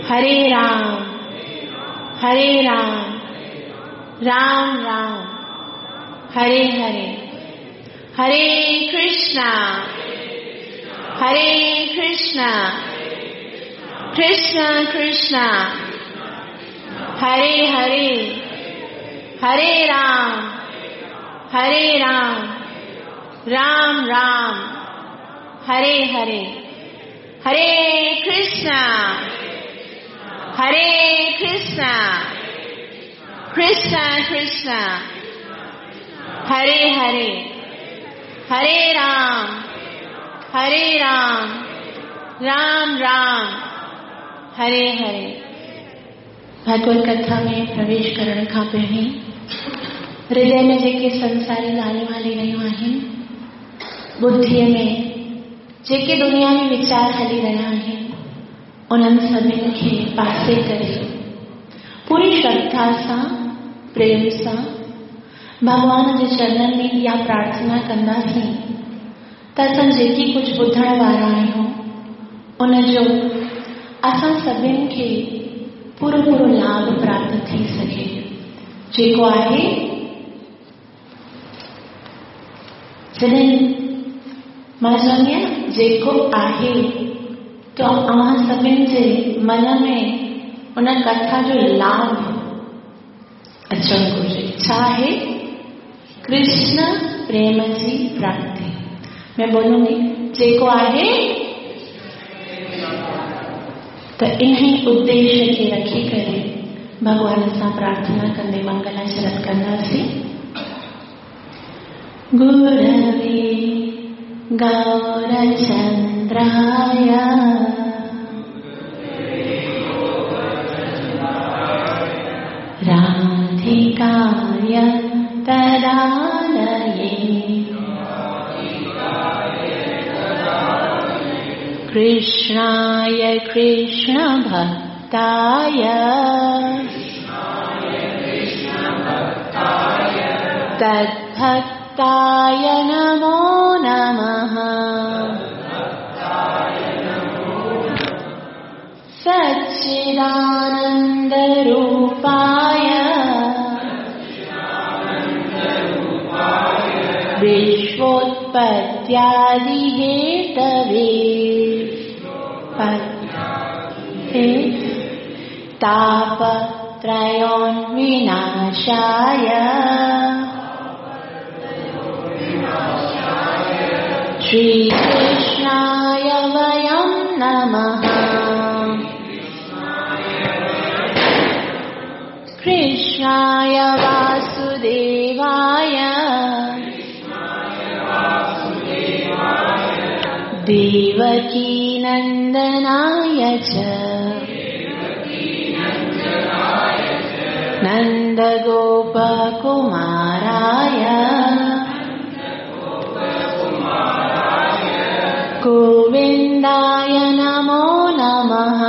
हरे राम हरे राम राम राम हरे हरे। हरे कृष्णा हरे कृष्णा कृष्णा कृष्णा हरे हरे। हरे राम हरे राम राम राम हरे हरे। हरे कृष्णा हरे कृष्णा कृष्णा कृष्णा हरे हरे। हरे राम हरे राम राम राम हरे हरे। भगवत कथा में प्रवेश करण खां पहिरीं हृदय में जेके संसारी ॻाल्हियूं हली रहियूं आहिनि, बुद्धिअ में जेके दुनियावी वीचार हली रहिया आहिनि, उन्हनि सभिनी खे पासे करे पूरी श्रद्धा सां, प्रेम सां भॻवान जे चरणनि में इहा प्रार्थना कंदासीं त असां जेकी कुझु ॿुधण वारा आहियूं उनजो असां सभिनी खे पूरो पूरो लाभ प्राप्त थी सघे, जेको आहे जॾहिं मां चवंदी आहियां जेको आहे त अव्हां सभिनी जे मन में उन कथा जो लाभ अचणु घुरिजे। छा आहे? कृष्ण प्रेम जी प्राप्ति। मैं बोलूंगी जेको आहे त इन उद्देश्य खे रखी करे भॻवान सां प्रार्थना कंदे मंगलाचरण कंदासीं। गुरवे गौरचंद्राय राधिकाय तदालये कृष्णाय कृष्ण भक्ताय तद्भक्ताय नमो नमः। सच्चिदानंद रूपाय विश्वोत्पत्त्यादि हेतवे तापत्रयोन्विनाशाय श्रीकृष्णाय वयं नमः। कृष्णाय वासुदेवाय देवकीनन्दनाय च नन्दगोपकुमाराय गोविन्दाय नमो नमः।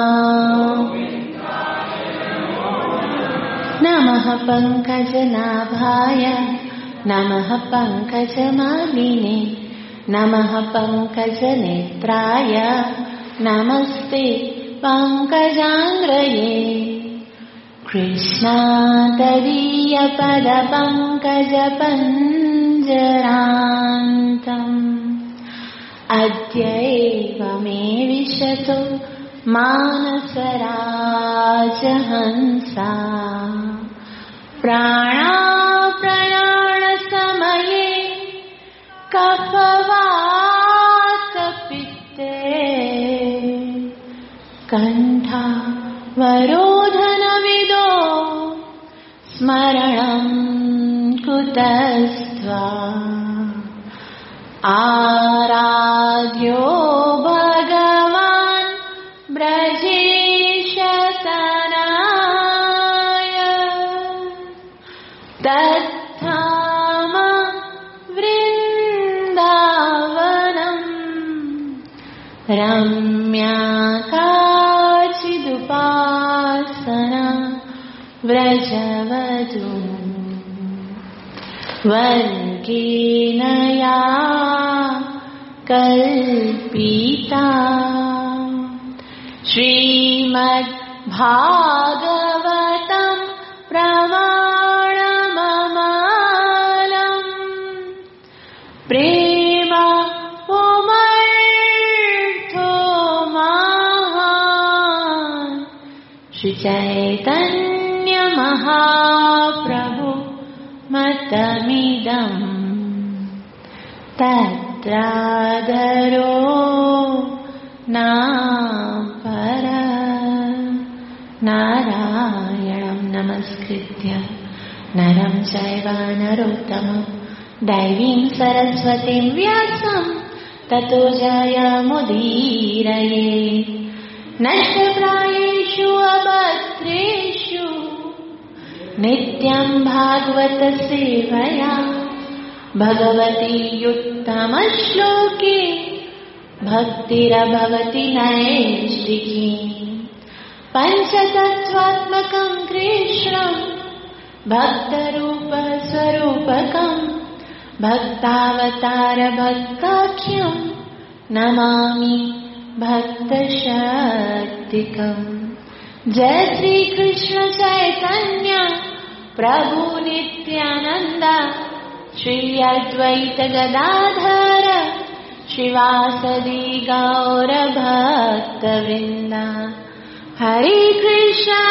नमः पङ्कजनाभाय नमः पङ्कजमालिने नमः पङ्कजनेत्राय नमस्ते पङ्कजाङ्घ्रये। कृष्णातदीयपदपङ्कजपञ्जरान्तम् अद्यैव मे विशतो मानसराजहंसा प्राणाप्रयाणसमये कफवातपित्ते कण्ठावरोधनविदो स्मरणं कुतस्त्वा आराध्यो भगवान् ब्रजेशतनाय तत्थाम वृन्दावनम् रम्या काचिदुपासना व्रजवधू वर्गेण या कल्पिता। श्रीमद् भागवतं प्रमाणममालम् प्रेम पुमर्थो महान् श्री चैतन्य महाप्रभु मतमिदम् तत्रादरो नापर। नारायणं नमस्कृत्य नरं चैव नरोत्तमं दैवीं सरस्वतीं व्यासं ततो जयमुदीरये। नष्टप्रायेषु अभद्रेषु नित्यं भागवत सेवया भगवती उत्तमश्लोके भक्तिरभवति नैष्टिकी। पंचतत्त्वात्मकं कृष्णं भक्तरूपस्वरूपकं भक्तावतार भक्ताख्यं नमामि भक्तशक्तिकम्। जय श्री कृष्ण चैतन्य प्रभु नित्यानंद श्री अद्वैत गदाधर श्रीवासदि गौर भक्तवृंद। हरे कृष्णा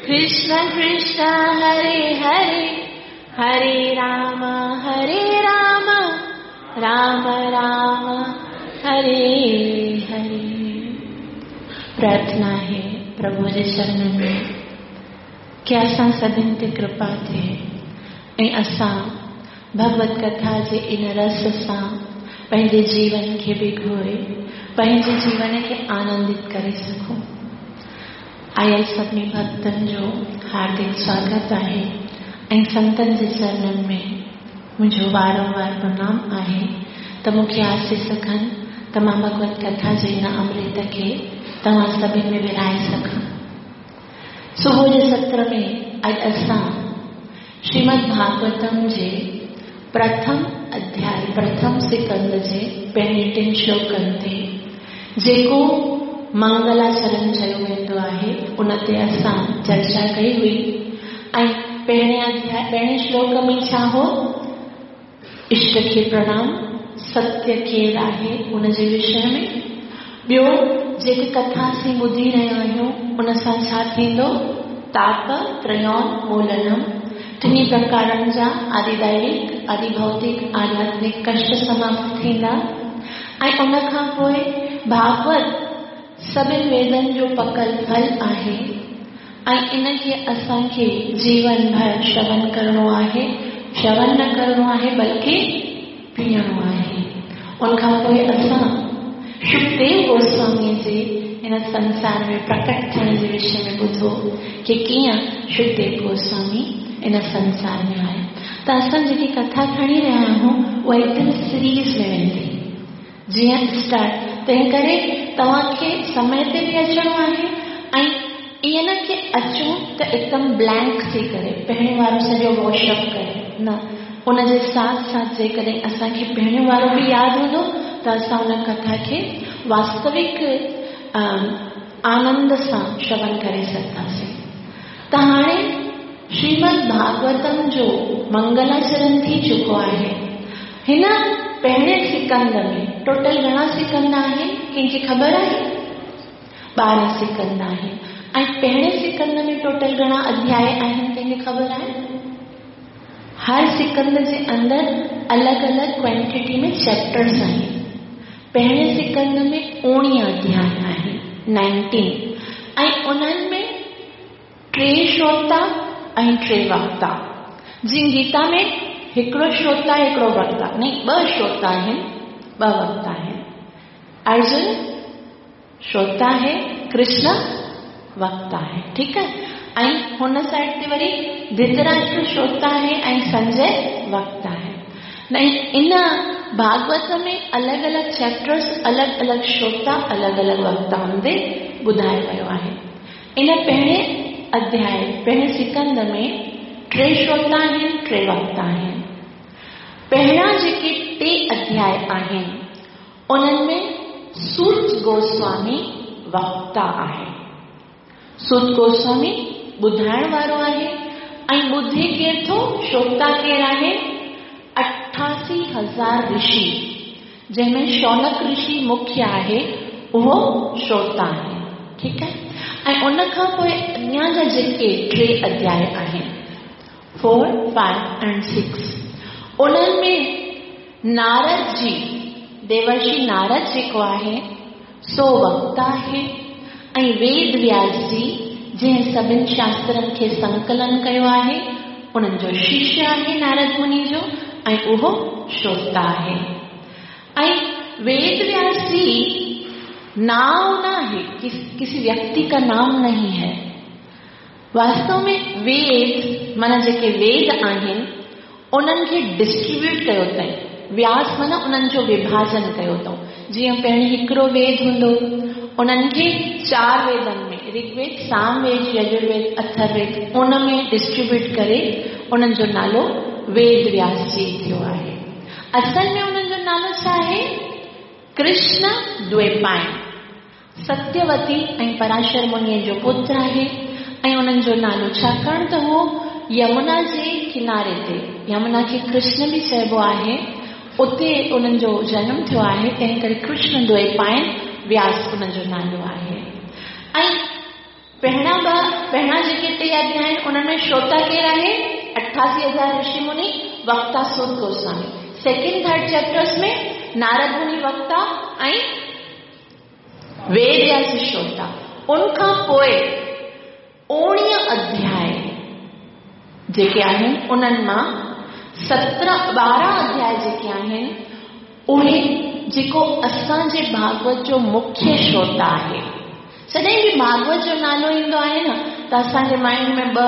कृष्ण कृष्ण हरे हरे, हरे राम राम राम हरे हरे। प्रार्थना आहे प्रभु जे चरणनि में की असां सभिनि ते कृपा थिए ऐं असां भगवत कथा जे इन रस सां पंहिंजे जीवन खे भिगोए पंहिंजे जीवन खे आनंदित करे सघूं। आयल सभिनी भक्तनि जो हार्दिक स्वागत आहे ऐं संतनि जे चरणनि में मुंहिंजो वारंवार प्रणाम आहे त मूंखे आसीस कनि त मां भगवत कथा जे इन अमृत खे तव्हां सभिनी में विरहाए सघां। सुबुह जे सत्र में अॼु असां श्रीमद् भागवतम जे प्रथम अध्याय प्रथम सिकंद जे पहिरीं टिनि श्लोकनि ते जेको मंगलाचरण चयो वेंदो आहे उन ते असां चर्चा कई हुई। ऐं पहिरें अध्याय पहिरें श्लोक में छा हो? इष्ट खे प्रणाम, सत्य केरु आहे उन जे विषय में। ॿियो जेके कथा असीं ॿुधी रहिया आहियूं उन सां छा थींदो? ताप त्रयोन्मूलनम, टिनी प्रकारनि जा आदिदैविक आदिभौतिक आध्यात्मिक कष्ट समाप्त थींदा। ऐं उन खां पोइ भागवत सभिनि वेदनि जो पकल फल आहे ऐं इन खे असांखे जीवन भर श्रवण करिणो आहे, श्रवण न करिणो आहे बल्कि पीअणो आहे। उन खां पोइ असां सुखदेव गोस्वामी जे हिन संसार में प्रकट थियण जे विषय में ॿुधो की कीअं सुखदेव गोस्वामी इन संसार में आया। त असां जेकी कथा खणी रहिया आहियूं उहा एकदम सीरीज़ में वेंदी जीअं स्टार्ट, तंहिं करे तव्हांखे समय ते बि अचिणो आहे ऐं ईअं न की अचूं त एकदम ब्लैंक थी करे पहिरियों वारो सॼो वॉशअप करे न, उनजे साथ साथ जेकॾहिं असांखे पहिरियों वारो बि यादि हूंदो त असां उन कथा खे वास्तविक आनंद सां श्रवण करे सघंदासीं। त हाणे श्रीमद् भागवतम जो मंगलाचरण थी चुको आहे। हिन पहिरें सिकंद में टोटल घणा सिकंद आहिनि कंहिंखे ख़बर आहे? 12 सिकंद आहिनि। ऐं पहिरें सिकंद में टोटल घणा अध्याय आहिनि कंहिंखे ख़बर आहे? हर सिकंद जे अंदरि अलॻि अलॻि क्वांटिटी में चैप्टर्स आहिनि। पहिरें सिकंद में 19 अध्याय आहिनि, 19, ऐं उन्हनि में 3 श्रोता ऐं 3 वक्ता। जीअं गीता में हिकिड़ो श्रोता हिकिड़ो वक्ता, नहीं ॿ श्रोता आहिनि ॿ वक्ता आहिनि। अर्जुन श्रोता आहे, कृष्ण वक्ता आहे, ठीकु आहे। ऐं हुन साइड ते वरी धृतराष्ट्र श्रोता आहे ऐं संजय वक्ता आहे। इन भागवत में अलॻि अलॻि चैप्टर्स, अलॻि अलॻि श्रोता, अलॻि अलॻि वक्ताउनि ते ॿुधायो वियो आहे। इन पहिरें अध्याय पहिरें सिकंद में 3 श्रोता आहिनि, 3 वक्ता आहिनि। पहिरियां जेके 3 अध्याय आहिनि उन्हनि में सूत गोस्वामी وڪتا آهي. سوت گوسوامي ٻڌائڻ وارو آهي ۽ ٻڌي ڪير ٿو؟ شروتا ڪير آهي؟ 88,000 رشي، جنهن ۾ شونڪ رشي مکيه آهي، اهو شروتا آهي. ٺيڪ آهي؟ ۽ ان کان پوء اڳيان جا جيڪي ٽي اڌياء آهن، فور، فائيو اينڊ سڪس، انهن ۾ نارد جي، ديورشي نارد جيڪو آهي، سو وڪتا آهي ۽ ويد وياس جي، جنهن سڀن شاسترن کي سنڪلن ڪيو آهي، انهن جو ششيه آهي نارد مني جو ۽ اهو شروتا آهي. ۽ ويد وياس جي نانء نه آهي، ڪسي ويڪتي ڪا نام نهين هي. واستو ۾ ويد معنيٰ جيڪي ويد آهن، انهن کي ڊسٽريبيوٽ ڪيو اٿائين. وياس معنيٰ انهن جو وڀاجن ڪيو اٿئون. جيئن پهرين هڪڙو ويد هوندو هو، انهن کي چار ويدن ۾، رگ ويد، سام ويد، يجر ويد، اٿر ويد، ان ۾ ڊسٽريبيوٽ ڪري انهن جو نالو ويد وياس جي ٿيو آهي. اصل ۾ انهن جو نالو ڇا آهي؟ ڪرشن دويپاين. ستيوتي ۽ پراشر منيء جو پٽ آهي ۽ انهن جو نالو ڇاڪاڻ ته هو يمنا جي ڪناري تي، يمنا کي ڪرشن به چئبو آهي، اتي انهن جو جنم ٿيو آهي، تنهن ڪري ڪرشن دويپاين وياس انهن جو نالو آهي. ۽ پهريان ٻه، پهريان جيڪي ٽي اڌياء آهن، انهن ۾ شروتا ڪير آهي؟ 88,000 رشي مني، وڪتا Suta Goswami. Second third chapters ۾ Narad Muni وڪتا ۽ ويد وياس شروتا. ان کان پوء 19 اڌياء جيڪي آهن، انهن مان 17، 12 اڌياء جيڪي آهن، اهي جيڪو اسان جي ڀاڳوت جو مکيه شروتا آهي. جڏهن به ڀاڳوت جو نالو ايندو آهي نه ته اسان جي مائنڊ ۾ ٻه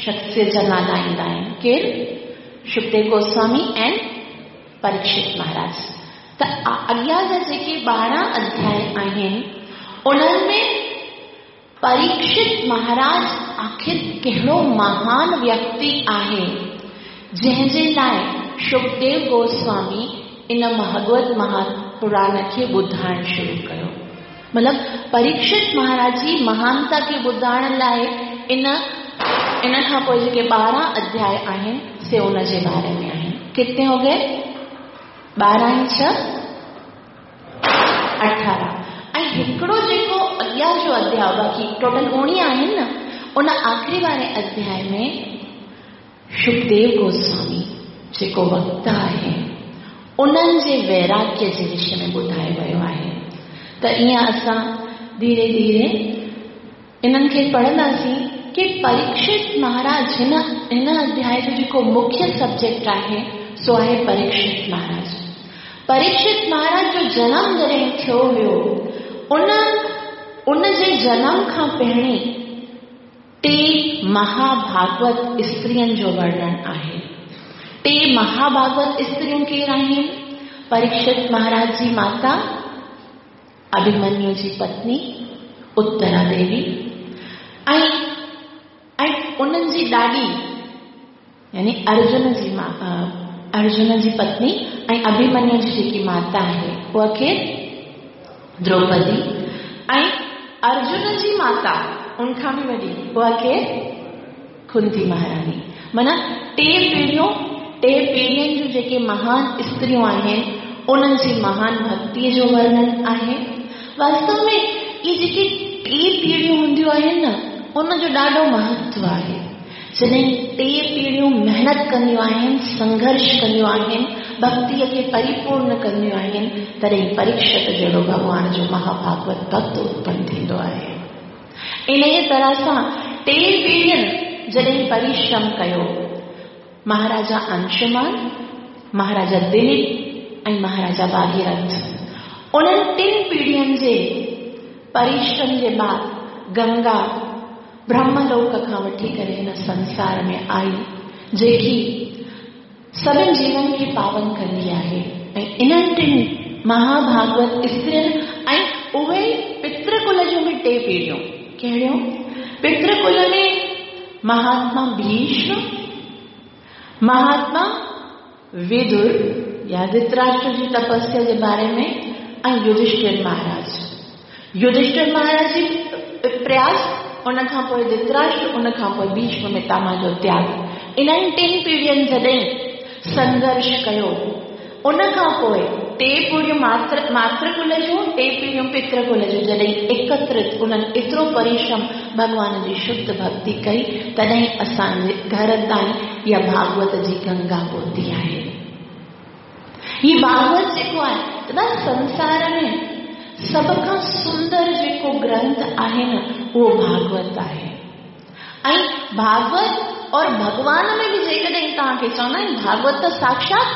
شخصيت جا نالا ايندا آهن. ڪير؟ شڪديو گوسوامي ۽ پريڪشت مهاراج. ته اڳيان جا جيڪي 12 اڌياء آهن، انهن ۾ پريڪشت مهاراج آخر ڪهڙو مهان ويڪتي آهي، جنهن جي لاء شڪديو گوسوامي ان ڀڳوت مهاپراڻ کي ٻڌائڻ شروع ڪيو. مطلب پريڪشت مهاراج جي مهانتا کي ٻڌائڻ لاء ان ان کان پوء جيڪي 12 اڌياء آهن، سي ان جي باري ۾ آهن. ڪتني هو گئي؟ 12 ۽ 6 18. ۽ هڪڙو جيڪو اڳيان جو اڌياء، باقي ٽوٽل 19 آهن نه، ان آخري واري اڌياء ۾ شڪديو گوسوامي جيڪو وڪتا آهي، انهن جي ويراڳيه جي وشي ۾ ٻڌايو ويو آهي. ته ائين اسان ڌيري ڌيري انهن کي پڙهنداسين ڪي پريڪشت مهاراج هن هن اڌياء جو جيڪو مکيه سبجيڪٽ آهي، سو آهي پريڪشت مهاراج. پريڪشت مهاراج جو جنم جڏهن ٿيو هيو، ان ان جي جنم کان پهرين ٽي مهاڀاڳوت استرين جو ورڻن آهي. ٽي مهاڀاڳوت استريون ڪير آهن؟ پريڪشت مهاراج جي ماتا، اڀيمنيو جي پتني اترا ديوي ۽ ۽ انهن جي ڏاڏي يعني ارجن جي ارجن جي پتني ۽ اڀيمنيو جي جيڪي ماتا آهي، اها ڪير؟ دروپدي. ۽ ارجن جي ماتا ان کان به وڏي، اها ڪير؟ ڪنتي مهاراڻي. معنيٰ ٽي پيڙهيون، ٽي پيڙهين جون جيڪي مهان استريون آهن، انهن جي مهان ڀڳتيء جو ورڻن آهي. واستو ۾ اهي جيڪي ٽي پيڙهيون هونديون آهن نه، ان جو ڏاڍو مهتو آهي. جڏهن ٽي پيڙهيون محنت ڪنديون آهن، سنگهرش ڪنديون آهن، ڀڳتيء کي پريپورن ڪنديون آهن، تڏهن پريڪشت جهڙو ڀڳوان جو مهاڀاڳوت ڀڳت اتپن ٿيندو آهي. انهيء طرح سان ٽي پيڙهين جڏهن پريشرم ڪيو، مهاراجا انشومان، مهاراجا دليپ ۽ مهاراجا ڀاگيرٿ، انهن ٽن پيڙهين جي پريشرم جي بعد گنگا برهم لوڪ کان وٺي ڪري هن سنسار ۾ آئي، جيڪي سڀن جيون کي پاون ڪندي آهي ۽ انهن ٽن مهاڀاڳوت استرين ۽ اهي پتر ڪل جون به ٽي پيڙهيون، ڪهڙيون؟ پتر ڪل ۾ مهاتما ڀيشم، مهاتما ويدر يا ڌرتراشٽر جي تپسيا جي باري ۾ ۽ يڌشٽر مهاراج. يڌشٺر مهاراج جي پرياس، ان کان پوء ڌرتراشٽر، ان کان پوء ڀيشم پتامه جو تياڳ. انهن ٽن پيڙهين جڏهن سنگهرش ڪيو، ان کان پوء ٽي پيڙهيون ماتر ماتر ڪل جون، ٽي پيڙهيون پتر ڪل جون جڏهن ايڪترت انهن ايترو پرشرم ڀڳوان جي شڌ ڀڳتي ڪئي، تڏهن اسان جي گهر تائين اها ڀاڳوت جي گنگا پهتي آهي. هي ڀاڳوت جيڪو آهي دادا سنسار ۾ سڀ کان سندر جيڪو گرنٿ آهي نه اهو ڀاڳوت آهي. ۽ ڀاڳوت اور ڀڳوان ۾ به جيڪڏهن توهان کي چوندا آهن ڀاڳوت ته ساکشات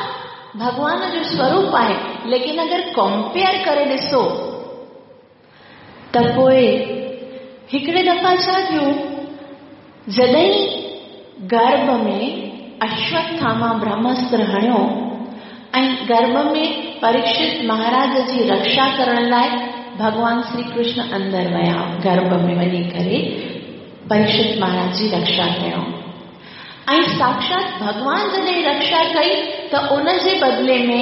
ڀڳوان جو سوروپ آهي، ليڪن اگر ڪمپيئر ڪري ڏسو ته پوء هڪڙي دفعا ڇا ٿيو، جڏهن گرڀ ۾ اشوٿاما برهماستر هڻيو ۽ گرڀ ۾ پريڪشت مهاراج جي رڪشا ڪرڻ لاء ڀڳوان شري ڪرشن اندر ويا، گرڀ ۾ وڃي ڪري پريڪشت مهاراج جي رڪشا ڪيائون ۽ ساکشات ڀڳوان جڏهن رڪشا ڪئي ته ان جي بدلي ۾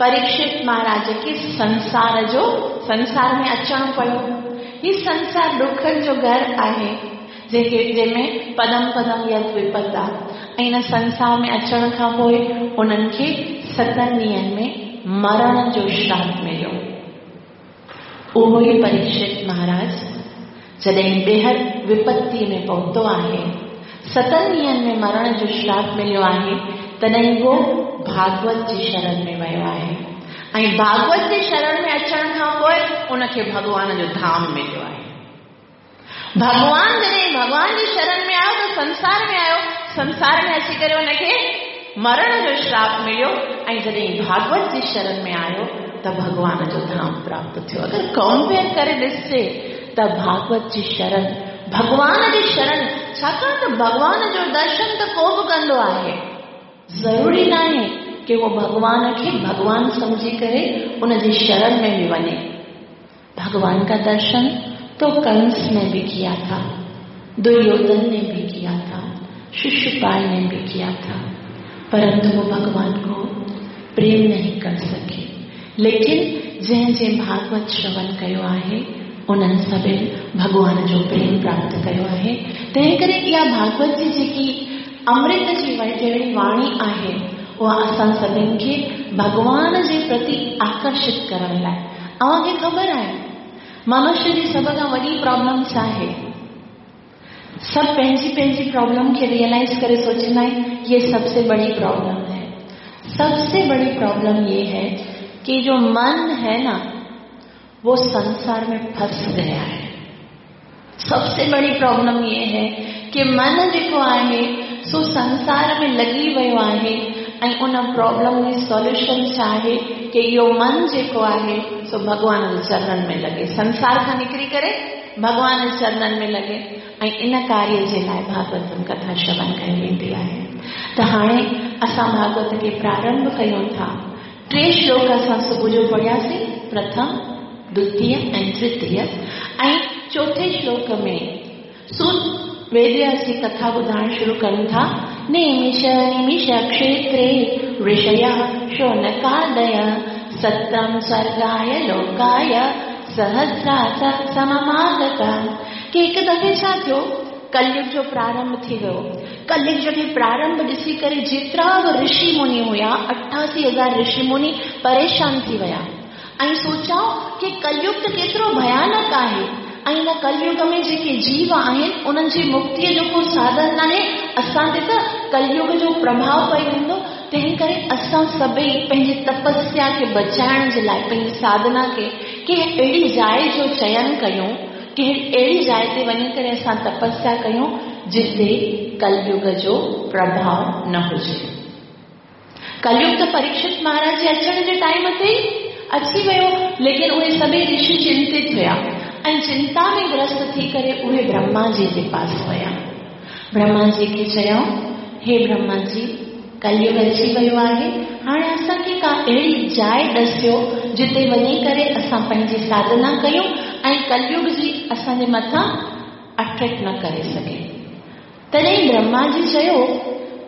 پريڪشت مهاراج کي سنسار جو سنسار ۾ اچڻو پيو. هي سنسار ڏکن جو گهر آهي، جيڪي جنهن ۾ پدم پدم يت وپت آ ۽ هن سنسار ۾ اچڻ کان پوء انهن کي ستن ڏينهن ۾ مرڻ جو شراپ مليو. اهو ئي پريڪشت مهاراج جڏهن ٻيهر وپتيء ۾ پهتو آهي، ستن ڏينهن ۾ مرڻ جو شراپ مليو آهي، تڏهن اهو ڀاڳوت جي شرڻ ۾ ويو آهي ۽ ڀاڳوت جي شرڻ ۾ اچڻ کان پوء ان کي ڀڳوان جو ڌام مليو آهي. ڀڳوان جڏهن ڀڳوان جي شرڻ ۾ آيو ته سنسار ۾ آيو، سنسار ۾ اچي ڪري ان کي مرڻ جو شراپ مليو ۽ جڏهن ڀاڳوت جي شرڻ ۾ آيو ته ڀڳوان جو ڌام پراپت ٿيو. اگر ڪمپيئر ڪري ڏسجي ته ڀاڳوت جي شرڻ، ڀڳوان جي شرڻ، ڇاڪاڻ ته ڀڳوان جو درشن ته ڪو به ڪندو آهي، ضروري ناهي ڪي اهو ڀڳوان کي ڀڳوان سمجهي ڪري ان جي شرڻ ۾ به وڃي. भगवान का दर्शन तो कंस ने भी किया था, दुर्योधन ने भी किया था, शिशुपाल ने भी किया था, परंतु वो भगवान को प्रेम नहीं कर सके। लेकिन जंहिं जंहिं भागवत श्रवण कयो आहे, उन्हनि सभिनि भॻवान जो प्रेम प्राप्त कयो आहे। तंहिं करे इहा भागवत जी जेकी अमृत जी जहिड़ी वाणी आहे, उहा असां सभिनि खे भॻवान जे प्रति आकर्षित करण लाइ। अव्हांखे ख़बर आहे मनुष्य जी सभ खां वॾी प्रॉब्लम छा आहे? सभु पंहिंजी पंहिंजी प्रॉब्लम खे रियलाइज़ करे सोचींदा आहिनि ये सबसे बड़ी प्रॉब्लम है। सबसे बड़ी प्रॉब्लम ये है कि जो मन है ना, वो संसार में फंस गया है। सबसे बड़ी प्रॉब्लम ये है कि मन जेको आहे सो संसार में लॻी वियो आहे ऐं उन प्रॉब्लम में सॉल्यूशन छा आहे कि इहो मन जेको आहे सो भॻवान जे चरणनि में लॻे, संसार खां निकिरी करे भॻवान जे चरणनि में लॻे ऐं इन कार्य जे लाइ भागवतम कथा श्रवण कई वेंदी आहे। त हाणे असां भागवत खे प्रारंभ कयूं था। टे श्लोक असां सुबुह जो पढ़ियासीं, प्रथम, द्वितीय ऐं तृतीय। ऐं चोथे श्लोक में सूत वेदव्यास जी कथा ॿुधाइण शुरू कनि था। नैमिष निमिष क्षेत्रे ऋषयः शौनकादय सत्रं स्वर्गाय लोकाय सहस्रास सममागता। की हिकु दफ़े छा थियो, कलयुग जो प्रारंभ थी वियो। कलयुग जो प्रारंभ ॾिसी करे जेतिरा बि ऋषि मुनि हुया, 88,000 ऋषि मुनि परेशान थी विया ऐं सोचाऊं की कलयुग त केतिरो भयानक आहे ऐं हिन कलयुग में जेके जीव आहिनि उन्हनि जी मुक्तीअ जो को साधन नाहे, असां ते त कलयुग जो प्रभाव पई वेंदो। तंहिं करे असां सभई पंहिंजी तपस्या खे बचाइण जे लाइ, पंहिंजी साधना खे कंहिं अहिड़ी जाइ जो चयन कयूं, कंहिं अहिड़ी जाइ ते वञी करे असां तपस्या कयूं जिते कलयुग जो प्रभाव न हुजे। कलयुग त परीक्षित महाराज जे अचण जे टाइम ते अची वियो, लेकिन उहे सभई ऋषि चिंतित हुया ऐं चिंता में ग्रस्त थी करे उहे ब्रह्मा जी जे पास विया। ब्रह्मा जी खे चयऊं, हे ब्रह्मा जी, कलयुग अची वियो आहे, हाणे असांखे का अहिड़ी जाइ ॾसियो जिते वञी करे असां पंहिंजी साधना कयूं ऐं कलयुग जी असांजे मथां अट्रैक्ट न करे सघे। तॾहिं ब्रह्मा जी चयो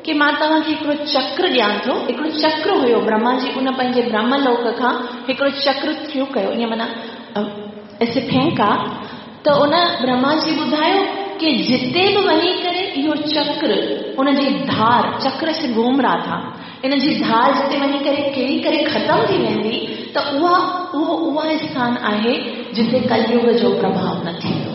की मां तव्हांखे हिकिड़ो चक्र ॾियां थो। हिकिड़ो चक्र हुयो, ब्रह्मा जी उन पंहिंजे ब्रह्मलोक खां हिकिड़ो चक्र थ्रू कयो, ईअं माना ऐसे फेंका त उन ब्रह्मा जी ॿुधायो की जिते बि वञी करे इहो चक्र उन जी धार चक्र से घूम रहा था, इन जी धार जिते वञी करे किरी करे ख़तमु थी वेंदी त उहा उहो उहा स्थान आहे जिते कलयुग जो प्रभाव न थींदो।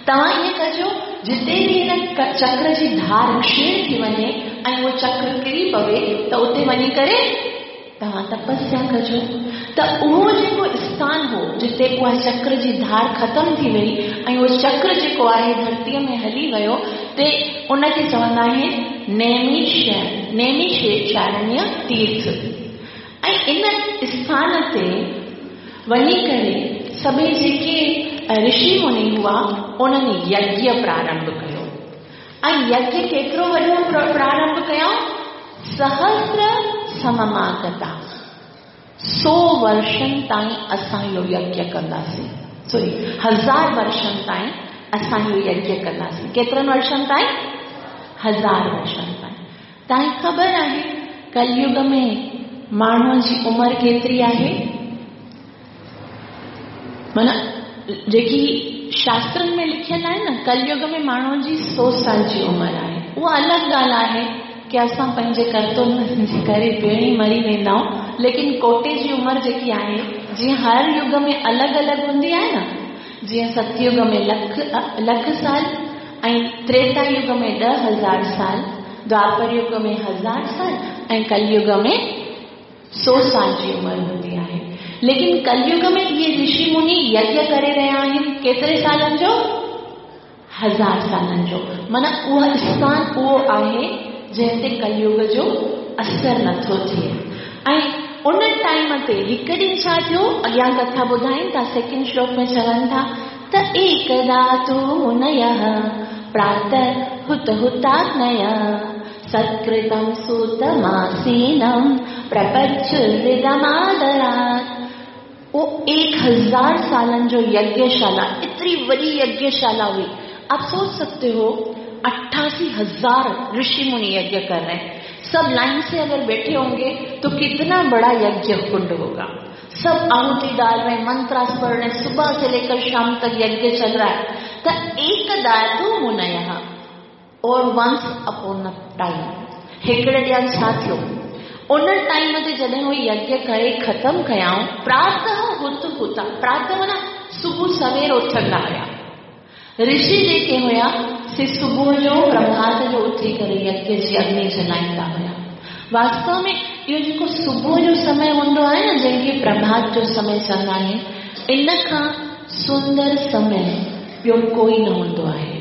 तव्हां ईअं कजो जिते बि हिन चक्र जी धार क्षीण थी वञे ऐं उहो चक्र किरी पवे त उते वञी करे तव्हां तपस्या कजो। त उहो जेको स्थान हो जिते उहा चक्र जी धार ख़तमु थी वई ऐं उहो चक्र जेको आहे धरतीअ में हली वियो, ते उनखे चवंदा आहिनि नैमिषारण्य तीर्थ। ऐं इन स्थान ते वञी करे सभई जेके ऋषि मुनि हुआ उन्हनि यज्ञ प्रारंभ कयो। ऐं यज्ञ केतिरो वॾो प्रारंभ कयऊं? सहस्र सममागता, 100 वर्षनि ताईं असां इहो यज्ञ कंदासीं, सॉरी 1000 वर्षनि ताईं असां इहो यज्ञ कंदासीं। केतिरनि वर्षनि ताईं? 1000 वर्षनि ताईं। तव्हांखे ख़बर आहे कलयुग में माण्हूअ जी उमिरि केतिरी आहे? माना जेकी शास्त्रनि में लिखियलु आहे न, कलयुग में माण्हूअ जी 100 साल जी उमिरि आहे। उहा अलॻि ॻाल्हि आहे की असां पंहिंजे करतूतनि जे करे पहिरीं मरी वेंदा आहियूं, लेकिन कोटे जी उमिरि जेकी आहे, जीअं हर युग में अलॻि अलॻि हूंदी आहे न, जीअं सतयुग में लख साल ऐं त्रेता युग में 10,000 साल, द्वापर युग में 1000 साल ऐं कलयुग में 100 साल जी उमिरि हूंदी आहे। लेकिन कलयुग में इहे ऋषि मुनि यज्ञ करे रहिया आहिनि केतिरे सालनि जो? 1000 सालनि जो। माना उहो स्थान उहो आहे जंहिं ते कलयुग जो असर नथो थिए। ऐं उन टाइम ते हिकु ॾींहुं छा थियो, अॻियां कथा ॿुधाइनि था, सेकंड श्लोक में चवनि था त एकदा तु मुनयः प्रातः हुत हुताग्नयः सत्कृतं सूतमासीनं प्रपच्छुहृदमादरात्। वो 1000 सालनि जो यज्ञशाला, इतरी वॾी यज्ञशाला हुई। आप सोच सकते हो 88,000 ऋषि मुनि यज्ञ कर रहे हैं। सब लाइन से अगर बैठे होंगे तो कितना बड़ा यज्ञ कुंड होगा। सब आहुति डाल रहे हैं, मंत्रास पढ़ रहे हैं, सुबह से लेकर शाम तक यज्ञ चल रहा है। तो एक दातु मुनयः और वंस अपॉन अ टाइम हिकिड़े ॾींहुं छा थियो, उन टाइम ते जॾहिं उहो यज्ञ करे ख़तमु कयाऊं, प्रातः हुत हुता, प्रातः माना सुबुह सवेर उथंदा हुया ऋषि जेके हुया से सुबुह जो प्रभात जो उथी करे यज्ञ जी अग्नि जलाईंदा हुया। वास्तव में इहो जेको सुबुह जो समय हूंदो आहे न, जंहिंखे प्रभात जो समय चवंदा आहिनि, इन खां सुंदर समय ॿियो कोई न हूंदो आहे।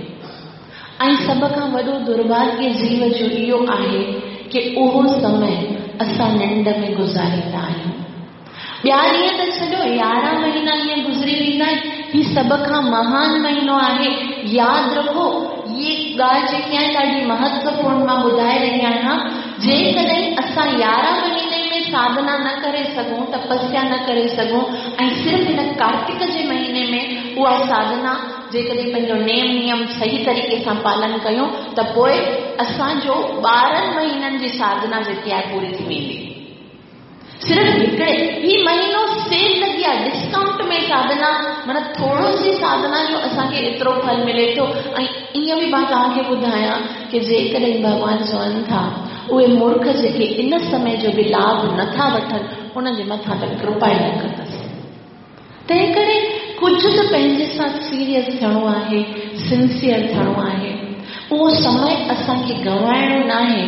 ऐं सभ खां वॾो दुर्भाग्य जीव जो इहो आहे की उहो समय असां निंड में गुज़ारींदा आहियूं। ॿिया ॾींहं त छॾो, 11 महीना ईअं गुज़री वेंदा आहिनि। हीउ सभ खां महान महीनो आहे, यादि रखो। इहे ॻाल्हि जेकी आहे ॾाढी महत्वपूर्ण मां ॿुधाए रही आहियां। जेकॾहिं असां 11 महीने में साधना न करे सघूं, तपस्या न करे सघूं ऐं सिर्फ़ हिन कार्तिक जे महीने में उहा साधना जेकॾहिं पंहिंजो नेम नियम सही तरीक़े सां पालन कयूं त पोइ असांजो 12 महीननि जी साधना जेकी आहे पूरी थी वेंदी। सिर्फ़ हिकिड़े ही महीनो सेल लॻी आहे, डिस्काउंट में साधना, माना थोरो सी साधना जो असांखे एतिरो फल मिले थो। ऐं ईअं बि मां तव्हांखे ॿुधायां की जेकॾहिं भॻवानु चवनि था उहे मूर्ख जेके इन समय जो बि लाभ नथा वठनि उन्हनि जे मथां त कृपा ई न कंदसि। तंहिं करे कुझु त पंहिंजे सां सीरियस थियणो आहे, सिंसियर थियणो आहे। उहो समय असांखे गंवाइणो न आहे।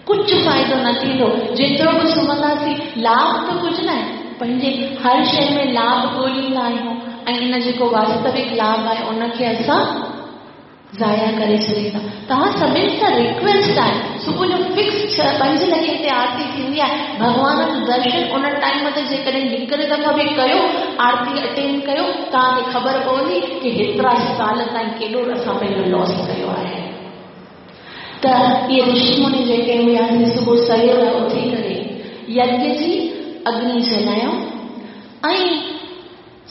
कुझु फ़ाइदो न थींदो, जेतिरो बि सुम्हंदासीं लाभ त कुझु न आहे। पंहिंजे हर शइ में लाभ ॻोल्हींदा आहियूं ऐं इन जेको वास्तविक लाभ आहे उनखे असां ज़ाया करे छॾींदा। तव्हां सभिनी सां रिक्वेस्ट आहे, सुबुह जो फिक्स 6-5 लॻे हिते आरती थींदी आहे। भॻवान जो दर्शन उन टाइम ते जेकॾहिं हिकिड़े दफ़ा बि कयो, आरती अटेंड कयो, तव्हांखे ख़बर पवंदी की हेतिरा साल ताईं केॾो असां पंहिंजो लॉस कयो आहे। त इहे ऋषि मुनि जेके हुया सुबुह सवेर उथी करे यज्ञ जी अग्नि जलायूं ऐं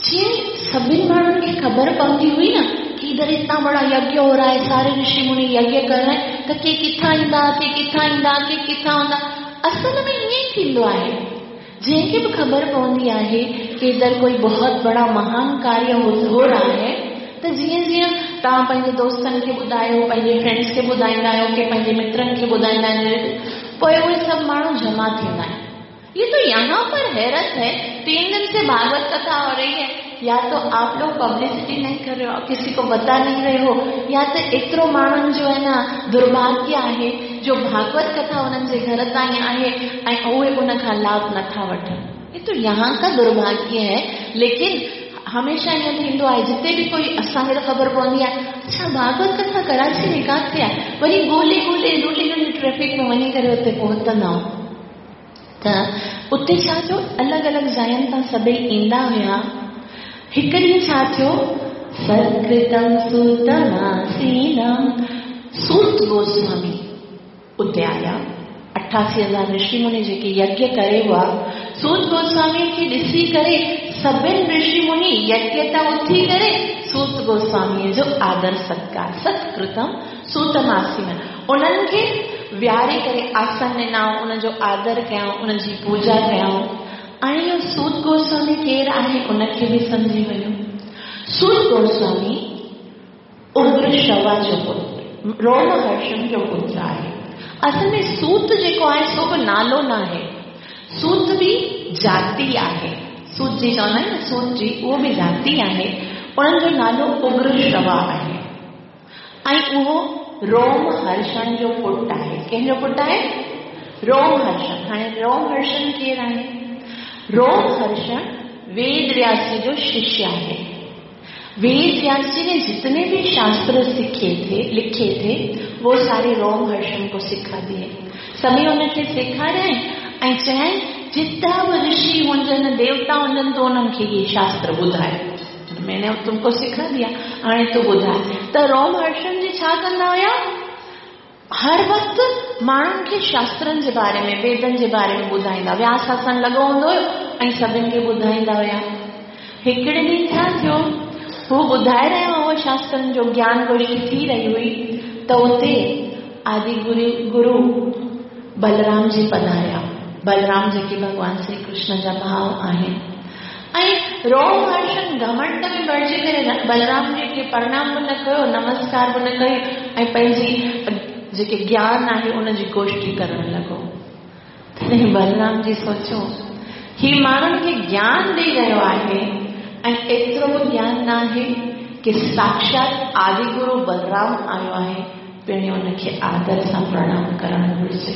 जीअं सभिनी माण्हुनि खे ख़बर पवंदी हुई न कि इधर इतना बड़ा यज्ञ हो रहा है, सारे ऋषि मुनि यज्ञ कर रहे हैं, त के किथां ईंदा, के किथां ईंदा, के किथां हूंदा। असल में ईअं ई थींदो आहे, जंहिंखे बि ख़बर पवंदी आहे कि इधर कोई बहुत बड़ा महान कार्य हो रहा है, त जीअं जीअं तव्हां पंहिंजे दोस्तनि खे ॿुधायो, पंहिंजे फ्रेंड्स खे ॿुधाईंदा आहियो, के पंहिंजे मित्रनि खे ॿुधाईंदा आहिनि, पोइ उहे सभु माण्हू जमा थींदा आहिनि। ये तो यहाँ पर हैरत है, 3 दिन से भागवत कथा हो रही है, या तो आप लोग पब्लिसिटी नहीं कर रहे हो, किसी को बता नहीं रहे हो, या तो एतिरो माण्हुनि जो आहे न दुर्भाग्य आहे जो भागवत कथा उन्हनि जे घर ताईं आहे ऐं उहे उन खां लाभ नथा वठनि। ये तो यहाँ का दुर्भाग्य है। लेकिन हमेशा ईअं थींदो आहे, जिते बि कोई असांखे त ख़बर पवंदी आहे, अच्छा भागवत कथा कराची में किथे आहे, वरी ॻोल्हे ॻोल्हे ॻोल्हे ॻोल्हे ट्रैफिक में वञी करे उते पहुतंदा आहियूं। त उते छा थियो, अलॻि अलॻि जायुनि तां सभई ईंदा हुया। हिकु ॾींहुं छा थियो, सत्कृतम सूतमासीनम, सूत गोस्वामी उते आया। 88,000 ऋषि मुनि जेके यज्ञ करे हुआ, सूत गोस्वामी खे ॾिसी करे सभिनि ऋषि मुनि यज्ञ तां उथी करे सूत गोस्वामीअ जो आदर सत्कार, सत्कृतम सूतमासीनम, उन्हनि खे विहारे करे आसन ॾिनऊं, उनजो आदर कयऊं, उनजी पूजा कयऊं। ऐं इहो सूत गोस्वामी केरु आहे उनखे बि सम्झी वञो। सूत गोस्वामी उग्रश्रवा जो पुत्र, रोमहर्षण जो पुत्र आहे। असल में सूत जेको आहे सो बि नालो न आहे, सूत बि जाति आहे। सूत जी चवंदा आहिनि न, सूत जी, उहो बि जाति आहे। उन्हनि जो नालो उग्रश्रवा आहे ऐं उहो रोमहर्षण जो पुट आहे। कंहिंजो पुट आहे? रोमहर्षण। हाणे रोमहर्षण केरु आहे? रोमहर्षण वेद व्यास जी जो शिष्य आहे। वेद व्यास जी ने जितने भी शास्त्र सीखे थे, लिखे थे, वो सारे रोमहर्षण को सिखा दिए। सभई उनखे सेखारियाई ऐं चयाई जितना बि ऋषि हुजनि, देवता हुजनि, त उन्हनि खे इहे शास्त्र ॿुधाए, मैंने तुमको सिखा दिया, हाणे तूं ॿुधाए। त रोमहर्षण जी छा कंदा हुया, हर वक़्तु माण्हुनि खे शास्त्रनि जे बारे में, वेदनि जे बारे में ॿुधाईंदा। व्यास आसन लॻो हूंदो हुयो ऐं सभिनि खे ॿुधाईंदा हुया। हिकिड़े ॾींहुं छा थियो, हू ॿुधाए रहियो हुओ शास्त्रनि जो ज्ञान गोष्ठी थी रही हुई, त उते आदि गुरु बलराम जी पधारिया। बलराम जेके भॻवान श्री कृष्ण जा भाउ आहिनि। ऐं रोमहर्षण घमंड में भरिजी करे बलराम जी खे प्रणाम बि न कयो, नमस्कार बि न कयो ऐं पंहिंजी जेके ज्ञान आहे उनजी गोष्ठी करण लॻो। तॾहिं बलराम जी सोचियो, ही माण्हुनि खे ज्ञान ॾेई रहियो आहे ऐं एतिरो बि ज्ञान न आहे कि साक्षात आदिगुरु बलराम आयो आहे, पहिरियों उनखे आदर सां प्रणाम करणु घुरिजे।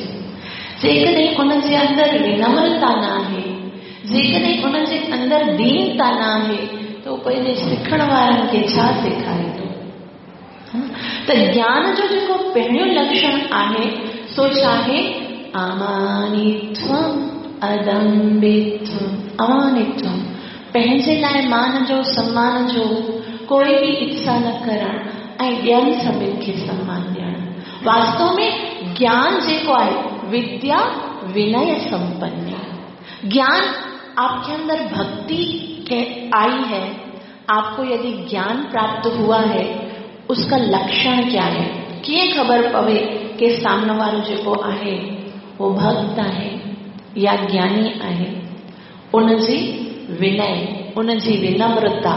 जेकॾहिं उनजे अंदरि विनम्रता न आहे, जेकॾहिं उनजे अंदरि दीनता न आहे, त उहो पंहिंजे सिखण वारनि खे छा सेखारींदो? त ज्ञान जो जेको पहिरियों लक्षण आहे सो छा आहे? अमानित्वम अदम्बित्वम। अमानित्वम, पंहिंजे लाइ मान जो, सम्मान जो कोई बि इच्छा न करणु ऐं ॿियनि सभिनि खे सम्मान ॾियणु। वास्तव में ज्ञान जेको आहे, विद्या विनय संपन्न। ज्ञान आपके अंदर भक्ति आई है, आपको यदि ज्ञान प्राप्त हुआ है, उसका लक्षण क्या है? कीअं ख़बर पवे कि साम्हूं वारो जेको आहे उहो भक्त आहे या ज्ञानी आहे? उनजी विनय, उनजी विनम्रता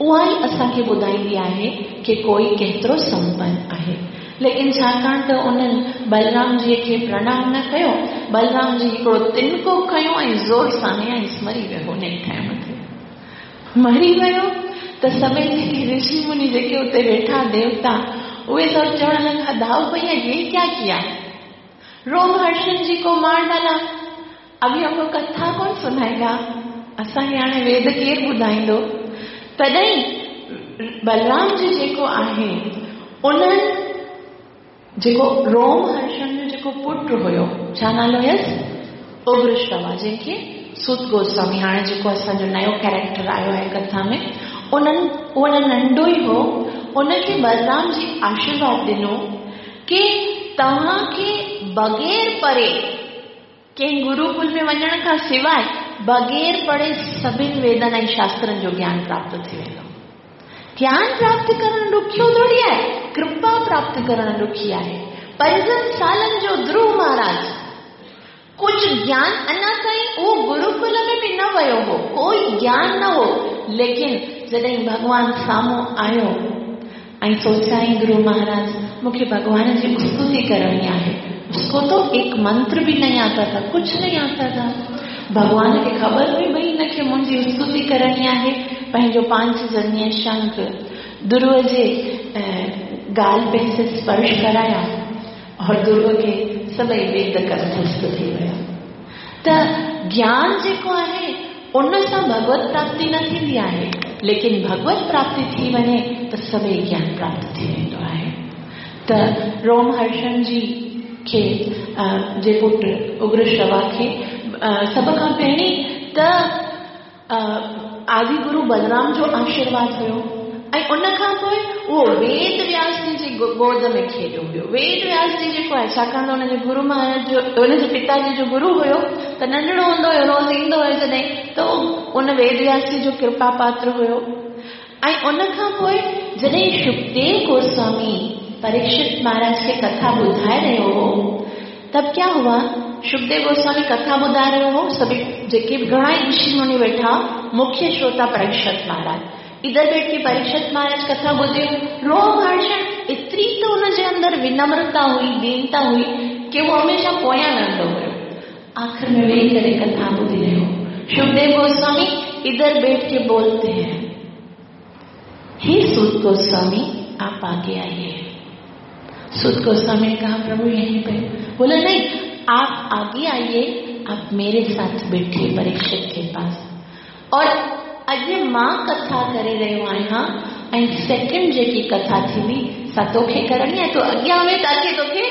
उहा ई असांखे ॿुधाईंदी आहे कि कोई केतिरो संपन्न आहे। लेकिन छाकाणि त उन्हनि बलराम जीअ खे प्रणाम न कयो, बलराम जी हिकिड़ो तिनको खयो ऐं ज़ोर सां हणयाईंसि, मरी वियो। उन ई टाइम ते मरी वियो। त सभई जेके ऋषि मुनि जेके उते वेठा देवता, उहे सभु चवण लॻा, दाऊ भैया ये क्या किया, रोमहर्षण जी को मार डाला, अभी हमको कथा कौन सुनाएगा, असांखे हाणे वेद केरु ॿुधाईंदो? तॾहिं बलराम जी जेको आहे, उन्हनि जेको रोमहर्षण जो जेको पुट हुयो, छा नालो हुयसि? उग्रश्रवा, जंहिंखे सूत गोस्वामी, हाणे जेको असांजो नयो कैरेक्टर आयो आहे कथा में, उन्हनि उहो नंढो ई हो, उनखे बलराम जी आशीर्वाद ॾिनो कि तव्हांखे बग़ैर पढ़े, कंहिं गुरुकुल में वञण खां सवाइ बग़ैर पढ़े सभिनि वेदनि ऐं शास्त्रनि जो ज्ञान प्राप्त थी वेंदो। ज्ञान प्राप्त करणु ॾुखियो थोरी आहे, कृपा प्राप्त करणु ॾुखी आहे। 5 सालनि जो ध्रुव महाराज कुझु ज्ञान अञा ताईं उहो गुरुकुल में बि न वियो हो, कोई ज्ञान न हो, लेकिन जॾहिं भॻवान साम्हूं आयो ऐं सोचाई गुरु महाराज मूंखे भॻवान जी स्तुति करणी आहे। उसको तो एक मंत्र भी नहीं आता था, कुछ नहीं आता था। भॻवान खे ख़बर हुई भई हिनखे मुंहिंजी स्तुति करणी आहे। पंहिंजो पांचजन्य शंख ध्रुव जे गाल पे से स्पर्श कराया और ध्रुव खे सभई वेद कंठस्थ थी विया। त ज्ञान जेको आहे उन सां भगवत प्राप्ति न थींदी आहे, लेकिन भगवत प्राप्ति थी वञे त सभई ज्ञान प्राप्त थी वेंदो आहे। त रोमहर्षण जी खे जे पुट उग्रश्रवा खे सभ खां पहिरीं त आदि गुरु बलराम जो आशीर्वाद हुयो ऐं उन खां पोइ उहो वेद व्यास जी जी गोद में खेॾियो वियो। वेद व्यास जी जेको आहे, छाकाणि त हुनजे गुरु महाराज जो हुनजे पिताजी जो गुरु हुयो त नंढड़ो हूंदो हुयो, रोज़ ईंदो हुयो जॾहिं, त उन वेद व्यास जी जो कृपा पात्र हुयो। ऐं उन खां पोइ जॾहिं शुकदेव गोस्वामी परीक्षित महाराज खे कथा ॿुधाए रहियो हो, तब क्या हुआ, शुकदेव गोस्वामी कथा ॿुधाए रहियो हो, सभई जेके बि घणा ई ऋषि मुनि वेठा, मुख्य श्रोता परीक्षित महाराज इधर बैठ के परीक्षित महाराज कथा ॿुधियो। रोमहर्षण एतिरी त हुनजे अंदरि विनम्रता हुई, दीनता हुई कि उहो हमेशा पोयां रहंदो हुयो। आख़िर में वेही करे कथा ॿुधी रहियो। शुकदेव गोस्वामी इधर बैठ के बोलते हैं, हे सूत गोस्वामी आप आगे आइए। सूत गोस्वामी ने कहा प्रभु यहीं पे। बोला नहीं, आप आगे आइए, आप मेरे साथ बैठिए परीक्षित के पास। और अॼु मां कथा करे रहियो आहियां ऐं सेकंड जेकी कथा थींदी सा तोखे करणी आहे, तूं अॻियां वे ताकी तोखे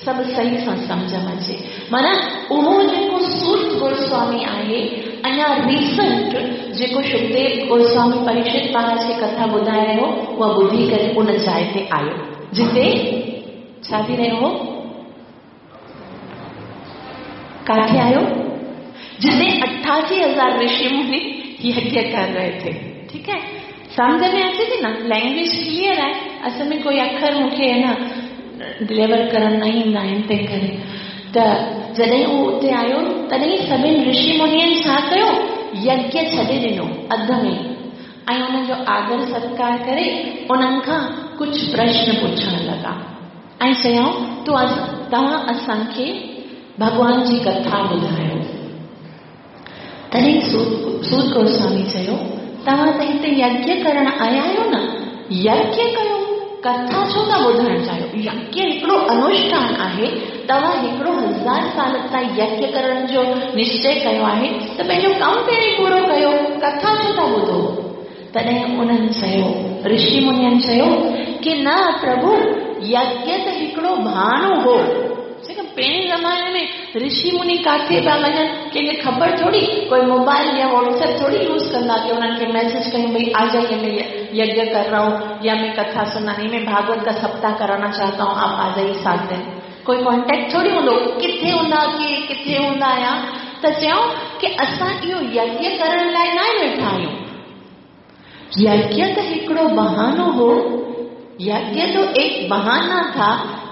सभु सही सां सम्झ में अचे। माना उहो जेको सूत गोस्वामी आहे, अञा रीसेंट जेको शुकदेव गोस्वामी परीक्षित महाराज खे कथा ॿुधाए रहियो, उहा ॿुधी करे उन जाइ ते आयो जिते छा थी रहियो हो, काथे आयो, जिते 88,000 ऋषि मुनि यज्ञ कर रहे थे। ठीक है, सम्झ में अचे थी न, लैंग्वेज क्लियर आहे। असल में कोई अखर मूंखे है न डिलीवर करणु न ईंदा आहिनि, तंहिं करे त जॾहिं उहो उते आयो तॾहिं सभिनी ऋषि मुनियुनि छा कयो, यज्ञ छॾे ॾिनो अध में ऐं हुनजो आदर सत्कार करे उन्हनि खां कुझु प्रश्न पुछण लॻा ऐं चयऊं तूं तव्हां असांखे भॻवान जी कथा ॿुधायो। तॾहिं सूत गोस्वामी चयो तव्हां त हिते यज्ञ करण आया आहियो न, यज्ञ कयो, कथा छो था ॿुधणु चाहियो? यज्ञ हिकिड़ो अनुष्ठान आहे, तव्हां हिकिड़ो 1000 साल ताईं यज्ञ करण जो निश्चय कयो आहे त पंहिंजो कमु पहिरीं पूरो कयो, कथा छो था ॿुधो? तॾहिं उन्हनि चयो, ऋषि मुनियुनि चयो की न प्रभु, यज्ञ त हिकिड़ो बहानो हो। पहिरीं ज़माने में ऋषि मुनि काथे पिया वञनि, कंहिंखे ख़बर थोरी, कोई मोबाइल या व्हाट्सएप थोरी यूज़ कंदा कि उन्हनि खे मैसेज कयूं भई आ जाइए मैं यज्ञ कर रहा हूँ या मैं कथा सुनानी, मैं भागवत का सप्ताह कराना चाहता हूँ, आप आ जाइए 7 दिन। कोई कॉन्टेक्ट थोरी हूंदो, किथे हूंदा के किथे हूंदा आहियां। त चयऊं कि असां इहो यज्ञ करण लाइ न वेठा आहियूं, यज्ञ त हिकिड़ो बहानो हो, यज्ञ तो एक बहाना था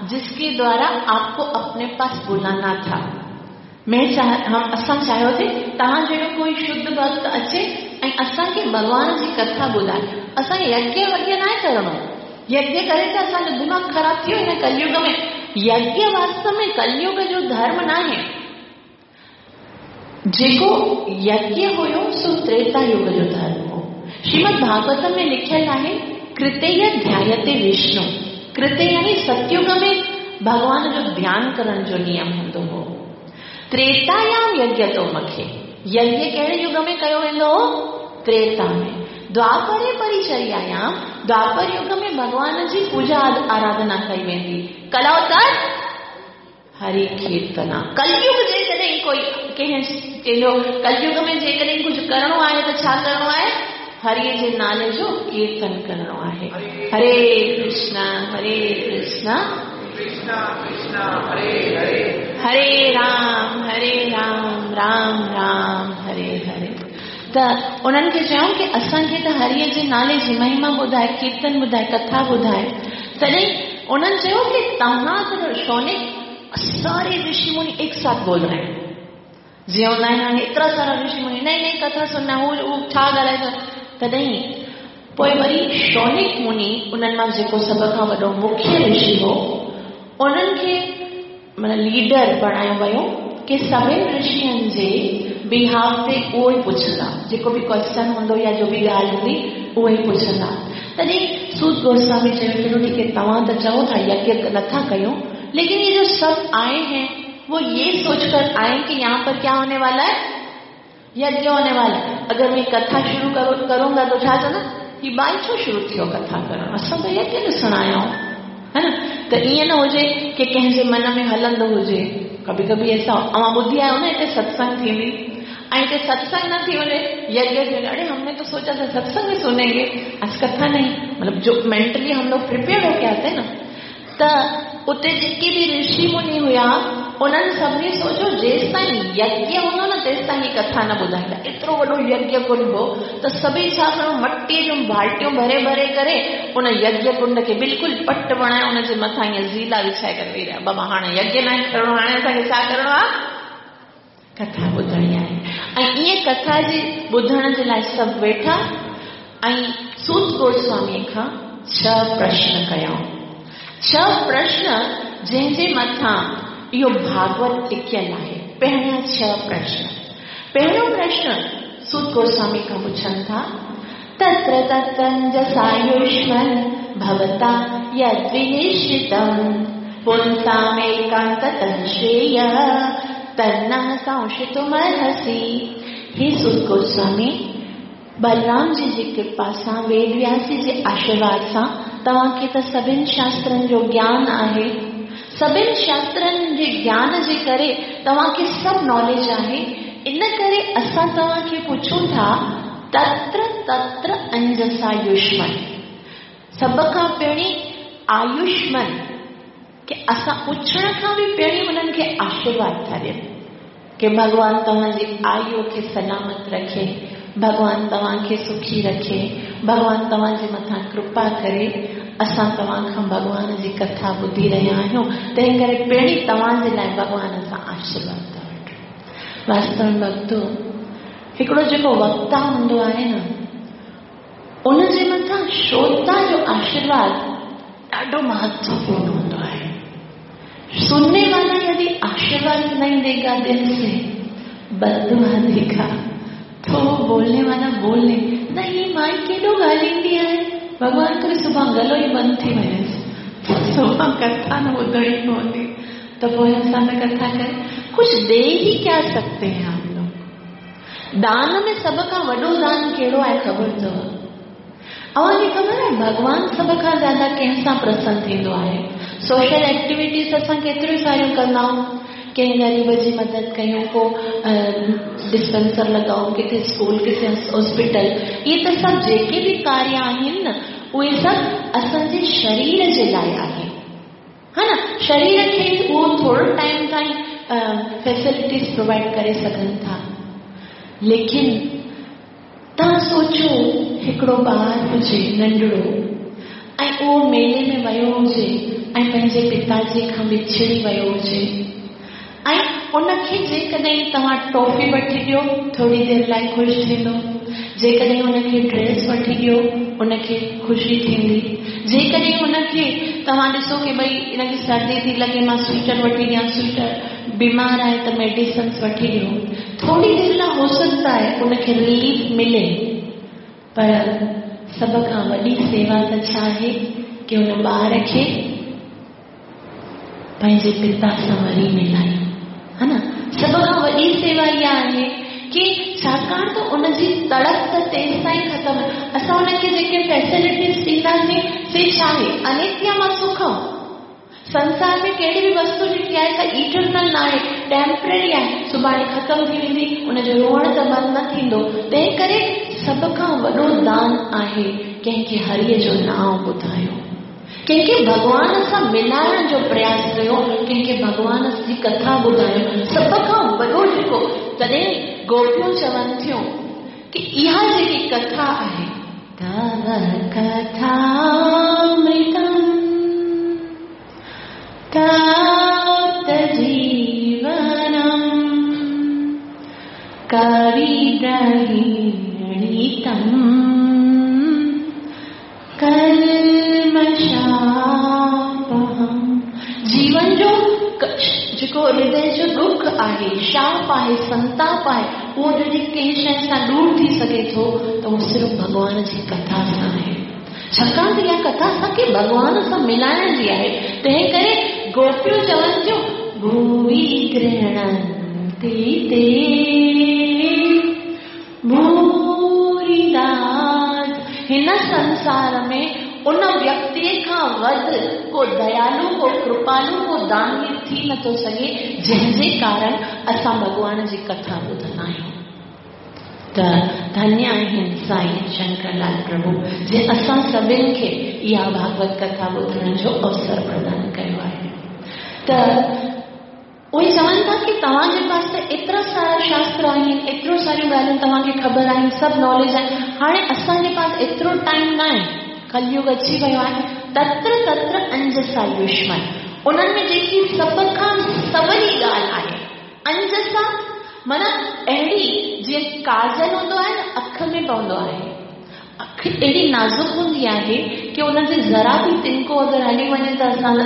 जिसके द्वारा आपको अपने पास बुलाना था। मैं चाह हम असां चाहियो थी तव्हां जहिड़ो कोई शुद्ध भक्त अचे ऐं असांखे भॻवान जी कथा ॿुधाए। असांखे यज्ञ वज्ञ न आहे करिणो, यज्ञ करे त असांजो दिमाग़ ख़राबु थी वियो हिन कलयुग में। यज्ञ वास्तव में कलयुग जो धर्म न आहे, जेको यज्ञ हुयो सो त्रेता युग जो धर्म हो। श्रीमद् भागवतम में लिखियल आहे कृतेय ध्यायते विष्णु, कृते यानी सतयुग में भॻवान जो ध्यान करण जो नियम हूंदो हो। त्रेतायाम यज्ञ तो मखे, यज्ञ कहिड़े युग में कयो वेंदो हो? त्रेता में। द्वापरे परिचर्यायाम, द्वापर युग में भॻवान जी पूजा आराधना कई वेंदी। कलावतार हरि कीर्तना। कलयुग जेकॾहिं कोई कंहिं चयो कलयुग में जेकॾहिं कुझु करिणो आहे त छा करिणो आहे? हरिअ जे नाले जो कीर्तन करिणो आहे। हरे कृष्णा हरे कृष्णा कृष्णा कृष्णा हरे हरे, हरे राम हरे राम राम राम हरे हरे। त उन्हनि खे चयऊं की असांखे त हरिअ जे नाले जी महिमा ॿुधाए, कीर्तन ॿुधाए, कथा ॿुधाए। तॾहिं उन्हनि चयो की तव्हां त शौनिक सारे ऋषि मुनि एक साथ बोल रहे हैं, जीअं हूंदा आहिनि हाणे एतिरा सारा ऋषि मुनि, नई नई कथा सुनना, हू हू छा ॻाल्हाए थो। तॾहिं पोइ वरी शौनिक मुनि उन्हनि मां जेको सभ खां वॾो मुख्य ऋषि हो, उन्हनि खे माना लीडर बणायो वियो की सभिनी ऋषियुनि जे बिहाफ ते उहो ई पुछंदा, जेको बि क्वेश्चन हूंदो या जो बि ॻाल्हि हूंदी उहो ई पुछंदा। तॾहिं सूत गोस्वामी चयो, चलो ठीक है, तव्हां त चओ था यज्ञ नथा कयूं, लेकिन ये जो सब आए हैं वो ये सोचकर आए कि यहाँ पर क्या होने वाला है, यज्ञ होने वाला है। अगर मैं कथा शुरू करूंगा तो छा चवंदा, ही बाई छो शुरू थियो कथा करणु, असां त यज्ञ ॾिसण आया आहियूं, है न। त ईअं न हुजे की कंहिंजे मन में हलंदो हुजे। कभी कभी ऐसा अवां ॿुधी आहियो न, हिते सत्संग थींदी ऐं हिते सत्संग न थी वञे, यज्ञ थी वञे, अरे हमने तो सोचा था सत्संग भी सुनेंगे, आज कथा नहीं, मतलब जो मेंटली हम लोग प्रिपेयर होके आते न। त उते जेके बि ऋषि मुनि हुया उन्हनि सभिनी सोचियो जेसि ताईं यज्ञ हूंदो न तेसि ताईं हीअ कथा न ॿुधाईंदा। एतिरो वॾो यज्ञ कुंड हो त सभई छा कयो, मटीअ जूं बाल्टियूं भरे भरे करे उन यज्ञ कुंड खे बिल्कुलु पट बणाए उनजे मथां ईअं ज़ीला विछाए करे वेही रहिया। बाबा हाणे यज्ञ न आहे करिणो, हाणे असांखे छा करिणो आहे, कथा ॿुधणी आहे। ऐं ईअं कथा जे ॿुधण जे लाइ सभु वेठा ऐं सूत गोस्वामीअ खां 6 प्रश्न कयाऊं। 6 प्रश्न जंहिंजे मथां इहो भागवत टिकियल आहे। पहिरियां 6 प्रश्न। पहिरियों प्रश्न सूत गोस्वामी खां पुछनि था, तत्र तत्रञ्जसायुष्मन् भवता यद्विनिश्चितं पुंसामेकान्ततः श्रेयः तन्नः संशितुमर्हसि। हे सूत गोस्वामी, बलराम जी जी कृपा सां, वेदव्यास जी जे आशीर्वाद सां तव्हांखे त सभिनी शास्त्रनि जो ज्ञान आहे, सभिनी शास्त्रनि जे ज्ञान जे करे तव्हांखे सभु नॉलेज आहे, इन करे असां तव्हांखे पुछूं था, तत्र तत्र अंजसा युष्मन, सभ खां पहिरीं आयुष्मन, की असां पुछण खां बि पहिरीं उन्हनि खे आशीर्वाद था ॾियनि की भॻवान तव्हांजी आयु खे सलामत रखे, भॻवान तव्हांखे सुखी रखे, भॻवान तव्हांजे मथां कृपा करे। असां तव्हां खां भॻवान जी कथा ॿुधी रहिया आहियूं, तंहिं करे पहिरीं तव्हांजे लाइ भॻवान सां आशीर्वाद था वठूं। वास्तव में भक्तो, हिकिड़ो जेको वक्ता हूंदो आहे न, उनजे मथां श्रोता जो आशीर्वाद ॾाढो महत्वपूर्ण हूंदो आहे। सुनने वाला यदि आशीर्वाद नहीं देगा, दिल से बददुआ देगा, तो बोलने वाला बोले नहीं, माई केॾो ॻाल्हाईंदी आहे, भॻवान करे सुभाणे गलो ई बंदि थी वञेसि, सुभाणे कथा न ॿुधणी पवंदी, त पोइ असां त कथा करे कुछ दे ही क्या सकते हैं हम लोग। दान में सभ खां वॾो दान कहिड़ो आहे ख़बर अथव? अव्हांखे ख़बर आहे भॻवान सभ खां ज़्यादा कंहिं सां प्रसन्न थींदो आहे? सोशल एक्टिविटीज़ असां केतिरियूं सारियूं कंदा आहियूं, कंहिं ग़रीब जी मदद कयूं, को डिस्पेंसर लॻाऊं, किथे स्कूल, किथे हॉस्पिटल, इहे त सभु जेके बि कार्य आहिनि न, उहे सभु असांजे शरीर जे लाइ आहिनि, हा न। शरीर खे उहो थोरो टाइम ताईं फैसिलिटीज़ प्रोवाइड करे सघनि था, लेकिन तव्हां सोचो हिकिड़ो ॿार हुजे नंढड़ो ऐं उहो मेले में वियो हुजे ऐं पंहिंजे पिताजी खां विछड़ी वियो हुजे ऐं उनखे जेकॾहिं तव्हां टॉफ़ी वठी ॾियो थोरी देरि लाइ ख़ुशि थींदो, जेकॾहिं उनखे ड्रेस वठी ॾियो उनखे ख़ुशी थींदी, जेकॾहिं उनखे तव्हां ॾिसो की भई इनखे सर्दी थी लॻे मां स्वेटर वठी ॾियां, स्वेटर बीमार आहे त मेडिसिन्स वठी ॾियो, थोरी देरि लाइ हो सकता है उनखे रिलीफ मिले, पर सभ खां वॾी सेवा त छा आहे की उन ॿार खे पंहिंजे पिता सां वरी मिलायूं, हा न। सभ खां वॾी सेवा इहा आहे की छाकाणि त उनजी तड़प त तेसि ताईं ख़तमु, असां उनखे जेके फैसिलिटीज़ ॾींदासीं से छा आहे, अनित्य मां सुखम। संसार में कहिड़ी बि वस्तु जेकी आहे सा इटरनल न आहे, टेम्पररी आहे, सुभाणे ख़तमु थी वेंदी, उनजो रोअणु त बंदि न थींदो। तंहिं करे सभ खां वॾो दान आहे कंहिंखे हरीअ जो नांव ॿुधायो, कंहिंखे भॻवान सां मिलाइण जो प्रयास कयो, कंहिंखे भॻवान जी कथा ॿुधायो, सभ खां वॾो जेको। तॾहिं गोपियूं चवनि थियूं की इहा जेकी कथा आहे, तव कथामृतम् तप्त जीवनम् कल्मषापहम्। जीवन जो जेको हृदय जो दुख आहे, शाप आहे, संताप आहे, उहो जॾहिं कंहिं शइ सां दूर थी सघे थो त उहो सिर्फ़ु भॻवान जी कथा सां आहे। छाकाणि त इहा कथा असांखे भॻवान सां मिलाइण जी आहे। तंहिं करे गोपियूं चवनि थियूं, भूरि गृह्णन्ति ते भूरिदा। हिन संसार में उन व्यक्तिअ खां वधि को दयालु, को कृपालु, को दानवीर थी नथो सघे जंहिंजे कारण असां भॻवान जी कथा ॿुधंदा आहियूं। त धन्य आहिनि साईं शंकरलाल प्रभु, जंहिं असां सभिनी खे इहा भागवत कथा ॿुधण जो अवसर प्रदान कयो आहे। त उहे चवनि था की तव्हांजे पास त एतिरा सारा शास्त्र आहिनि, एतिरो सारियूं ॻाल्हियूं तव्हांखे ख़बर आहिनि, सभु नॉलेज आहे, हाणे असांजे पास एतिरो टाइम न आहे, कलयुग अची वियो आहे। तत्र तत्र अंजसा युष्मन, उन्हनि में जेकी सभ खां सवली ॻाल्हि आहे, अंजसा माना अहिड़ी जीअं काजल हूंदो आहे न, अख में पवंदो आहे। अख अहिड़ी नाज़ुक हूंदी आहे की उनजे ज़रा बि तिनको अगरि हली वञे त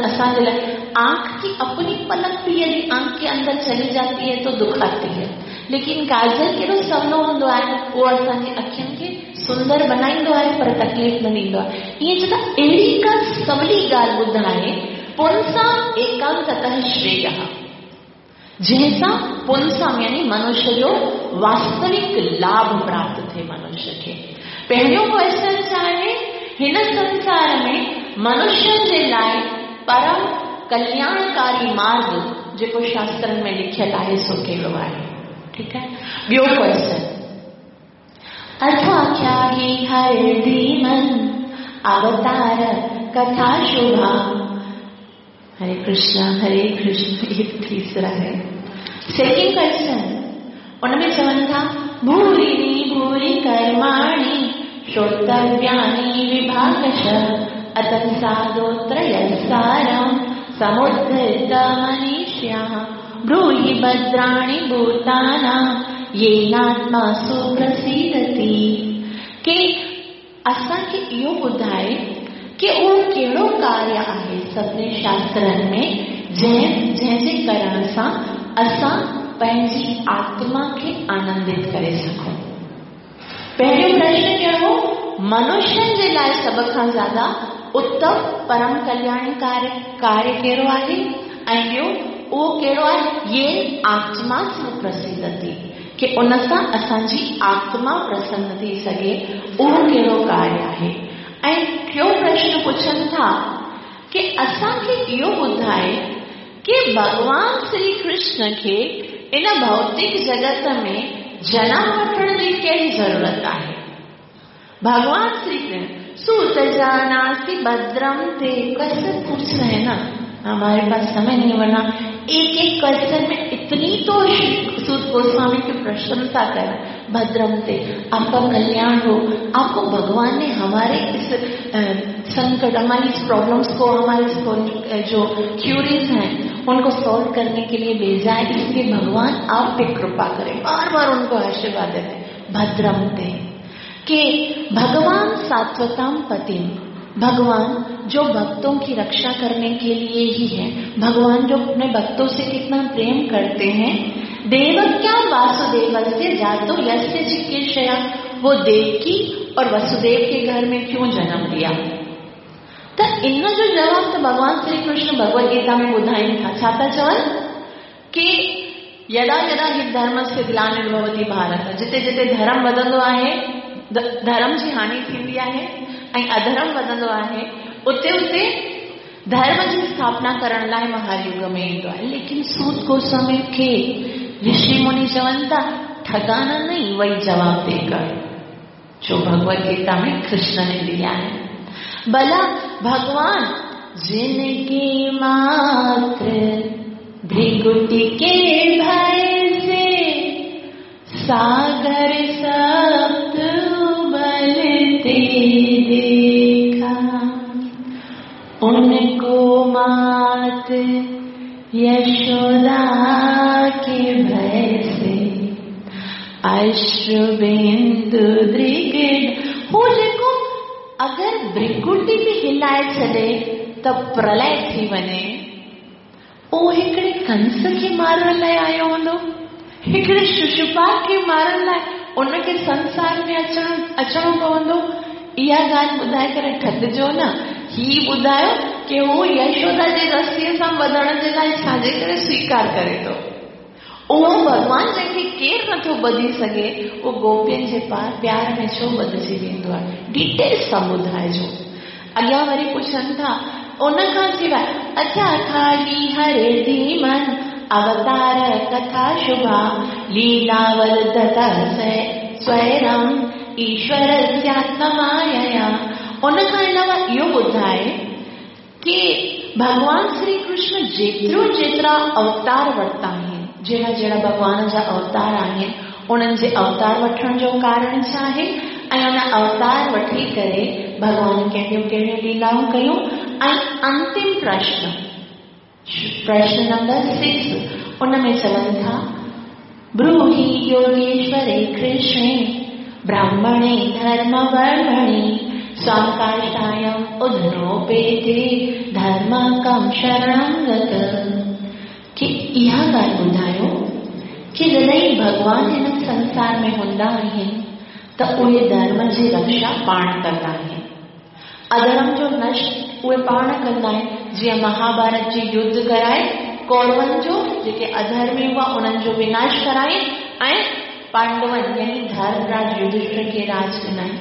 असांजे लाइ आंख की अपनी पलक भी यदि आंख के अंदर चली जाती है तो दुखाती है, लेकिन काजल केॾो सवलो हूंदो आहे, उहो असांजी अखियुनि खे सुंदर बनाईंदो आहे पर तकलीफ़ न ॾींदो आहे। ईअं चवंदा अहिड़ी का सवली ॻाल्हि ॿुधाए, पुंसां एकांततः श्रेयः, जंहिंसां पुंसां यानी मनुष्य जो वास्तविक लाभ प्राप्त थिए मनुष्य खे। पहिरियों क्वेश्चन छा आहे, हिन संसार में मनुष्य जे लाइ परम कल्याणकारी मार्ग जेको शास्त्रनि में लिखियलु आहे सो कहिड़ो आहे? ठीकु आहे। ॿियो क्वेश्चन, अथाख्याहि हरिधीमन् अवतार कथा शुभा। हरे कृष्णा हरे कृष्ण, ये तीसरा है। सेकंड क्वेश्चन उनमें चवनि था, भूरिणी भूरि कर्माणि श्रोतव्यानि विभागश अतत्सादोत्रयसारं समुद्धृत मनीष्याः ब्रूहि भद्राणि भूतानां येनात्मा सुप्रसीदति। के असांखे इहो ॿुधाए की उहो कहिड़ो कार्य आहे सभिनी शास्त्रनि में जंहिंजे करण सां असां पंहिंजी आत्मा खे आनंदित करे सघूं। पहिरियों प्रश्न कहिड़ो, मनुष्यनि जे लाइ सभ खां ज़्यादा उत्तम परम कल्याणकारी कार्य कहिड़ो आहे, ऐं ॿियो उहो कहिड़ो आहे, ये आत्मा सुप्रसिद्धति, की उन सां असांजी आत्मा प्रसन्न थी सघे, उहो कहिड़ो कार्य आहे। ऐं टियों प्रश्न पुछनि था की असांखे इहो ॿुधाए की भॻवान श्री कृष्ण खे इन भौतिक जगत में जनम वठण जी कहिड़ी ज़रूरत आहे। भगवान श्री कृष्ण सूत जानासि भद्रम ते, क्वेश्चन पूछ रहे हैं ना, हमारे पास समय नहीं, वरना एक एक क्वेश्चन में इतनी तो सूत गोस्वामी की प्रशंसा कर, भद्रम ते आपका कल्याण हो, आपको भगवान ने हमारे इस संकट, हमारी इस प्रॉब्लम्स को, हमारे इस जो क्यूरीज हैं उनको सॉल्व करने के लिए भेजा है, इसलिए भगवान आप पे कृपा करें। बार बार उनको आशीर्वाद देते भद्रम ते कि भगवान सात्वताम पतिम, भगवान जो भक्तों की रक्षा करने के लिए ही है, भगवान जो अपने भक्तों से कितना प्रेम करते हैं। देवक्यां वासुदेवस्य जातो यस्य चिकीर्षया, वो देवकी और वसुदेव के घर में क्यों जन्म लिया। त इन जो जवाब त भगवान श्री कृष्ण भगवद गीता में ॿुधाइनि था। छा था चवनि कि यदा यदा हि धर्मस्य ग्लानिर्भवति भारत, जिते जिते धर्म वधंदो आहे, धर्म जी हानि थींदी आहे ऐं अधर्म वधंदो आहे, उते उते धर्म जी स्थापना करण लाइ महायुग में ईंदो आहे। लेकिन सूत गोस्वामी खे ऋषि मुनि चवनि था, ठगाना नहीं, वही जवाब देकर जो भगवद गीता में कृष्ण ने दिया है। भला भगवान जिनकी मात्र भृगुटी के भय से सागर सप्त उबलते देखा, उनको मात यशोदा के भय से अश्रुबिंदु दृग। हो जेको اگر ڀرڪٽي به هلائي ڇڏي ته پرلئه ٿي وڃي. اهو هڪڙي ڪنس کي مارڻ لاء آيو هوندو، هڪڙي ششوپال کي مارڻ لاء ان کي سنسار ۾ اچڻ اچڻو پوندو. اها ڳالهه ٻڌائي ڪري ٿڪجو نه. هي ٻڌايو ڪي هو يشودا جي رسيء سان ٻڌڻ جي لاء ڇا جي ڪري سويڪار ڪري ٿو. اهو ڀڳوان جنهن کي ڪير نٿو ٻڌي سگهي، اهو گوپين جي پيار ۾ ڇو ٻڌجي ويندو آهي؟ ڊيٽيلس سان ٻڌائجو. اڳيان وري پڇن ٿا، ان کان سواء، اڇا کالي هري ڌيمن، اوتار ڪٿا شڀا، ليلا ورڌت سويرم، ايشورسياتمايا. ان کان علاوه اهو ٻڌائي ڪي ڀڳوان شري ڪرشن جيترو جيترا اوتار ورتا آهن، جهڙا جهڙا ڀڳوان جا اوتار آهن، انهن جي اوتار وٺڻ جو ڪارڻ ڇا آهي ۽ ان اوتار وٺي ڪري ڀڳوان ڪهڙيون ڪهڙيون ليلائون ڪيون ۽ انتم پرشن، پرشن نمبر سڪس، ان ۾ چون ٿا، بروهي يوگيشوري ڪرشڻي براهمڻي ڌرم ورمڻي سوام ڪاشايم اڌنوپيتي ڌرم ڪم شرڻم گت. ڪي اها ڳالهه ٻڌايو ڪي جڏهن ڀڳوان هن سنسار ۾ هوندا آهن ته اهي ڌرم جي رڪشا پاڻ ڪندا آهن. اڌرم جو نش اهي پاڻ ڪندا آهن، جيئن مهاڀارت جي يڌ ڪرائي ڪورون جو جيڪي اڌرمي هئا انهن جو وناش ڪرائين ۽ پانڊون يعني ڌرمراج يڌشٽر کي راج ڏنائين.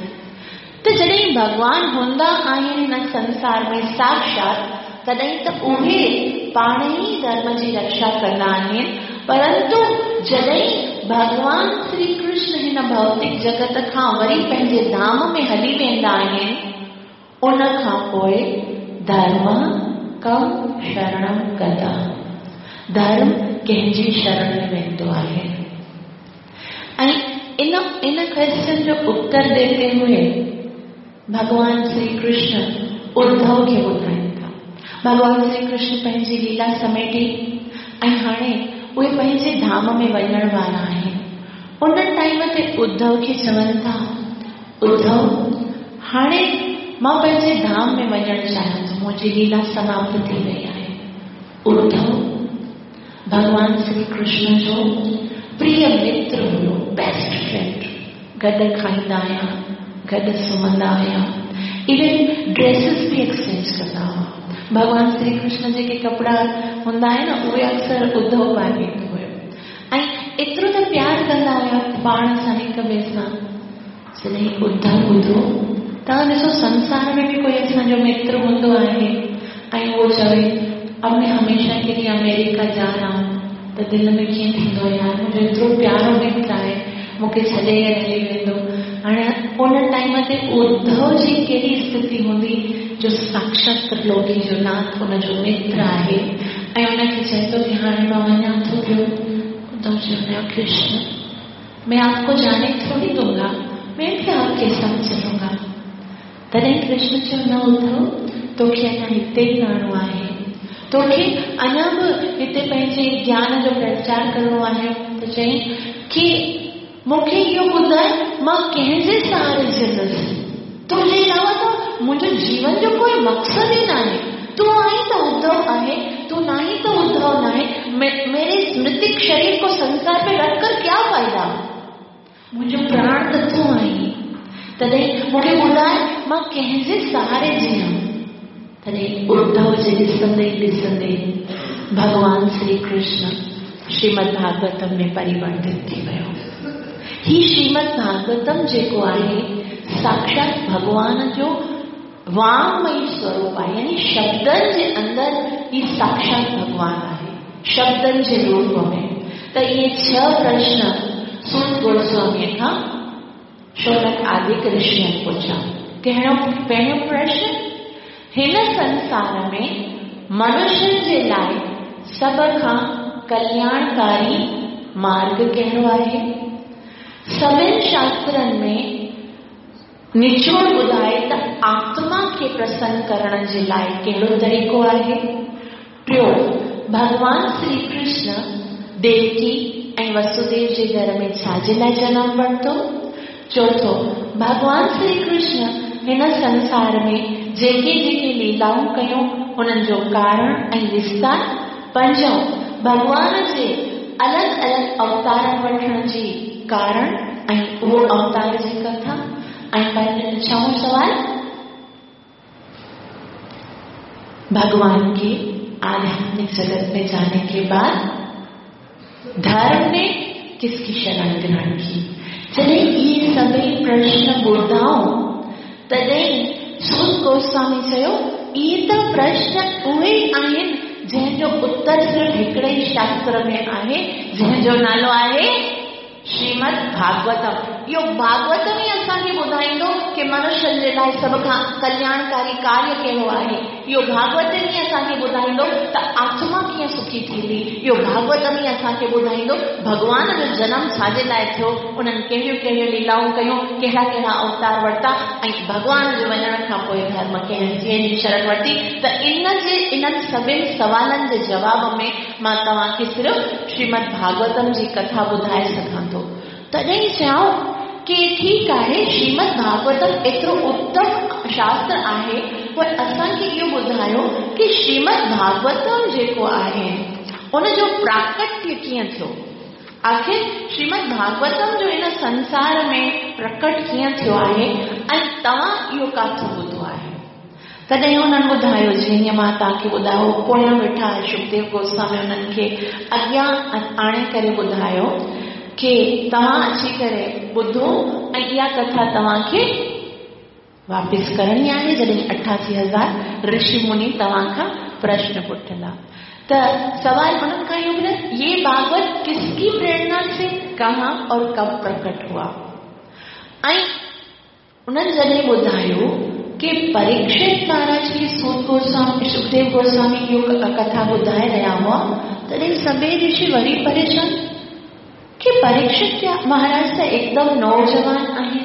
ته جڏهن ڀڳوان هوندا آهن هن سنسار ۾ ساڪشات تڏهن ته اهي پاڻ ئي ڌرم جي رڪشا ڪندا آهن، پرنتو جڏهن ڀڳوان شري ڪرشن هن ڀوتڪ جڳت کان وري پنهنجي ڌام ۾ هلي ويندا آهن، ان کان پوء ڌرم ڪم شرڻم گتا، ڌرم ڪنهن جي شرڻ ۾ ويندو آهي؟ ۽ ان ان ڪويسچن جو اتر ڏيندي هوئي ڀڳوان شري ڪرشن اڌو کي ٻڌائين ٿا. ڀڳوان شري ڪرشن پنهنجي ليلا سميٽي ۽ هاڻي اهي پنهنجي ڌام ۾ وڃڻ وارا آهن. ان ٽائيم تي اڌو کي چون ٿا، اڌو هاڻي مان پنهنجي ڌام ۾ وڃڻ چاهيان ٿو، منهنجي ليلا سماپت ٿي وئي آهي. اڌو ڀڳوان شري ڪرشن جو پريه متر هيو، بيسٽ فرينڊ، گڏ کائيندا هيا، گڏ سمهندا هيا، ايون ڊريسز به ايڪسچينج ڪندا هئا. ڀڳوان شري ڪرشن جيڪي ڪپڙا هوندا آهن نه اهي اڪثر اڌو پائي ويندو هيو ۽ ايترو ته پيار ڪندا هيا پاڻ سان هڪ ٻئي سان. جڏهن اڌو ٻڌو، توهان ڏسو سنسار ۾ به ڪوئي اسان جو متر هوندو آهي ۽ اهو چوي اب مين هميشه ڪي ليي آمريڪا جا رها هون ته دل ۾ ڪيئن ٿيندو يار منهنجو ايترو پيارو متر آهي مون کي ڇڏي هلي ويندو. هاڻي ان ٽائيم تي اڌو جي ڪهڙي اسٿتي هوندي جو ساڪشات ترلوڪي جو ناٿ ان جو متر آهي ۽ ان کي چئي ٿو ڪي هاڻي مان وڃان ٿو پيو. اڌو چيو نه ڪرشن! مين آپ ڪو جاني ٿوڙي دونگا، مين ڀي آپ ڪي ساٿ چلونگا. تڏهن ڪرشن چيو، نه اڌو، توکي اڃا هتي ئي رهڻو آهي. توکي اڃا به هتي پنهنجي گيان جو پرچار ڪرڻو آهي. ته چيائين ڪي مون کي اهو ٻڌاء مان ڪنهن جي سهاري جيئندس؟ تنهنجي علاوه ته منهنجو جيون جو ڪوئي مقصد ئي ناهي. تون آهين ته اڌو آهي، تون ناهين ته اڌو ناهي. ميري اس مرتڪ شرير ڪو سنسار ۾ رک ڪر ڪيا فائدا؟ منهنجو پراڻ ته تون آهين. تڏهن مون کي ٻڌاء مان ڪنهن جي سهاري جيئان؟ تڏهن اڌو جي ڏسندي ئي ڏسندي ڀڳوان شري ڪرشن شريمد ڀاڳوتم ۾ پريورتت ٿي ويو. هي شريمد ڀاڳوتم جيڪو آهي ساڪشات ڀڳوان جو وانگمئي سوروپ آهي يعني شبدن جي اندر هي ساڪشات ڀڳوان آهي شبدن جي روپ ۾. ته اهي ڇهه پرشن سوت گوسواميء کان شونڪ آدڪ رشين پڇيا. ڪهڙو پهريون پرشن؟ هن سنسار ۾ منشين جي لاء سڀ کان ڪلياڻڪاري مارڳ ڪهڙو آهي؟ سڀن شاسترن ۾ نچوڙ ٻڌائي ته آتما کي پرسن ڪرڻ جي لاء ڪهڙو طريقو آهي؟ ٽيو، ڀڳوان شري ڪرشن ديوڪي ۽ وسوديو جي گهر ۾ ڇا جي لاء جنم ورتو؟ چوٿون، ڀڳوان شري ڪرشن हिन संसार में जेके जेके लीलाऊं कयूं उन्हनि जो कारण ऐं विस्तार। पंजों, भॻवान जे अलॻि अलॻि अवतारनि वठण जी कारण ऐं उहो अवतार जी कथा। ऐं छहों सवाल, भगवान के आध्यात्मिक जगत में जाने के बाद धर्म ने किसकी शरण ग्रहण की? जॾहिं इहे सभई प्रश्न ॿुधाऊं तॾहिं सूत गोस्वामी चयो, इहे त प्रश्न उहे आहिनि जंहिंजो उत्तर सिर्फ़ हिकिड़े ई शास्त्र में आहे, जंहिंजो नालो आहे श्रीमद् भागवतम। इहो भागवतम ई असांखे ॿुधाईंदो की मनुष्य जे लाइ सभ खां कल्याणकारी कार्य कहिड़ो आहे। इहो भागवतम ई असांखे ॿुधाईंदो त आत्मा कीअं सुखी थींदी। इहो भागवतम ई असांखे ॿुधाईंदो भॻवान जो जनम छाजे लाइ थियो, उन्हनि कहिड़ियूं कहिड़ियूं लीलाऊं कयूं, कहिड़ा कहिड़ा अवतार वरिता ऐं भॻवान जे वञण खां पोइ धर्म कंहिं जी शरण वरिती। त इन जे इन्हनि सभिनी सवालनि जे जवाब में मां तव्हांखे सिर्फ़ श्रीमद् भागवतम जी कथा ॿुधाए सघां थो। तॾहिं चयऊं की ठीकु आहे, श्रीमद् भागवतम एतिरो उत्तम शास्त्र आहे, पोइ असांखे इहो ॿुधायो की श्रीमद् भागवतम जेको आहे उनजो प्राकट्य कीअं थियो, आख़िर श्रीमद् भागवतम जो हिन संसार में प्रकट कीअं थियो आहे ऐं तव्हां इहो काथों ॿुधो आहे? तॾहिं उन्हनि ॿुधायो, जीअं मां तव्हांखे ॿुधायो, पोयां वेठा सुखदेव गोस्वामी उन्हनि खे अॻियां आणे करे ॿुधायो की तव्हां अची करे ॿुधो ऐं इहा कथा तव्हांखे वापसि करणी आहे जॾहिं 88,000 ऋषि मुनि तव्हां खां प्रश्न पुछंदा। त सवाल उन्हनि खां इहो ॿुधायो, ये भागवत किसकी प्रेरणा से कहाँ और कब प्रकट हुआ? ऐं उन्हनि जॾहिं ॿुधायो की परीक्षित महाराज खे सूत गोस्वामी सुखदेव गोस्वामी इहो कथा ॿुधाए रहिया हुआ, तॾहिं सभई ऋषि वरी परेशान की परीक्षित महाराज त एकदम नौजवान आहिनि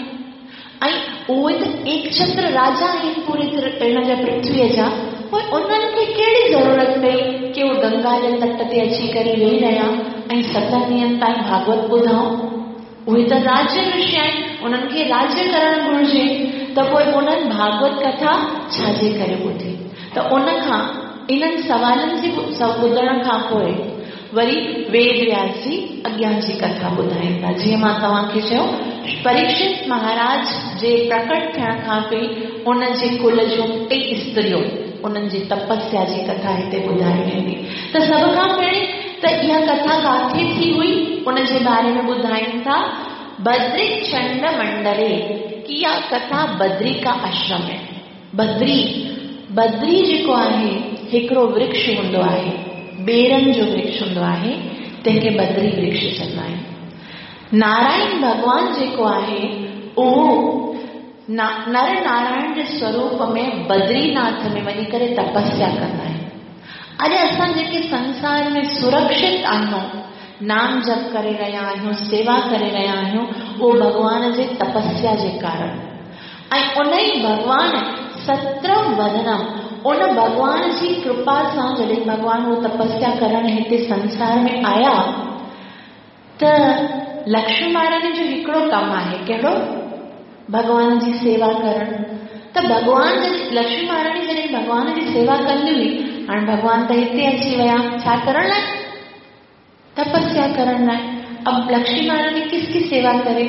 ऐं उहे त एकछत्र राजा आहिनि पूरे हिन जा पृथ्वीअ जा, पोइ उन्हनि खे कहिड़ी ज़रूरत पई की उहे गंगा जे तट ते अची करे वेही रहिया ऐं 7 ॾींहनि ताईं भागवत ॿुधाऊं? उहे त राज्य ऋषि आहिनि, उन्हनि खे राज्य करणु घुर्जे, त पोइ उन्हनि भागवत कथा छाजे करे ॿुधी? त उन खां इन्हनि सवालनि जे ॿुधण खां पोइ वरी वेद व्यास जी अॻियां जी कथा ॿुधाईंदा। जीअं मां तव्हांखे चयो, परीक्षित महाराज जे प्रकट थियण खां पहिरीं उन जे कुल जूं टे स्त्रियूं उन्हनि जी तपस्या जी कथा हिते ॿुधाई वेंदी। त सभ खां पहिरीं त इहा कथा काथे थी हुई उन जे बारे में ॿुधाइनि था, बद्री चंड मंडले, की इहा कथा बद्री का आश्रम है। बद्री बद्री जेको आहे हिकिड़ो वृक्ष हूंदो आहे, बेरनि जो वृक्ष हूंदो आहे, तंहिंखे बद्री वृक्ष चवंदा आहिनि। नारायण भॻवान जेको आहे उहो नर नारायण जे स्वरूप में बद्रीनाथ में वञी करे तपस्या कंदा आहिनि। अॼु असां जेके संसार में सुरक्षित आहियूं, नाम जप करे रहिया आहियूं, सेवा करे रहिया आहियूं, उहो भॻवान जे तपस्या जे कारण। ऐं उन ई भॻवान सत्रम वदनम, उन भॻवान जी कृपा सां जॾहिं भॻवान उहो तपस्या करण हिते संसार में आया त लक्ष्मी महारानी जो हिकिड़ो कमु आहे, कहिड़ो? भॻवान जी सेवा करणु। त भॻवान जॾहिं लक्ष्मी महारानी जॾहिं भॻवान जी सेवा कंदी हुई, हाणे भॻवान त हिते अची विया, छा करण लाइ? तपस्या करण लाइ। अब लक्ष्मी महारानी किसकी सेवा करे?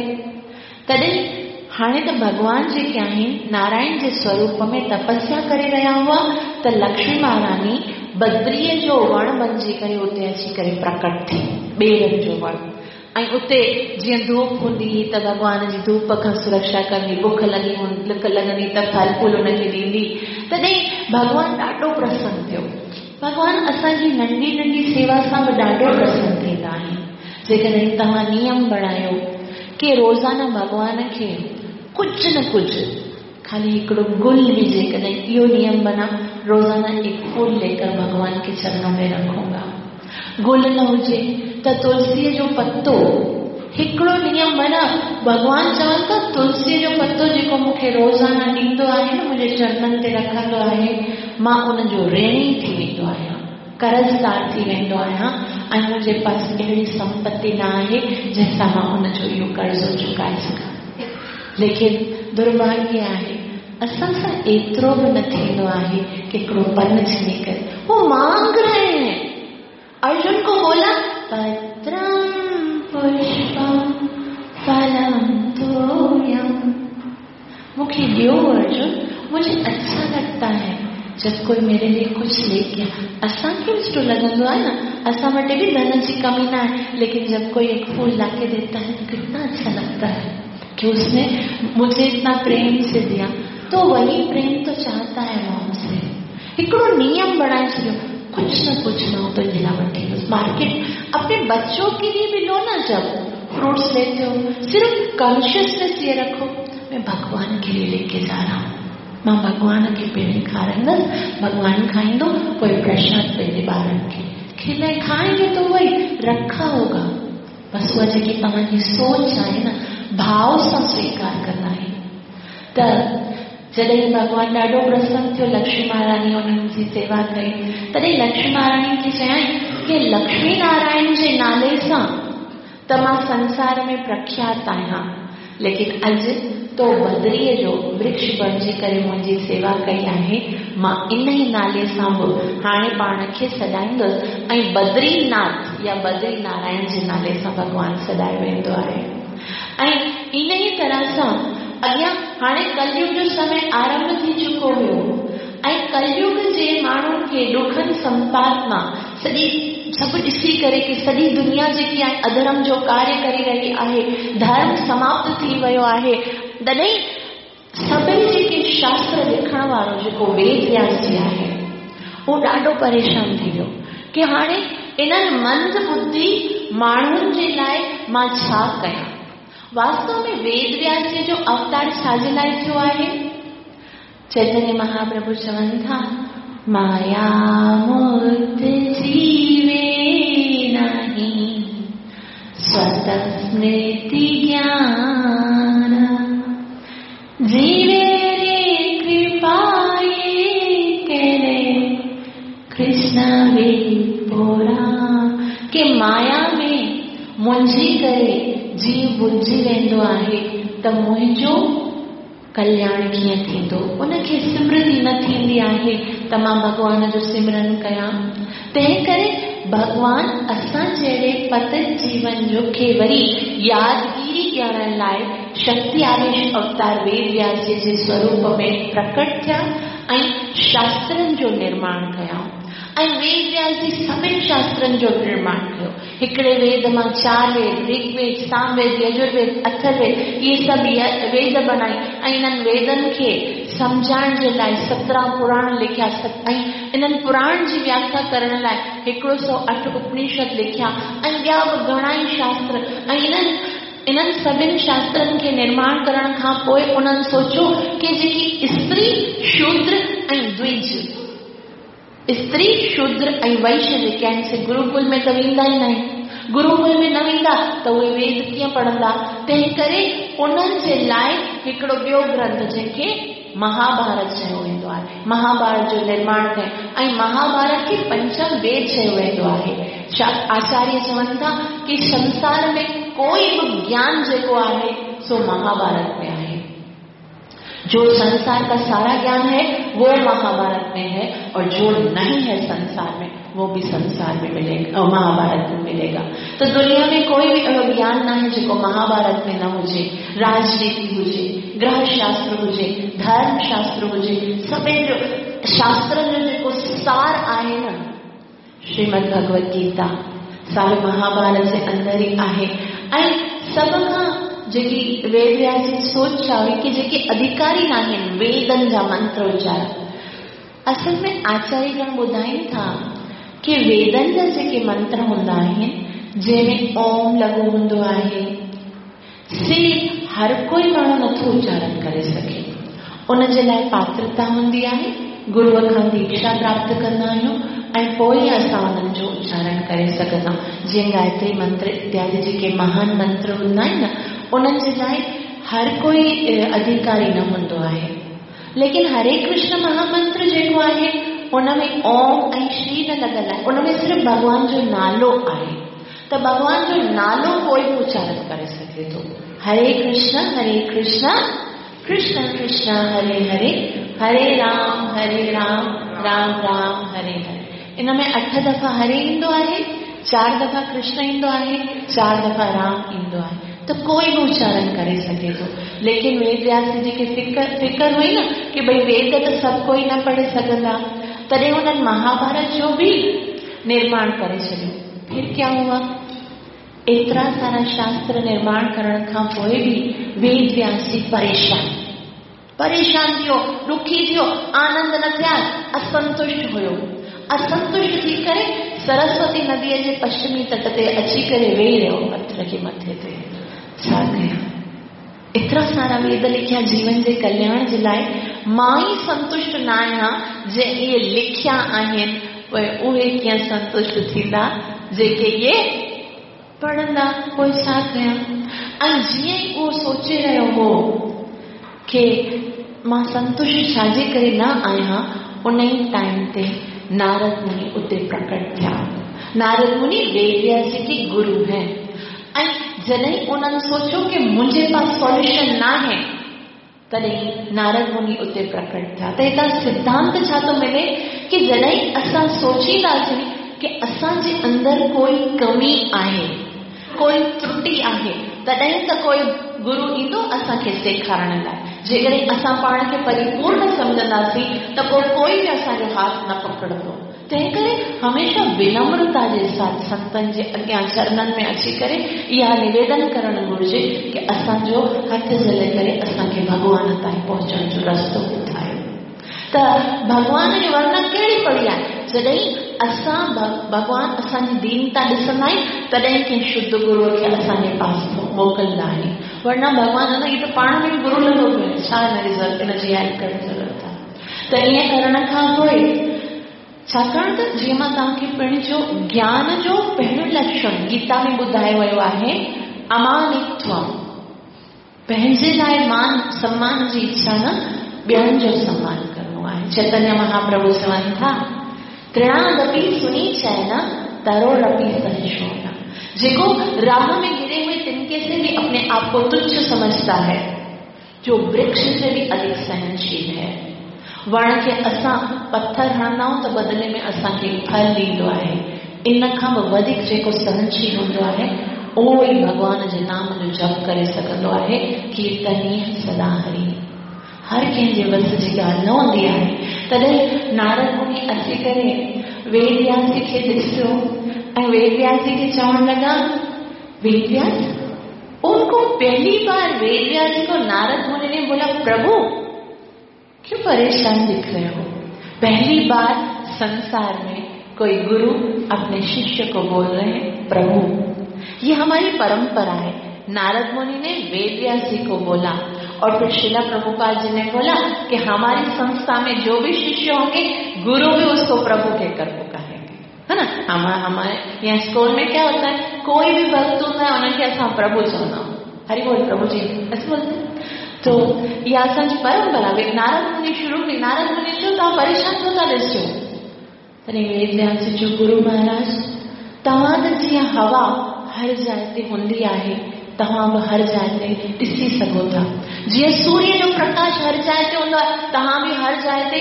तॾहिं हाणे त भॻवान जेके आहिनि नारायण जे स्वरूप में तपस्या करे रहिया हुआ, त लक्ष्मी महारानी बद्रीअ जो वण बणिजी करे उते अची करे प्रकट थी, ॿेरनि जो वण। ऐं उते जीअं धूप हूंदी हुई त भॻवान जी धूप खां सुरक्षा कंदी, बुख लॻी लुक लॻंदी त फल फूल हुनखे ॾींदी। तॾहिं भॻवान ॾाढो प्रसन्न थियो। भॻवान असांजी नंढी नंढी सेवा सां बि ॾाढो प्रसन्न थींदा आहिनि। जेकॾहिं तव्हां नियम बणायो की रोज़ाना भॻवान खे कुझु न कुझु, खाली हिकिड़ो गुल बि जेकॾहिं इहो नियम बना, रोज़ाना एक फूल लेकर भगवान के चरणों में रखूंगा। गुल न हुजे त तुलसीअ जो पत्तो, हिकिड़ो नियम बना, भॻवान चवनि था तुलसीअ जो पत्तो जेको मूंखे रोज़ाना ॾींदो आहे न, मुंहिंजे चरणनि ते रखंदो आहे, मां उनजो ऋणी थी वेंदो आहियां, कर्ज़दार थी वेंदो आहियां ऐं मुंहिंजे पास अहिड़ी संपत्ति न आहे जंहिंसां मां उनजो इहो कर्ज़ो चुकाए सघां। लेकिन दुर्भाग्य आहे असां सां एतिरो बि न थींदो आहे कि हिकिड़ो पन छिनी करे। वो मांग रहे हैं। अर्जुन को बोला पत्रम पुष्पम फलम तोयम, मूंखे ॾियो अर्जुन, मुझे अच्छा लगता है जब कोई मेरे लिए कुछ लेके। असांखे बि सुठो लॻंदो आहे न, असां वटि बि धन जी कमी न आहे, लेकिन जब कोई एक फूल लाके देता है तो कितना अच्छा लगता है कि उसने मुझे इतना प्रेम से दिया। तो वही प्रेम तो चाहता है वो हमसे। हिकिड़ो नियम बणाए छॾियो, कुछ न कुछ मां तुंहिंजे लाइ वठी ईंदुसि। मार्केट अपने बच्चों के लिए भी लो ना, जब फ्रूट्स लेते हो सिर्फ कॉन्शियसनेस ये रखो मैं भगवान के लिए लेके जा रहा हूँ, मां भॻवान खे पहिरीं खाराईंदुसि, भॻवानु खाईंदो पोइ प्रसाद पंहिंजे ॿारनि खे खिलाए खाएँगे तो वही रखा होगा। बसि उहा जेकी तव्हांजी सोच आहे न, भाव सां स्वीकार कंदा आहियूं। त जॾहिं भॻवानु ॾाढो प्रसन्न थियो, लक्ष्मी महारानी उन्हनि जी सेवा कई, तॾहिं लक्ष्मी महारानी खे चयाईं की लक्ष्मी नारायण जे नाले सां त मां संसार में प्रख्यात आहियां, लेकिन अॼु तो बदरीअ जो वृक्ष बणिजी करे मुंहिंजी सेवा कई आहे, मां इन ई नाले सां बि हाणे पाण खे सॾाईंदुसि। ऐं बद्रीनाथ या बद्री नारायण जे नाले सां भॻवानु सॾायो वेंदो आहे। ऐं इन ई तरह सां अॻियां हाणे कलयुग जो समय आरंभ थी चुको हुयो ऐं कलयुग जे माण्हुनि खे ॾुखनि संपात मां सॼी सभु ॾिसी करे की सॼी दुनिया जेकी आहे अधर्म जो कार्य करे रही आहे, धर्म समाप्त थी वियो आहे, तॾहिं सभिनी जेके शास्त्र लिखण वारो जेको वेद व्यास जी आहे उहो ॾाढो परेशान थी वियो की हाणे इन्हनि मंद बुद्धि माण्हुनि जे लाइ मां छा कयां। वास्तव में वेद व्यास जी जो अवतार छा जे लाइ थियो आहे? चैतन्य महाप्रभु चवनि था माया मूर्त जीवे नाही स्वतः स्मृति ज्ञान, जीवे रे कृपाए करे कृष्ण वे पोरा। के माया में मुंझी करे जीव भुलिजी वेंदो आहे त मुंहिंजो कल्याण कीअं थींदो। उनखे स्मृति न थींदी आहे त मां भॻवान जो सिमरन कयां। तंहिं करे भॻवान असां जहिड़े पतित जीवन जो खे वरी यादगिरी ॾियण लाइ शक्ति आवेश अवतार वेद व्यास जी जे स्वरूप में प्रकट थिया ऐं शास्त्रनि जो निर्माण कयऊं। ऐं वेद व्यास जी सभिनी शास्त्रनि जो निर्माण कयो। हिकिड़े वेद मां चार वेद, ऋग्वेद, सामवेद, यजुर्वेद, अथर्ववेद, इहे सभु वेद बणाई ऐं इन्हनि वेदनि खे सम्झाइण जे लाइ 17 पुराण लिखिया ऐं इन्हनि पुराण जी व्याख्या करण लाइ 108 उपनिषद लिखिया ऐं ॿिया बि घणा ई शास्त्र। ऐं इन्हनि सभिनी शास्त्रनि खे निर्माण करण खां पोइ उन्हनि सोचियो की जेकी स्त्री, शूद्र ऐं द्विज, स्त्री, शूद्र ऐं वैश्य जेके आहिनि से गुरुकुल में त वेंदा ई न आहिनि, गुरुकुल में न वेंदा त उहे वेद कीअं पढ़ंदा। तंहिं करे उन्हनि जे लाइ हिकिड़ो ॿियो ग्रंथ जंहिंखे महाभारत चयो वेंदो आहे, महाभारत जो निर्माण कयो ऐं महाभारत खे पंचम वेद चयो वेंदो आहे। आचार्य चवनि था की संसार में कोई बि ज्ञान जेको आहे सो महाभारत में आहे। जो संसार का सारा ज्ञान है वो महाभारत में है और जो नहीं है संसार में वो भी संसार में मिलेगा, महाभारत में मिलेगा। तो दुनिया में कोई भी अहिड़ो ज्ञान न आहे जेको महाभारत में न हुजे। राजनीति हुजे, ग्रह शास्त्र हुजे, धर्म शास्त्र हुजे, सभिनी जो शास्त्रनि जो जेको सार आहे न श्रीमद् भगवत गीता सा बि महाभारत जे अंदरि ई आहे। ऐं सभ खां जेकी वेद व्यास जी सोच छा हुई की जेके अधिकारी न आहिनि वेदनि जा मंत्र उचार, असल में आचार्यगण ॿुधाइनि था की वेदनि जा जेके मंत्र हूंदा आहिनि जंहिंमें ओम लॻो हूंदो आहे से हर कोई माण्हू नथो उचारण करे सघे। उन जे लाइ पात्रता हूंदी आहे, गुरूअ खां दीक्षा प्राप्त कंदा आहियूं ऐं पोइ असां उन्हनि जो उचारण करे सघंदा आहियूं। जीअं गायत्री मंत्र इत्यादि जेके महान मंत्र हूंदा आहिनि न उन्हनि जे लाइ हर कोई अधिकारी न हूंदो आहे। लेकिन हरे कृष्ण महामंत्र जेको आहे उन में ओम ऐं श्री न लॻल आहे, उन में सिर्फ़ भॻवान जो नालो आहे। त भॻवान जो नालो कोई बि उचारण करे सघे थो। हरे कृष्ण कृष्ण कृष्ण हरे हरे, हरे राम हरे राम, राम राम हरे हरे। इन में 8 दफ़ा हरे ईंदो आहे, 4 दफ़ा कृष्ण ईंदो आहे, 4 दफ़ा राम ईंदो आहे, त कोई बि उचारण करे सघे थो। लेकिन वेद व्यास जी खे फिकर हुई न की भई वेद त सभु कोई न पढ़े सघंदा, तॾहिं हुननि महाभारत जो बि निर्माण करे छॾियो। फिर क्या हुआ, एतिरा सारा शास्त्र निर्माण करण खां पोइ बि वेद व्यास जी परेशान परेशान थियो, दुखी थियो, आनंद न थिया, असंतुष्ट हुयो। असंतुष्ट थी करे सरस्वती नदीअ जे पश्चिमी तट ते अची करे वेही रहियो पथर खे मथे ते। छा कयां, एतिरा सारा वेद लिखिया जीवन जे कल्याण जे लाइ, मां ई संतुष्ट न आहियां जे इहे लिखिया आहिनि, पोइ उहे कीअं संतुष्ट थींदा जेके इहे पढ़ंदा, पोइ छा कयां। ऐं जीअं ई उहो सोचे रहियो हो की मां संतुष्ट छाजे करे न आहियां, उन ई टाइम ते नारद मुनि उते प्रकट थिया। नारद मुनि वेद व्यास जी के गुरु हैं। ऐं जॾहिं उन्हनि सोचियो की मुंहिंजे पास सॉल्यूशन न आहे, तॾहिं नारद मुनि उते प्रकट थिया। त हितां सिद्धांत छा थो मिले की जॾहिं असां सोचींदासीं की असांजे अंदरि कोई कमी आहे, कोई त्रुटि आहे, तॾहिं त कोई गुरु ईंदो असांखे सेखारण लाइ। जेकॾहिं असां पाण खे परिपूर्ण सम्झंदासीं त पोइ कोई बि असांजो हाथ न पकड़ंदो। तंहिं करे हमेशह विनम्रता जे साथ संतनि जे अॻियां चरणनि में अची करे इहा निवेदन करणु घुरिजे की असांजो हथु झले करे असांखे भॻवान ताईं पहुचण जो रस्तो ॿुधायो। त भॻवान जो वर्णन कहिड़ी पड़ी आहे, जॾहिं असां भॻवान असांजी दीनता ॾिसंदा आहिनि तॾहिं कंहिं शुद्ध गुरूअ खे असांजे पास मोकिलिंदा आहिनि, वरना भॻवान न इहो त पाण में गुरू लॻो पियो आहे, छा हिन जी हेल्प करण ज़रूरत आहे। त ईअं करण खां पोइ छाकाणि त जीअं मां तव्हांखे पिणु चयो, ज्ञान जो पहिरियों लक्षण गीता में ॿुधायो वियो आहे अमानित्व, पंहिंजे लाइ मान सम्मान जी इच्छा न, ॿियनि जो सम्मान करिणो आहे। चैतन्य महाप्रभु चवनि था, तृणादपि सुनीचैन तरोरपि सहिष्णुना, जेको राह में गिरे हुए तिनके से भी अपने आप को तुच्छ समझता है, जो वृक्ष से भी अधिक सहनशील है। वण खे असां पत्थर हणंदा आहियूं त बदिले में असांखे फल ॾींदो आहे, इन खां बि वधीक जेको सहनशील हूंदो आहे उहो ई भॻवान जे नाम जो जप करे सघंदो आहे। कीर्तनीय सदा हरि, हर कंहिंजे वस जी ॻाल्हि न हूंदी आहे। तॾहिं नारद मुनि अची करे वेद व्यास जी खे ॾिसियो ऐं वेद व्यास जी खे चवण लॻा, वेद व्यास, उनको पहली बार वेद व्यास जी को नारद मुनि ने बोला, प्रभु क्यों परेशान दिख रहे हो? पहली बार संसार में कोई गुरु अपने शिष्य को बोल रहे हैं प्रभु। ये हमारी परंपरा है। नारद मुनि ने वेद व्यास जी को बोला और फिर श्रील प्रभुपाद जी ने बोला कि हमारी संस्था में जो भी शिष्य होंगे गुरु भी उसको प्रभु कहकर पुकारेंगे, है ना। हमारे यहाँ स्कूल में क्या होता है, कोई भी भक्त होता है उनके असां प्रभु चवंदा आहियूं, हरि बोल प्रभु जी ऐसे बोलते हैं। तो इहा असांजी परंपरा। नारद मुनि शुरू में नारद मुनि चयो तव्हां परेशान छो था ॾिसो? तॾहिं वेद व्यास जी चयो, गुरु महाराज तव्हां त जीअं हवा हर जाइ ते हूंदी आहे, तव्हां बि हर जाइ ते ॾिसी सघो था। जीअं सूर्य जो प्रकाश हर जाइ ते हूंदो आहे, तव्हां बि हर जाइ ते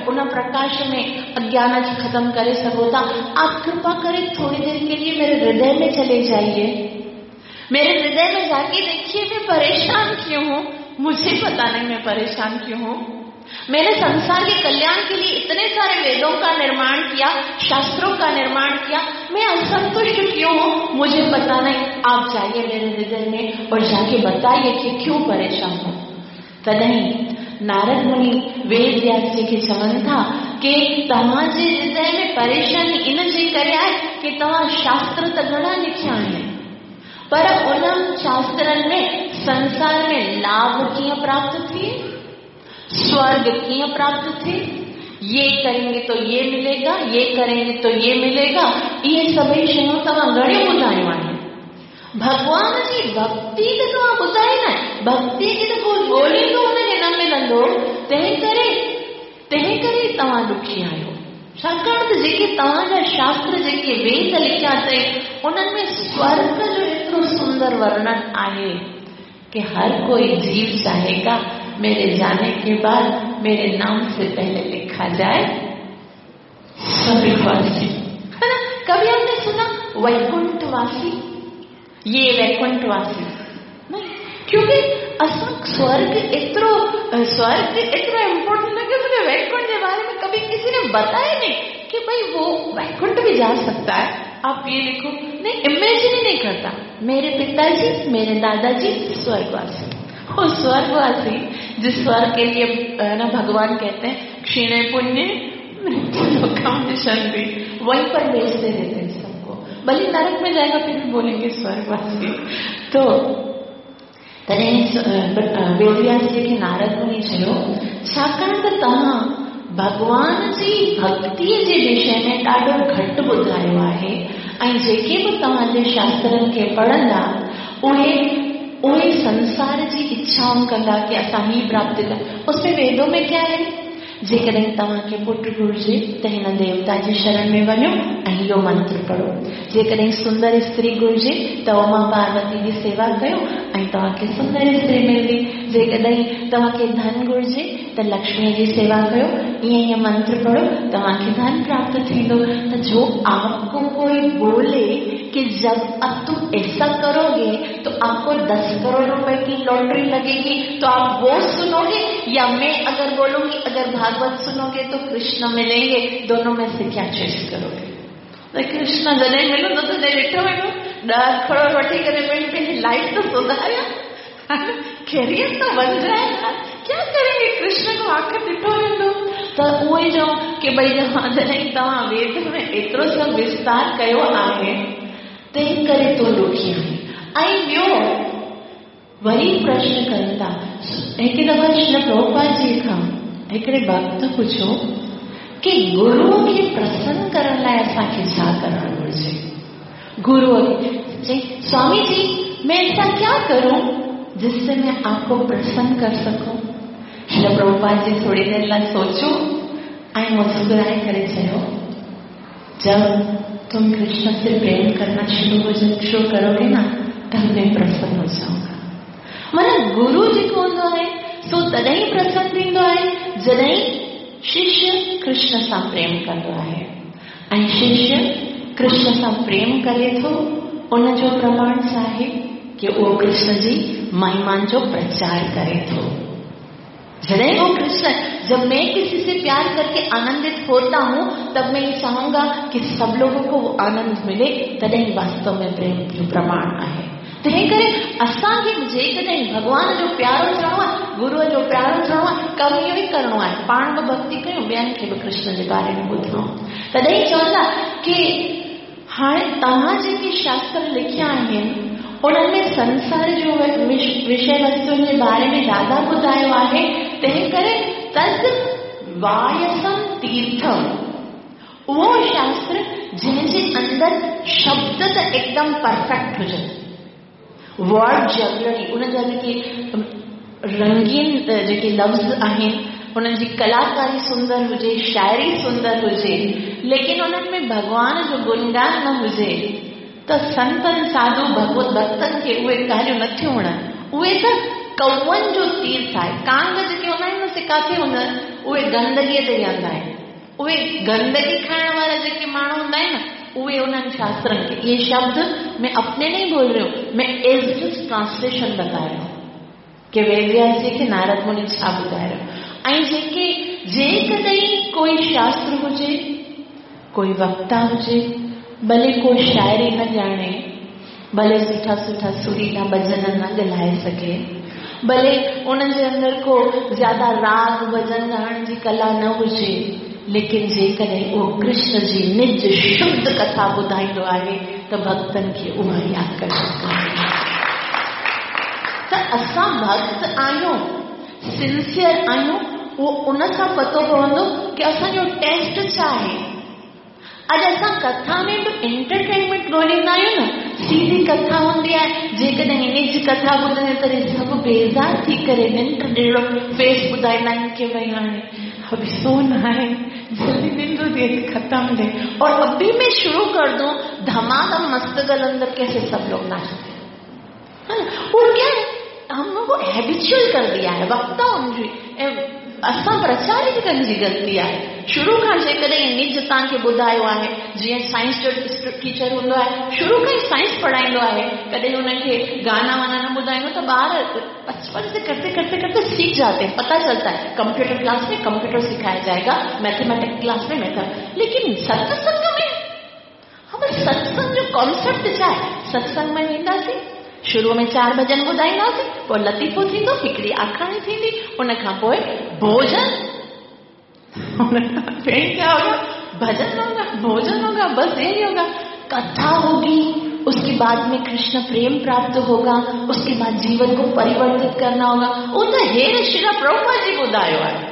उन प्रकाश में अज्ञान खे ख़त्म करे सघो था। आप कृपा करे थोड़ी देर के लिए मेरे हृदय में चले जाइए, मेरे हृदय में जाके देखिए मैं परेशान क्यों हूँ, मुझे पता नहीं मैं परेशान क्यों हूँ। मैंने संसार के कल्याण के लिए इतने सारे वेदों का निर्माण किया, शास्त्रों का निर्माण किया, मैं असंतुष्ट क्यों हूँ मुझे पता नहीं। आप जाइए मेरे हृदय में और जाके बताइए कि क्यों परेशान हूँ। तॾहिं नारद मुनि वेद व्यास जी खे चवनि था कि तव्हांजे हृदय में परेशानी इन जे करे आहे कि तव्हां शास्त्र त घणा लिखिया आहिनि, पर उन्हनि शास्त्रनि में संसार में लाभ कीअं प्राप्त थिए, स्वर्ग कीअं प्राप्त थिए, ये करेंगे तो ये मिलेगा, ये करेंगे तो ये मिलेगा, इहे सभई शयूं तव्हां घणियूं ॿुधायूं आहिनि। भॻवान जी भक्ति त तव्हां ॿुधाई न, भक्ति खे त को ॻोल्हींदो हुनखे न मिलंदो, तंहिं करे तव्हां दुखी आहियो। छाकाणि त जेके तव्हांजा शास्त्र जेके वेद लिखिया अथई उन्हनि में स्वर्ग जो एतिरो सुंदर वर्णन आहे, कि हर कोई जीव चाहेगा मेरे जाने के बाद मेरे नाम से पहले लिखा जाए स्वर्गवासी, है ना। कभी हमने सुना वैकुंठवासी? ये वैकुंठवासी नहीं, क्योंकि असां स्वर्ग एतिरो इम्पोर्टेंट लगे, मुझे वैकुंठ के बारे में कभी किसी ने बताया नहीं कि भाई वो वैकुंठ भी जा सकता है। आप ये लिखो, नहीं, इमेजिन ही नहीं करता। मेरे पिताजी, मेरे दादाजी स्वर्गवासी, वो स्वर्गवासी जिस स्वर्ग के लिए ना भगवान कहते हैं क्षीणे पुण्य मृत्यु लोकम विशंति, वहीं पर भेजते रहते हैं सबको। भले नरक में जाएगा फिर भी बोलेंगे स्वर्गवासी। तो तॾहिं वेदव्यास जी खे नारद मुनि चयो, छाकाणि त तव्हां भॻवान जी भक्तीअ जे विषय में ॾाढो घटि ॿुधायो आहे ऐं जेके बि तव्हांजे शास्त्रनि खे पढ़ंदा उहे उहे संसार जी इच्छाउनि कंदा की असां ही प्राप्त कयूं। उसमें वेदों में क्या है, जेकॾहिं तव्हांखे पुट घुर्जे त हिन देवता जी शरण में वञो ऐं इहो मंत्र पढ़ो। जेकॾहिं सुंदर स्त्री घुर्जे त उमा पार्वती जी सेवा कयो ऐं तव्हांखे सुंदर स्त्री मिलंदी। जेकॾहिं तव्हांखे धन घुर्जे त लक्ष्मीअ जी सेवा कयो, ईअं ईअं मंत्र पढ़ो, तव्हांखे धन प्राप्त थींदो। त जो आपको कोई बोले कि जब अब तुम ऐसा करोगे तो आपको 10 करोड़ रुपए की लॉटरी लगेगी, तो आप वो सुनोगे या मैं अगर बोलूंगी अगर भागवत सुनोगे तो कृष्ण मिलेंगे, दोनों में से क्या चॉइस करोगे? त कृष्ण जॾहिं मिलंदो तॾहिं ॾिठो वेंदो, 10 करोड़ वठी करे पंहिंजी लाइफ तो सुधारिया, कैरियर तो बन जाए, क्या करेंगे? कृष्ण को आख़िर ॾिठो वेंदो। त उहो ई चऊं की भई जॾहिं तव्हां वेद में एतिरो सभु विस्तार कयो आहे तंहिं करे तूं ॾुखी आहीं। ऐं ॿियो वरी प्रश्न कनि था। हिकु दफ़ा श्री प्रभुपाद जी खां हिकिड़े भक्त पुछियो की गुरूअ खे प्रसन्न करण लाइ असांखे छा करणु घुर्जे? गुरूअ खे चई, स्वामी जी मैं ऐसा क्या करूं जिससे मैं आपको प्रसन्न कर सकूं? श्री प्रभुपाद जी थोड़ी देर लाइ सोचो ऐं मुस्कुराए करे चयो, जब तुम कृष्ण से प्रेम करना शुरू करोगे ना तब मैं प्रसन्न हो जाऊंगा। माना गुरु जेको हूंदो आहे सो तॾहिं प्रसन्न थींदो आहे जॾहिं शिष्य कृष्ण सां प्रेम कंदो आहे। ऐं शिष्य कृष्ण सां प्रेम करे थो उनजो प्रमाण छा आहे कि उहो कृष्ण जी महिमा जो प्रचार करे थो। जॾहिं वो कृष्ण, जब मैं किसी से प्यार करके आनंदित होता हूँ तब मैं ये चाहूंगा कि सब लोगों को वो आनंद मिले, तॾहिं वास्तव में प्रेम जो प्रमाण आहे। तंहिं करे असांखे जेकॾहिं भॻवान जो प्यारो थियणो आहे, गुरूअ जो प्यारो थियणो आहे, कमु इहो ई करिणो आहे, पाण बि भक्ति कयूं, ॿियनि खे बि कृष्ण जे बारे में ॿुधाऊं। तॾहिं चवंदा की हाणे तव्हां जेके शास्त्र लिखिया आहिनि उन्हनि में संसार जो विषय वस्तुनि जे बारे में ज़्यादा ॿुधायो आहे, तंहिं करे तद वायसम तीर्थम, उहो शास्त्र जंहिंजे अंदरि शब्द त एकदम परफेक्ट हुजनि, वर्ड जगलरी, उन जा जेके रंगीन जेके लफ़्ज़ आहिनि उन्हनि जी कलाकारी सुंदर हुजे, शाइरी सुंदर हुजे, लेकिन उन्हनि में भॻवान जो गुणगान न हुजे त संतनि साधु भगवत भक्तनि खे उहे ॻाल्हियूं नथियूं वणनि। उहे त कौअनि जो तीर्थ आहे। कांग जेके हूंदा आहिनि न, से किथे हूंदा आहिनि? उहे गंदगीअ ते वेहंदा आहिनि। उहे गंदगी खाइण वारा जेके माण्हू हूंदा आहिनि न, उहे उन्हनि शास्त्रनि खे, ये शब्द मैं अपने नहीं बोल रही हूँ, मैं एज it is translation बता रही हूँ कि वेदव्यास जी खे नारद मुनि छा ॿुधाए रहियो। ऐं जेके जेकॾहिं कोई शास्त्र हुजे, कोई वक्ता हुजे, भले को शाइरी न ॼाणे, भले सुठा सुठा सुरीला भॼन न ॻाल्हाए सघे, भले उनजे अंदरि को ज़्यादा राग भॼन ॻाइण जी कला न हुजे, लेकिन जेकॾहिं उहो कृष्ण जी निज शुद्ध कथा ॿुधाईंदो आहे त भक्तनि खे उहा ई आकर्षित कंदी आहे। त असां भक्त आहियूं, सिंसियर आहियूं, उहो उन सां पतो पवंदो की असांजो टेस्ट छा आहे। अॼु असां कथा में बि एंटरटेनमेंट ॻोल्हींदा आहियूं न, सीधी कथा हूंदी आहे, जेकॾहिं निज कथा ॿुधंदे तॾहिं सभु बेज़ार थी करे निंड जहिड़ो फेस ॿुधाईंदा आहिनि की भई हाणे अभी सोना है, जल्दी निंड थी खत्म दे, और अभी मैं शुरू कर दूं धमाधम मस्त कलंदर कैसे सब लोग नाचते हैं, वो क्या है? हम लोगों को हैबिचुअल कर दिया है वक्ताउनि जी ऐं असां प्रचारिकनि जी ग़लती आहे। शुरू खां जेकॾहिं निज तव्हांखे ॿुधायो आहे, जीअं साइंस जो टीचर हूंदो आहे, शुरू खां ई साइंस पढ़ाईंदो आहे, कॾहिं हुनखे गाना वाना न ॿुधाईंदो त ॿार बचपन से करते करते करते सीख जाते हैं, पता चलता है। कंप्यूटर क्लास में कंप्यूटर सिखाया जाएगा, मैथमेटिक्स क्लास में मैथ, लेकिन सत्संग में हम सत्संग जो कॉन्सेप्ट छा आहे, सत्संग में वेंदासीं, शुरू में 4 भॼन ॿुधाईंदासीं, पोइ लतीफ़ो थींदो, हिकिड़ी आखाणी थींदी, उन खां पोइ भोजन, फिर क्या होगा, भजन होगा, भोजन होगा, बस यही होगा, कथा होगी, उसके बाद में कृष्ण प्रेम प्राप्त होगा, उसके बाद जीवन को परिवर्तित करना होगा। उहो त हेर श्रील प्रभुपाद जी ॿुधायो आहे।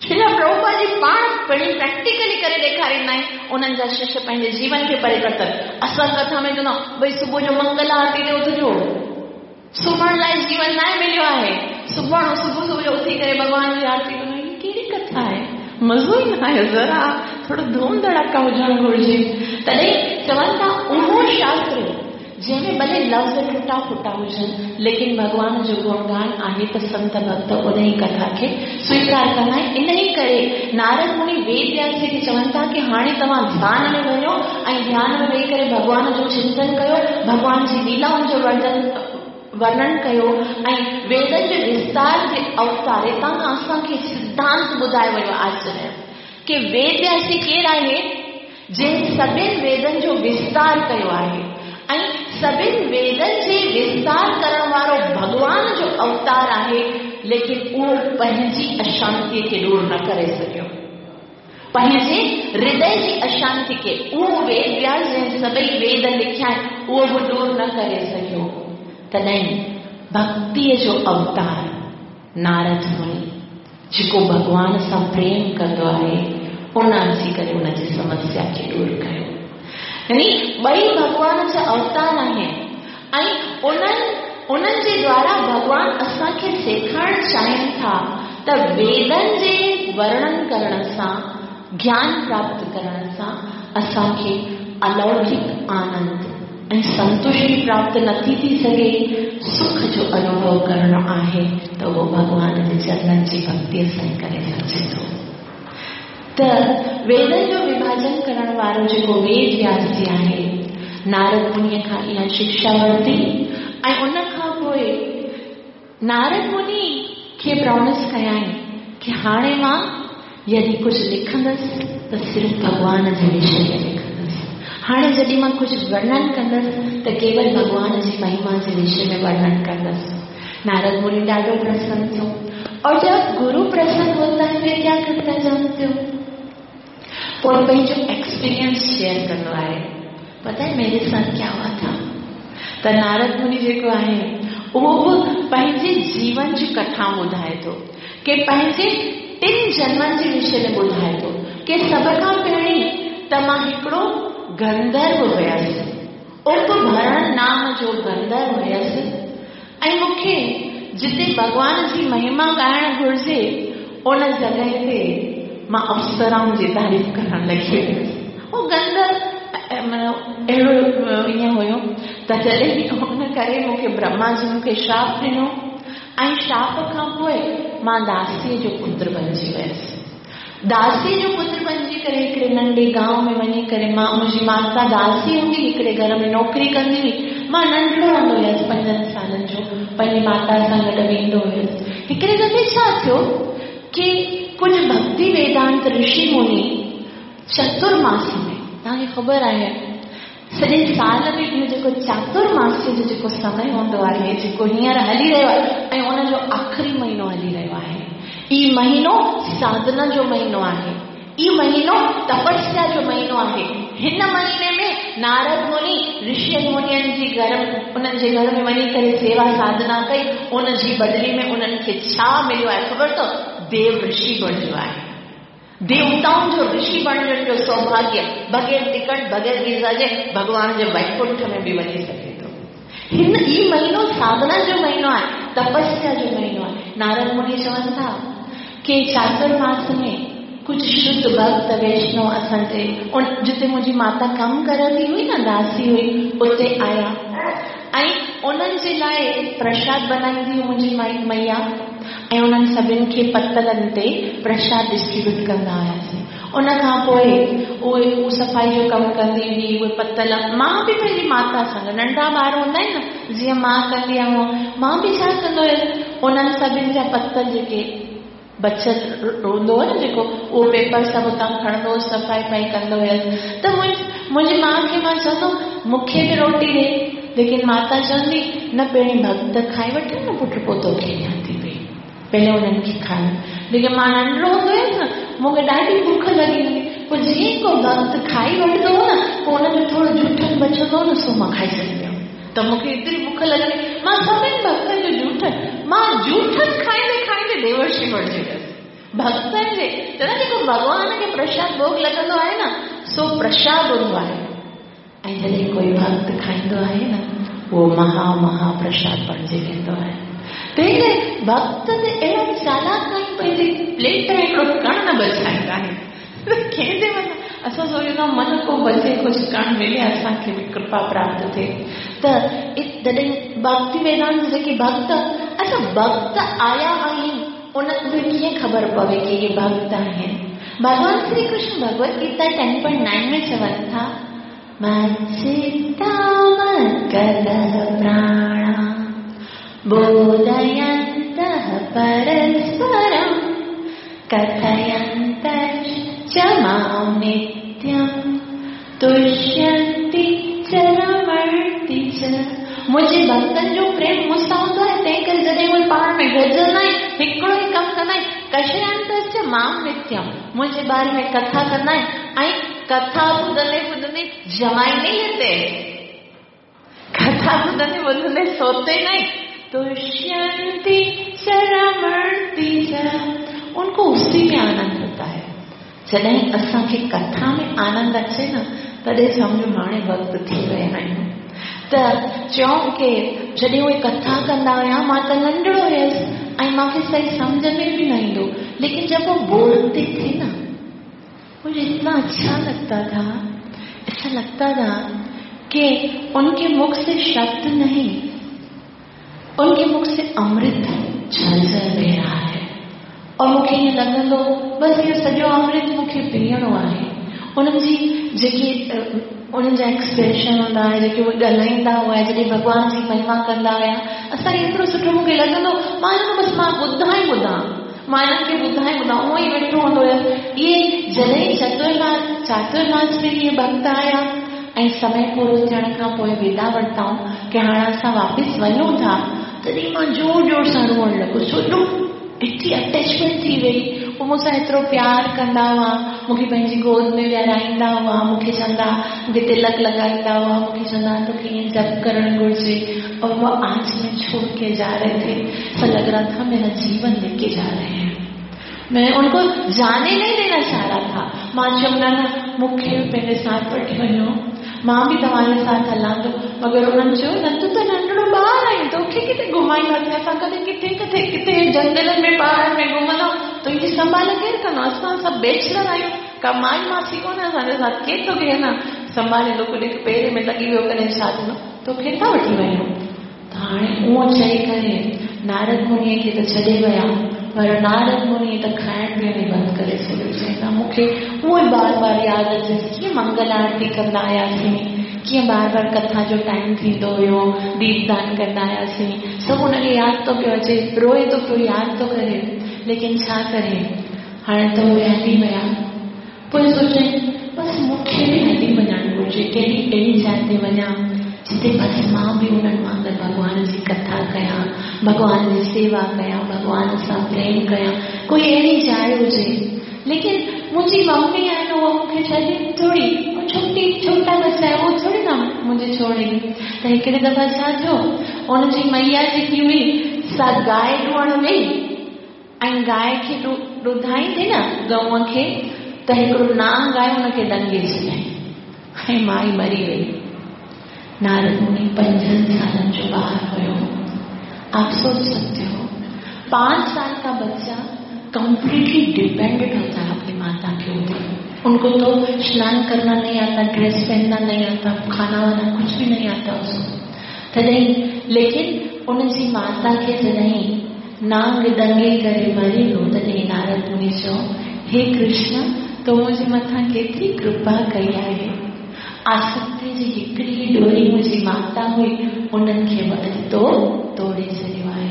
श्रील प्रभुपाद जी पाण पहिरीं प्रैक्टिकली करे ॾेखारींदा आहिनि, उन्हनि जा शिष्य पंहिंजे जीवन खे परिवर्तन। असां कथा में चवंदा आहियूं, भई सुबुह जो मंगल आरती ते उथिजो, सुम्हण लाइ जीवन न मिलियो आहे, सुभाणे सुबुह सुबुह जो उथी करे भॻवान जी आरती कयूं, हीअ कहिड़ी कथा आहे, मज़ो ई न आयो, ज़रा थोरो धूम धड़ाका हुजणु घुरिजे। तॾहिं चवनि था उहो शास्त्र जंहिंमें भले लफ़्ज़ टुटा फुटा हुजनि, लेकिन भॻवान जो गुणगान आहे त संत भक्त उन ई कथा खे स्वीकार कंदा आहिनि। इन ई करे नारद मुनि वेद व्यास जी खे चवनि था की हाणे तव्हां ध्यान में वञो ऐं ध्यान में वेही करे भॻवान जो चिंतन कयो, भॻवान जी लीलाउनि जो वर्णन कयो ऐं वेदनि जे विस्तार जे अवतार। हितां खां असांखे सिद्धांत ॿुधायो वियो आचार्य की वेद व्यास जी केरु आहे, जंहिं सभिनी वेदनि जो विस्तार कयो आहे ऐं सभिनी वेदनि जे विस्तार करण वारो भॻवान जो अवतार आहे, लेकिन उहो पंहिंजी अशांतीअ खे दूर न करे सघियो, पंहिंजे हृदय जी अशांति खे उहो वेद व्यास जंहिं सभई वेद लिखिया आहिनि उहो बि दूर न करे सघियो। तॾहिं भक्तीअ जो अवतार नारद मुनि जेको भॻवान सां प्रेम कंदो आहे, उन अची करे उनजी समस्या खे दूर कयो। यानी ॿई भॻवान जा अवतार आहिनि ऐं उन्हनि जे द्वारा भॻवान असांखे सेखारणु चाहिनि था त वेदनि जे वर्णन करण सां, ज्ञान प्राप्त करण सां असांखे अलौकिक आनंद ऐं संतुष्टि प्राप्त नथी थी सघे, सुख जो अनुभव करणो आहे त उहो भॻवान जे चरणनि जी भक्तीअ सां ई करे सघिजे थो। त वेदनि जो विभाजन करण वारो जेको वेद व्यास जी आहे, नारद मुनीअ खां इहा शिक्षा वरिती ऐं उन खां पोइ नारद मुनि खे प्रॉमिस कयाईं की हाणे मां यदि कुझु लिखंदसि त सिर्फ़ भॻवान जे विषय में लिखंदसि, हाणे जॾहिं मां कुझु वर्णन कंदसि त केवल भॻवान जी महिमा जे विषय में वर्णन कंदसि। नारद मुनि ॾाढो प्रसन्न थियो। और जब गुरु प्रसन्न होता है फिर क्या करता है जानते हो? पोइ पंहिंजो एक्सपीरियंस शेयर कंदो आहे। पता है मेरे साथ क्या हुआ था? त नारद मुनि जेको आहे उहो बि पंहिंजे जीवन जी कथा ॿुधाए थो की पंहिंजे टिनि जन्मनि जे विषय में ॿुधाए थो की सभ खां पहिरीं त मां हिकिड़ो गंधर्व हुयसि, उपभरण नाम जो गंधर्व हुयसि ऐं मूंखे जिते भॻवान जी महिमा ॻाइणु घुरिजे उन जॻह ते मां अप्सराउनि जी तारीफ़ करणु लॻी वियुसि। उहो गंधर्व माना अहिड़ो ईअं हुयो त जॾहिं हुन करे मूंखे ब्रह्मा जी मूंखे श्राप ॾिनो ऐं श्राप खां पोइ मां दासीअ जो पुत्र बणिजी वियुसि। दासीअ जो पुत्र बणिजी करे हिकिड़े नंढे गांव में वञी करे मां मुंहिंजी माता दासी हूंदी, हिकिड़े घर में नौकिरी कंदी हुई। मां नंढड़ो हूंदो हुयुसि 5 सालनि जो, पंहिंजी माता सां गॾु वेंदो हुयुसि। हिकिड़े दफ़े छा थियो की कुझु भक्ति वेदांत ऋषि मुनि चतुर्मास में, तव्हांखे ख़बर आहे सॼे साल में इहो जेको चातुर्मास्य जो जेको समय हूंदो आहे, जेको हींअर हली रहियो आहे ऐं उनजो आख़िरी महीनो हली रहियो आहे, इहो महीनो साधना जो महीनो आहे, इहो महीनो तपस्या जो महीनो आहे। हिन महीने में नारद मुनि ऋषि मुनियुनि जी घर, उन्हनि जे घर में वञी करे सेवा साधना कई। उन जी बदिली में उन्हनि खे छा मिलियो आहे ख़बर अथव? देव ऋषि बणियो आहे, देवताउनि जो ऋषि बणिजण जो सौभाग्य, बग़ैर टिकट बग़ैर वीज़ा जे भॻवान जे वैकुंठ में बि वञी सघे थो। हिन इहो महीनो साधना जो महीनो आहे, तपस्या जो महीनो आहे। नारद मुनि चवनि था की चातुर्मास में कुझु शुद्ध भक्त वैष्णव असांजे जिते मुंहिंजी माता कमु करंदी हुई न, दासी हुई, उते आया ऐं उन्हनि जे लाइ प्रसाद बनाईंदी हुई मुंहिंजी मैया ऐं उन्हनि सभिनि खे पतलनि ते प्रसाद डिस्ट्रीब्यूट कंदा हुआसीं। उन खां पोइ उहे उहो सफ़ाई जो कमु कंदी हुई, उहे पतल मां बि पंहिंजी माता सां गॾु, नंढा ॿार हूंदा आहिनि न, जीअं मां कंदी आहे उअं मां बि छा कंदो हुयुसि, उन्हनि सभिनि जा पतल जेके बचत हूंदो हो न जेको, उहो पेपर सभु उतां खणंदो हुउसि, सफ़ाई वफ़ाई कंदो हुयुसि। त मुंहिंजी माउ खे मां चवंदो मूंखे बि रोटी ॾे, लेकिन माता चवंदी न पहिरीं भक्त खाए वठनि न पुटु, पोइ तोखे ॾियां थी पई, पहिरियों उन्हनि खे खाइण। लेकिन मां नंढड़ो हूंदो हुयुसि न, मूंखे ॾाढी भुख लॻी हूंदी, पोइ जीअं को भक्त खाई वठंदो हो न, पोइ हुनजो थोरो जूठन बचंदो हो न, सो मां खाई छॾींदी हुयुमि। त मूंखे एतिरी भुख लॻंदी, मां सभिनि भक्तनि जो जूठन, मां जूठन खाईंदे खाईंदे देवर्षि बणिजी वियुसि। भक्तनि जे चवंदा जेको भॻवान खे प्रसाद भोग लॻंदो आहे न, सो प्रसाद हूंदो आहे, ऐं जॾहिं कोई भक्त खाईंदो आहे न, उहो महा महा प्रसाद बणिजी वेंदो आहे। तंहिं करे भक्त त अहिड़ा चालाक आहिनि, पंहिंजी प्लेट में हिकिड़ो कण न बचाईंदा आहिनि। कंहिंजे मथां असां सोचींदा आहियूं मन को बचे कुझु कण मिले, असांखे बि कृपा प्राप्त थिए। त तॾहिं भक्ति वेदांत जेके भक्त, अच्छा भक्त आया आहिनि, उन्हनि खे कीअं ख़बर पवे की इहे भक्त आहिनि? भॻवान श्री कृष्ण भगवत गीता 10.9 में चवनि था, मच्चित्ता मद्गतः प्राणा बोधयन्तः परस्परं कथयन्तश्च मां नित्यं तुष्यन्ति च रमन्ति च। मुंहिंजे भक्तनि जो प्रेम मूंसां हूंदो आहे, तंहिं करे जॾहिं उहे पाण में गॾिजंदा आहिनि, हिकिड़ो ई कमु कंदा आहिनि, कथयन्तश्च मां नित्यं, मुंहिंजे बारे में कथा कंदा आहिनि, ऐं कथा ॿुधंदे ॿुधंदे जमाई नहीं लेते, कथा ॿुधंदे ॿुधंदे सोते नहीं, तुष्यन्ति च रमन्ति च, उनको उसी में आनंद होता है। जॾहिं असांखे कथा में आनंद अचे न, तॾहिं सम्झो हाणे वक़्तु थी विया आहियूं। त चऊं की जॾहिं उहे कथा कंदा हुआ, मां त नंढड़ो हुयुसि ऐं मूंखे सही सम्झ में बि न ईंदो, लेकिन जब वो बोलते थे ना, मुझे इतना अच्छा लगता था, ऐसा लगता था कि उनके मुख से शब्द नहीं, उनके मुख से अमृत झरझर बह रहा है। और मूंखे ईअं लॻंदो बसि इहो सॼो अमृत मूंखे पीअणो आहे। उन्हनि जी जेके उन्हनि जा एक्सप्रेशन हूंदा हुआ, जेके उहे ॻाल्हाईंदा हुआ, जॾहिं भॻवान जी महिमा कंदा हुआ, असांखे एतिरो सुठो मूंखे लॻंदो, मां चवंदो बसि मां ॿुधां ई ॿुधां, मां हिननि खे ॿुधां ई ॿुधां, उअं ई वेठो हूंदो हुयुसि। इहे जॾहिं चातुर्मास में इहे भक्त आया ऐं समय पूरो थियण खां पोइ विदा वरिताऊं की हाणे असां वापसि वञूं था, तॾहिं मां ज़ोर ज़ोर सां रोअणु लॻुसि, छो जो एतिरी अटैचमेंट थी वई। उहे मूंसां एतिरो प्यार कंदा हुआ, मूंखे पंहिंजी गोद में विहाराईंदा हुआ, मूंखे चवंदा, मूंखे तिलक लॻाईंदा हुआ, मूंखे चवंदा तोखे ईअं जप करणु घुरिजे। और वह आज मैं छोड़ के जा रहे थे, ऐसा लग रहा था मेरा जीवन लेके जा रहे हैं, मैं उनको जाने नहीं देना चाह रहा था। मां चयुमि न न, मूंखे बि पंहिंजे साथ वठी वञो, मां बि तव्हांजे साथ हलां थो। मगर उन्हनि चयो न, तूं त नंढड़ो ॿार आहीं, तोखे किथे घुमाईंदासीं असां? कॾहिं किथे किथे किथे जंगलनि में पहाड़नि में घुमंदा, तुंहिंजी संभाल केरु कंदो? असां सभु बैचलर आहियूं, का माई मासी कोन्हे असांजे साथ, केरु तोखे न संभालींदो? कॾहिं पेर में लॻी वियो, कॾहिं छा थींदो, तोखे था वठी वञूं। त हाणे उहो चई करे नारद मुनीअ खे त छॾे विया, पर नारद मुनी त खाइण पीअण ई बंदि करे छॾियो। चई मूंखे उहो ई बार बार यादि अचे, कीअं मंगल आरती कंदा हुआसीं, कीअं बार बार कथा जो टाइम थींदो हुयो, दीपदान कंदा हुआसीं, सभु हुनखे यादि थो पियो अचे, रोए थो पियो, यादि थो करे, लेकिन छा करे, हाणे त उहे हली विया। पोइ सोचे बसि मूंखे बि हली वञणु घुरिजे, कहिड़ी अहिड़ी जाइ ते वञा जिते बसि मां बि उन्हनि वांगुरु भॻवान जी कथा कयां, भॻवान जी सेवा कयां, भॻवान सां प्रेम कयां, कोई अहिड़ी जाइ हुजे। लेकिन मुंहिंजी मम्मी आहे न, उहा मूंखे छॾे थोरी, छोटी छोटा बच्चा आहे, उहो थोरी न मुंहिंजे छोड़ेगी। त हिकिड़े दफ़ा छा थियो, हुनजी मैया जेकी हुई सा गाय ॾुहण वई, ऐं गाय खे ॾुधाईंदे न गऊं खे, त हिकिड़ो नांग आयो, हुनखे ॾंगे छॾियईं ऐं माई मरी वई। नारद मुनि 5 सालनि जो ॿार हुयो। आप सोच सकते हो, 5 साल का बच्चा कंप्लीटली डिपेंडेंट होता है अपनी माता के ऊपर। उनको तो स्नान करना नहीं आता, ड्रेस पहनना नहीं आता, खाना वाना कुछ भी नहीं आता उसको। तॾहिं लेकिन उन जी माता खे जॾहिं नांग ॾंगे करे मरी वियो, तॾहिं नारद मुनि चयो, हे कृष्ण, तो मुंहिंजे मथां केतिरी कृपा कई आहे। आसक्ति जी हिकिड़ी ॾोरी मुंहिंजी माता हुई, उन्हनि खे बि अॼु तो तोड़े छॾियो आहे।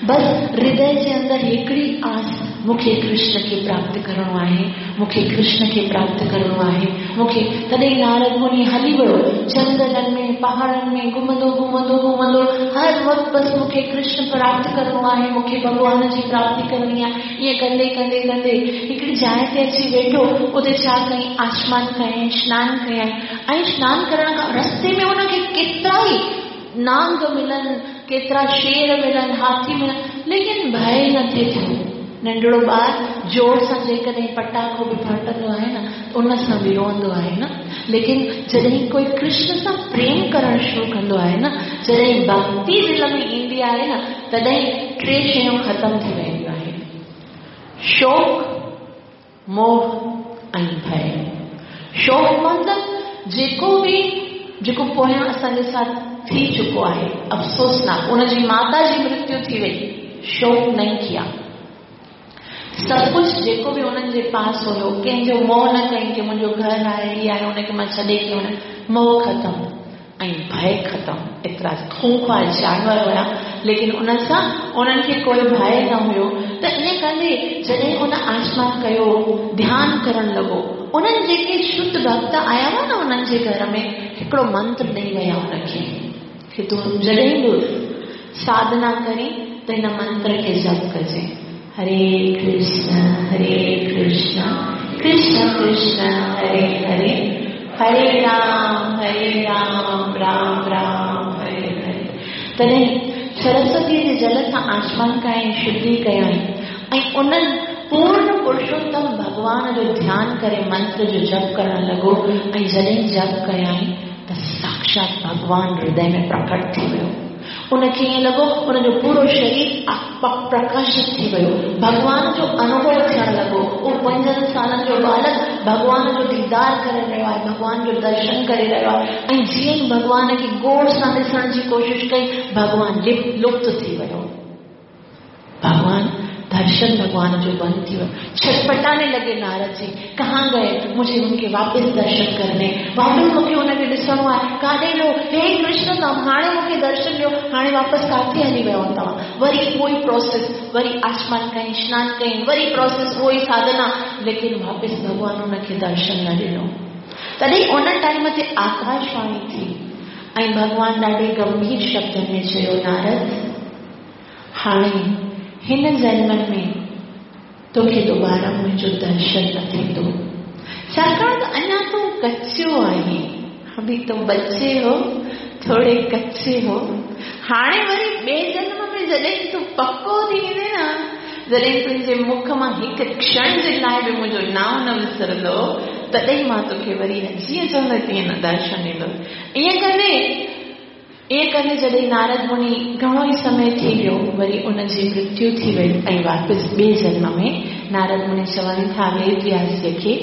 बसि हृदय जे अंदरि हिकिड़ी आस, मूंखे कृष्ण खे प्राप्त करिणो आहे, मूंखे कृष्ण खे प्राप्त करिणो आहे, मूंखे। तॾहिं नारद मुनि हली वियो जंगलनि में, पहाड़नि में, घुमंदो घुमंदो घुमंदो, हर वक़्तु बसि मूंखे कृष्ण प्राप्त करिणो आहे, मूंखे भॻवान जी प्राप्ति करणी आहे। ईअं कंदे कंदे कंदे हिकिड़ी जाइ ते अची वेठो। उते छा कयईं? आसमान कयईं, सनानु कयईं। ऐं सनानु करण खां रस्ते में हुनखे केतिरा ई नांग मिलनि, केतिरा शेर मिलनि, हाथी मिलनि, लेकिन भय न थिए थियो। नंढड़ो ॿार ज़ोर सां जेकॾहिं पटाखो बि फाटंदो आहे न, उन सां बि रोअंदो आहे न। लेकिन जॾहिं कोई कृष्ण सां प्रेम करणु शुरू कंदो आहे न, जॾहिं भक्ति दिलि में ईंदी आहे न, तॾहिं टे शयूं ख़तमु थी वेंदियूं आहिनि: शोक, मोह ऐं भय। शोक मतिलबु जेको बि जेको पोयां असांजे साथ थी चुको आहे, अफ़सोसनाक, उनजी माता जी मृत्यु थी वई, शोक नहीं किया। सभु कुझु जेको बि उन्हनि जे पास हुयो, कंहिंजो मोह न कयईं की मुंहिंजो घर आहे, हीअ आहे, हुनखे मां छॾे कीअं वञा। मोह ख़तमु ऐं भय ख़तमु। एतिरा खूंखार जानवर हुया, लेकिन उन सां उन्हनि खे कोई भय न हुयो। त ईअं कंदे जॾहिं उन आसमान कयो, ध्यानु करणु लॻो, उन्हनि जेके शुद्ध भक्त आया हुआ न उन्हनि जे घर में, हिकिड़ो मंत्र ॾेई विया हुनखे की तूं जॾहिं बि साधना करी त हिन मंत्र खे जप कजे: हरे कृष्ण हरे कृष्ण कृष्ण कृष्ण हरे हरे, हरे राम हरे राम राम राम हरे हरे। तॾहिं सरस्वती जे जल सां आसमान कयईं, शुद्धि कयईं ऐं उन्हनि पूर्ण पुरुषोत्तम भॻवान जो ध्यानु करे मंत्र जो जप करणु लॻो। ऐं जॾहिं जप कयईं त साक्षात भॻवान हृदय में प्रकट थी वियो। उनखे ईअं लॻो हुनजो पूरो शरीर प्रकाशित थी वियो, भॻवान जो अनुभव थियणु लॻो। उहो 5 सालनि जो बालक भॻवान जो दीदार करे रहियो आहे, भॻवान जो दर्शन करे रहियो आहे। ऐं जीअं ई भॻवान खे गौर सां ॾिसण जी कोशिशि कई, भॻवान लुप्त थी वियो, भॻवान दर्शन भगवान जो बंद थी वियो। छटपटाने लगे नारद जी, कहाँ गए, मुझे उनके वापस दर्शन करने, वापसि मूंखे हुनखे ॾिसणो आहे, काॾे वियो? हे कृष्ण, तव्हां हाणे मूंखे दर्शन ॾियो, हाणे वापसि काथे हली वियो तव्हां? वरी उहो ई प्रोसेस, वरी आसमान कयईं, सनानु कयईं, वरी प्रोसेस, उहो ई साधना, लेकिन वापसि भॻवान हुनखे दर्शन न ॾिनो। तॾहिं उन टाइम ते आकाशवाणी थी ऐं भॻवान ॾाढे गंभीर शब्दनि में चयो, नारद, हाणे हिन जन्मनि में तोखे दोबारा मुंहिंजो दर्शन न थींदो, छाकाणि त अञा तूं कचो आहीं, अभी तुम बच्चे हो, थोड़े कच्चे हो। हाणे वरी ॿिए जन्म में जॾहिं तूं पको थी वेंदे न, जॾहिं तुंहिंजे मुख मां हिकु क्षण जे लाइ बि मुंहिंजो नांव न विसरंदो, तॾहिं मां तोखे वरी जीअं चवंदो तीअं न दर्शन ॾींदो। ईअं कंदे जॾहिं नारद मुनि घणो ई समय थी वियो, वरी उनजी मृत्यु थी वई ऐं वापसि ॿिए जन्म में नारद मुनि चवनि था वेद व्यास जी खे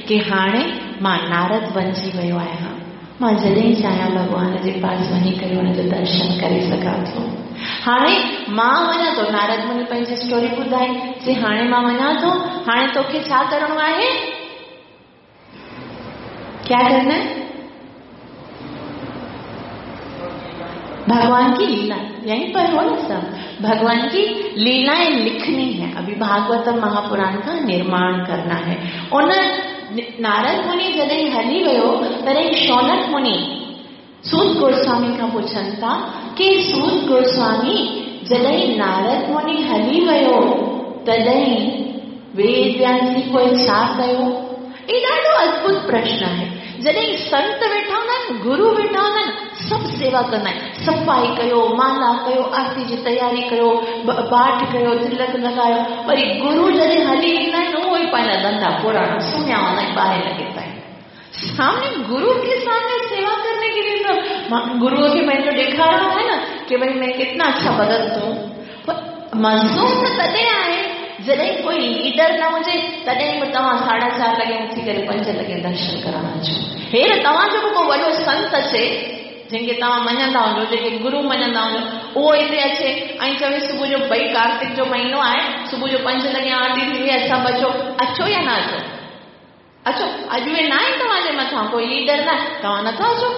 की हाणे मां नारद बणिजी वियो आहियां, मां जॾहिं चाहियां भॻवान जे पास वञी करे हुनजो दर्शन करे सघां थो। हाणे मां वञा थो। नारद मुनि पंहिंजी स्टोरी ॿुधाई, चई हाणे मां वञा थो, हाणे तोखे छा करिणो आहे? क्या करना है? भगवान की लीला यहीं पर हो ना सब, भगवान की लीलाएं लिखनी है, अभी भागवतम महापुराण का निर्माण करना है। उन नारद मुनि जॾहिं हली वियो, तॾहिं शौनक मुनि सूत गोस्वामी खां पुछनि था की सूत गोस्वामी, जॾहिं नारद मुनि हली वियो तॾहिं वेद व्यास जी पोइ छा कयो? इहो ॾाढो अद्भुत प्रश्न आहे। जॾहिं संत वेठा हूंदा आहिनि, गुरू वेठा हूंदा आहिनि, सभु सेवा कंदा आहिनि, सफ़ाई कयो, माला कयो, आरती जी तयारी कयो, पाठ कयो, तिलक लॻायो। वरी गुरू जॾहिं हली ईंदा आहिनि, उहो ई पंहिंजा धंधा पुराणा सुम्हिया हूंदा आहिनि, ॿाहिरि लॻे ताईं। सामने गुरु के सामने सेवा करने के लिए तो गुरुअ खे पंहिंजो ॾेखारिणो आहे न कि भई मैं कितना अच्छा भगत हूँ। मज़ो त तॾहिं आहे जॾहिं कोई लीडर न हुजे, तॾहिं बि तव्हां 4:30 लॻे उथी करे 5 लॻे दर्शन करण अचो। हेर तव्हांजो बि को वॾो संत अचे, جنهن کي توهان مڃندا هجو، جنهن کي گرو مڃندا هجو، اهو هتي اچي ۽ چوي صبح جو ڀئي ڪارتڪ جو مهينو آهي، صبح جو پنج لڳي آرتي ٿيندي آهي، سڀ اچو، اچو يا نه اچو؟ اچو، اڄ اهي نه آهن توهان جي مٿان، ڪوئي ليڊر نه آهي، توهان نٿا اچو؟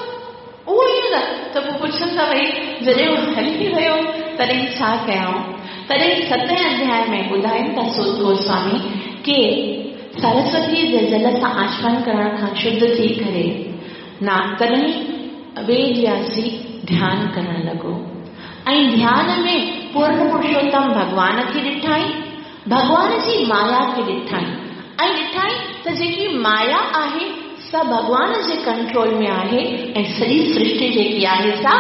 اهو ئي نه ته پوء پڇن ٿا ڀئي جڏهن هو هلي ويو تڏهن ڇا ڪيائون؟ تڏهن ستين اڌياء ۾ ٻڌائين ٿا سوت گوسوامي ڪي سرسوتيء جي جل سان آچمن ڪرڻ کان شڌ ٿي ڪري نا تڏهن ويد وياس جي ڌيان ڪرڻ لڳو ۽ ڌيان ۾ پورن پرشوتم ڀڳوان کي ڏٺائين، ڀڳوان جي مايا کي ڏٺائين ۽ ڏٺائين ته جيڪي مايا آهي سا ڀڳوان جي ڪنٽرول ۾ آهي ۽ سڄي سرشٽي جيڪي آهي سا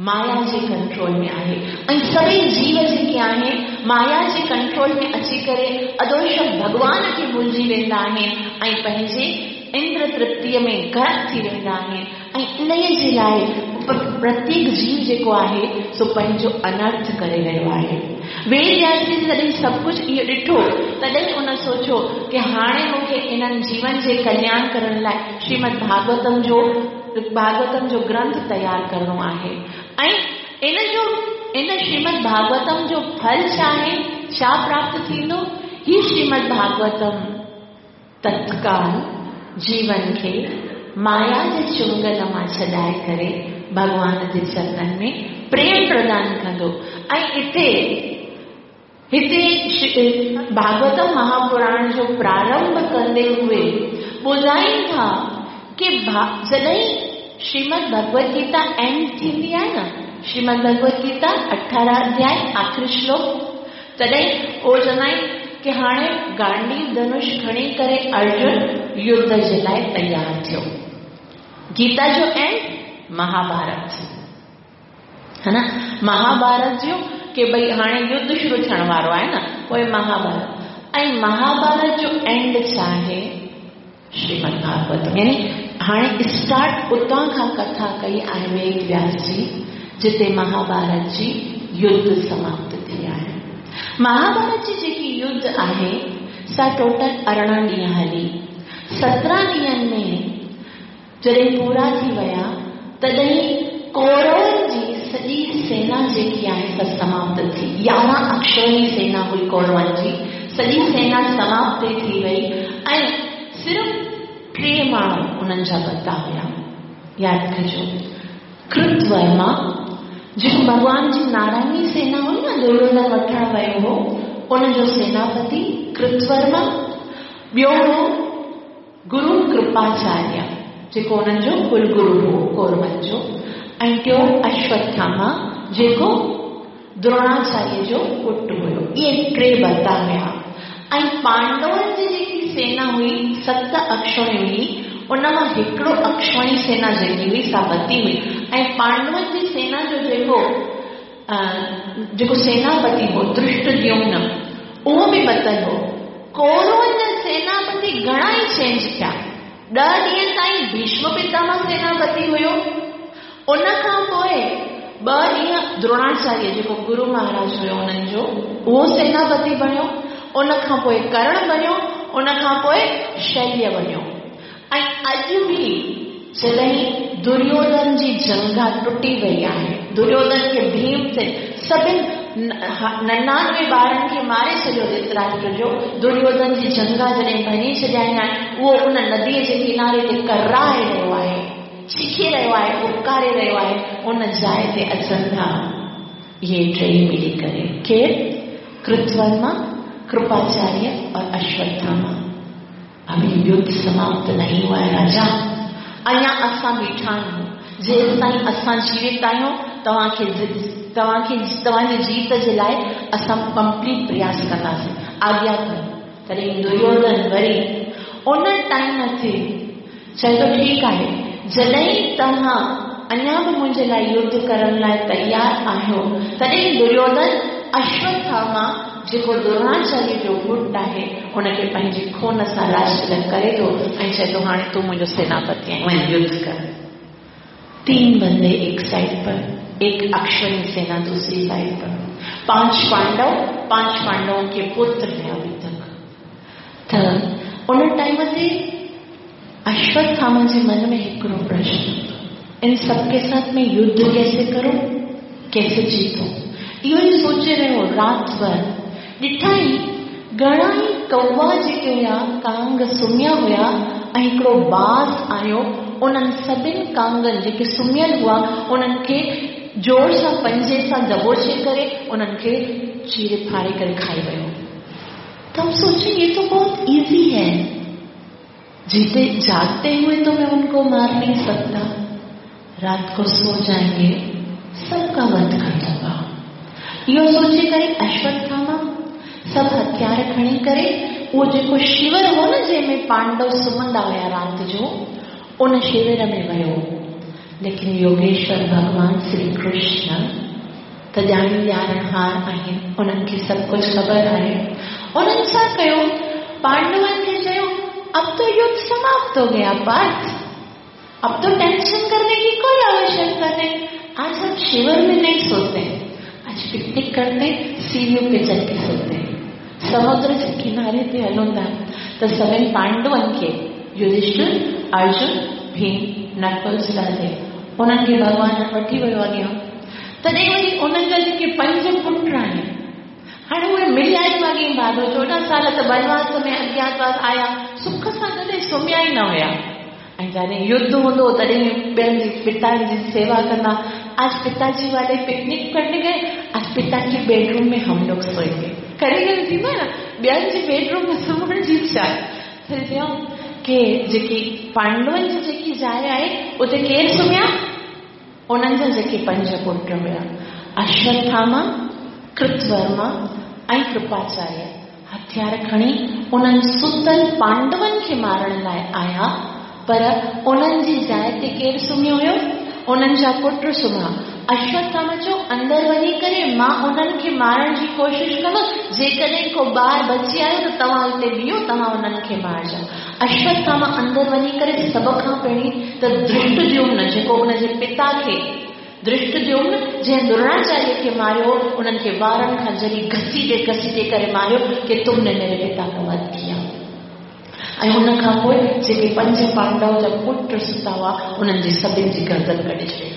مايا جي ڪنٽرول ۾ آهي ۽ سڀئي جيو جيڪي آهن مايا جي ڪنٽرول ۾ اچي ڪري ادوشڪ ڀڳوان کي ڀلجي ويندا آهن ۽ پنهنجي اندر ترپتيء ۾ غرق ٿي ويندا آهن ۽ انهيء جي لاء پرتيڪ جيو جيڪو آهي سو پنهنجو انرٿ ڪري رهيو آهي. ويد وياس جي جڏهن سڀ ڪجهه اهو ڏٺو تڏهن ان سوچيو ڪه هاڻي مون کي انهن جيون جي ڪلياڻ ڪرڻ لاء شريمد ڀاڳوتم جو ڀاڳوتم جو گرنٿ تيار ڪرڻو آهي ۽ ان جو ان شريمد ڀاڳوتم جو ڦل ڇا آهي ڇا پراپت ٿيندو هي شريمد ڀاڳوتم تتڪال جيون کي مايا جي چنگل مان ڇڏائي ڪري ڀڳوان جي چرنن ۾ پريم پردان ڪندو ۽ اتي هتي ڀاڳوتم مهاپراڻ جو پرارنڀ ڪندي هوئي ٻڌائين ٿا ڪي جڏهن شريمد ڀڳوت گيتا اينڊ ٿيندي آهي نه شريمد ڀڳوت گيتا اٺارهن اڌياء آخري شلوڪ تڏهن اهو چوندا آهن ڪي هاڻي گانڊيو ڌنش کڻي ڪري ارجن يڌ جي لاء تيار ٿيو. گيتا جو اينڊ مهاڀارت ها نه مهاڀارت جو ڪي ڀئي هاڻي يڌ شروع ٿيڻ وارو آهي نه پوء مهاڀارت ۽ مهاڀارت جو اينڊ ڇا آهي شريمد ڀاڳوتم يعني هاڻي اسٽارٽ اتان کان ڪٿا ڪئي آهي ويد وياس جي جتي مهاڀارت جي يڌ سماپت ٿي آهي. مهاڀارت جي جيڪي يڌ آهي سا ٽوٽل 18 ڏينهن هلي. 17 ڏينهن ۾ جڏهن پورا ٿي ويا تڏهن ڪورون جي سڄي سينا جيڪي آهي سا سماپت ٿي. 11 اڪشوهڻي سينا هئي ڪورون جي، سڄي سينا سماپت ٿي وئي ۽ صرف ٽي ماڻهو انهن جا بتا هيا. ياد ڪجو ڪرت ورما جيڪو ڀڳوان جي نارائڻي سينا هئي نه دريوڌن وٺڻ ويو هو ان جو سيناپتي ڪرت ورما، ٻيو هو گرو ڪرپاچاريه، جيڪو انهن جو ڪل گرو هو، ڪورون جو، ۽ ٽيون اشوٿاما، جيڪو دروناچاريه جو پٽ هيو. اهي ٽي ڀرتا هيا. ۽ پانڊون جي جيڪي سينا هئي، ست اڪشوهڻي هئي، ان مان هڪڙو اڪشوهڻي سينا جيڪي هئي، سا بتي هئي. ۽ پانڊون جي سينا جو جيڪو جيڪو سيناپتي هو، ڌرشٽديومن، اهو به بتل هو. ڪورون جا سيناپتي گهڻا ئي چينج ٿيا. ڏهه ڏينهن تائين ڀيشم پتامه سيناپتي هيو. ان کان پوء ٻه ڏينهن دروناچاريه جيڪو گرو مهاراج هيو انهن جو، اهو سيناپتي بڻيو. ان کان پوء ڪرڻ بڻيو. ان کان پوء شليه بڻيو. ۽ اڄ به جڏهن دريوڌن جي جنگها ٽٽي وئي آهي، دريوڌن کي ڀيم سين سڀن 99 ٻارن کي ماري ڇڏيو ڌرتراشٽر جو، دريوڌن جي جنگها جڏهن ڀڃي ڇڏيائين آهي، اهو ان نديء جي ڪناري تي ڪرائي رهيو آهي، چيخي رهيو آهي، پڪاري رهيو آهي، ان جاء تي اچن ٿا اهي ٽيئي ملي ڪري، ڪير؟ ڪرتورما، ڪرپاچاريه اور اشوٿاما. اڀي يڌ سماپت نهين هوا هي راجا، اڃا اسان بيٺا آهيون، جيستائين اسان جيوت آهيون توهان کي توهان کي توهان جي جيت جي لاء اسان ڪمپليٽ پرياس ڪنداسين، آگيا ڪيو. تڏهن دريوڌن وري ان ٽائيم تي چئي ٿو ٺيڪ آهي، جڏهن توهان اڃا به منهنجي لاء يڌ ڪرڻ لاء تيار آهيو، تڏهن دريوڌن اشوٿاما جيڪو دروناچاريه جو پٽ آهي، ان کي پنهنجي خون سان راج تلڪ ڪري ٿو ۽ چئي ٿو هاڻي تون منهنجو سيناپتي آهين، وڃ يڌ ڪر. تين بندي ايڪ سائيڊ پر، ايڪ اڪشوهڻي سينا دوسري سائيڊ پر، پانچ پانڊو، پانچ پانڊوون ڪي پتر هين اڀي تڪ. ته ان ٽائيم تي اشوٿاما جي من ۾ هڪڙو پرشن. इन सबके साथ मैं युद्ध कैसे करूं, कैसे जीतूं? इहो ई सोचे रहियो रात भर। ॾिठाई घणा ई कौवा जेके हुया, कांग सुम्हिया हुया ऐं हिकिड़ो बाज़ आयो, उन्हनि सभिनी कांगनि जेके सुम्हियल हुआ उन्हनि खे ज़ोर सां पंजे सां दबोचे करे उन्हनि खे चीरे फाड़े करे खाई वियो। तो हम सोचे ये तो बहुत इजी है, जीते जागते हुए तो मैं उनको मार नहीं सकता, रात को सो जाएंगे सबका वध कर दूंगा। इहो सोचे करे अश्वत्थामा सभु हथियार खणी करे उहो जेको शिविर हो न जंहिंमें पांडव सुम्हंदा हुया राति जो, उन शिविर में वियो। लेकिन योगेश्वर भॻवान श्री कृष्ण त ॼाणी ॼाणहार आहिनि, उन्हनि खे सभु कुझु ख़बर आहे। उन्हनि छा कयो, पांडवनि खे चयो अब तो युद्ध समाप्त हो गया पार्थ, अब तो टेंशन करने की कोई आवश्यकता नहीं, आज हम शिविर में नहीं सोते, आज पिकनिक करते, सीढ़ियों पे चल के सोते, समुद्र जे किनारे ते हलूं था। त सभिनी पांडवनि खे युधिष्ठिर, अर्जुन, भीम, नकुल, सहदेव उन्हनि खे भॻवान वठी वियो अॻियां। तॾहिं वरी उन्हनि जा जेके पंज पुट आहिनि, हाणे उहे मिलिया ई माॻे भाॻो, 14 साल त बनवास में अज्ञातवास आया, सुख सां कॾहिं सुम्हिया ई न हुया। ऐं जॾहिं युद्ध हूंदो तॾहिं ॿियनि जी पिता जी सेवा कंदा। आज पिताजी वाले पिकनिक करने गए, आज पिता के बेडरूम में हम लोग सोएंगे। करे करे थींदो आहे न, ॿियनि जे बेडरूम में सुम्हण जी इच्छा। त चयऊं की जेकी पांडवनि जी जेकी जाइ आहे उते केरु सुम्हिया, उन्हनि जा जेके पंज पुट हुया, अश्वत्थामा, कृतवर्मा ऐं कृपाचार्य, हथियार खणी उन्हनि सुतल पांडवनि खे मारण लाइ आया, पर उन्हनि जी जाइ ते केरु सुम्हियो हुयो, उन्हनि जा पुट सुम्हा। अश्वत्थामा चयो अंदरि वञी करे मां उन्हनि खे मारण जी कोशिशि कंदुसि, जेकॾहिं को ॿार बची आयो त तव्हां हिते बीहो, तव्हां उन्हनि खे मारिजो। अश्वत्थामा अंदरि वञी करे सभ खां पहिरीं त धृष्टद्युम्न जेको हुनजे पिता खे, धृष्टद्युम्न जंहिं द्रोणाचार्य खे मारियो, उन्हनि खे वारनि खां जरी घसीटे घसीटे करे मारियो कि तुमने मेरे पिता का वध किया। ऐं हुन खां पोइ जेके पंज पांडव जा पुट सुता हुआ उन्हनि जी सभिनी जी गर्दन कढी छॾी।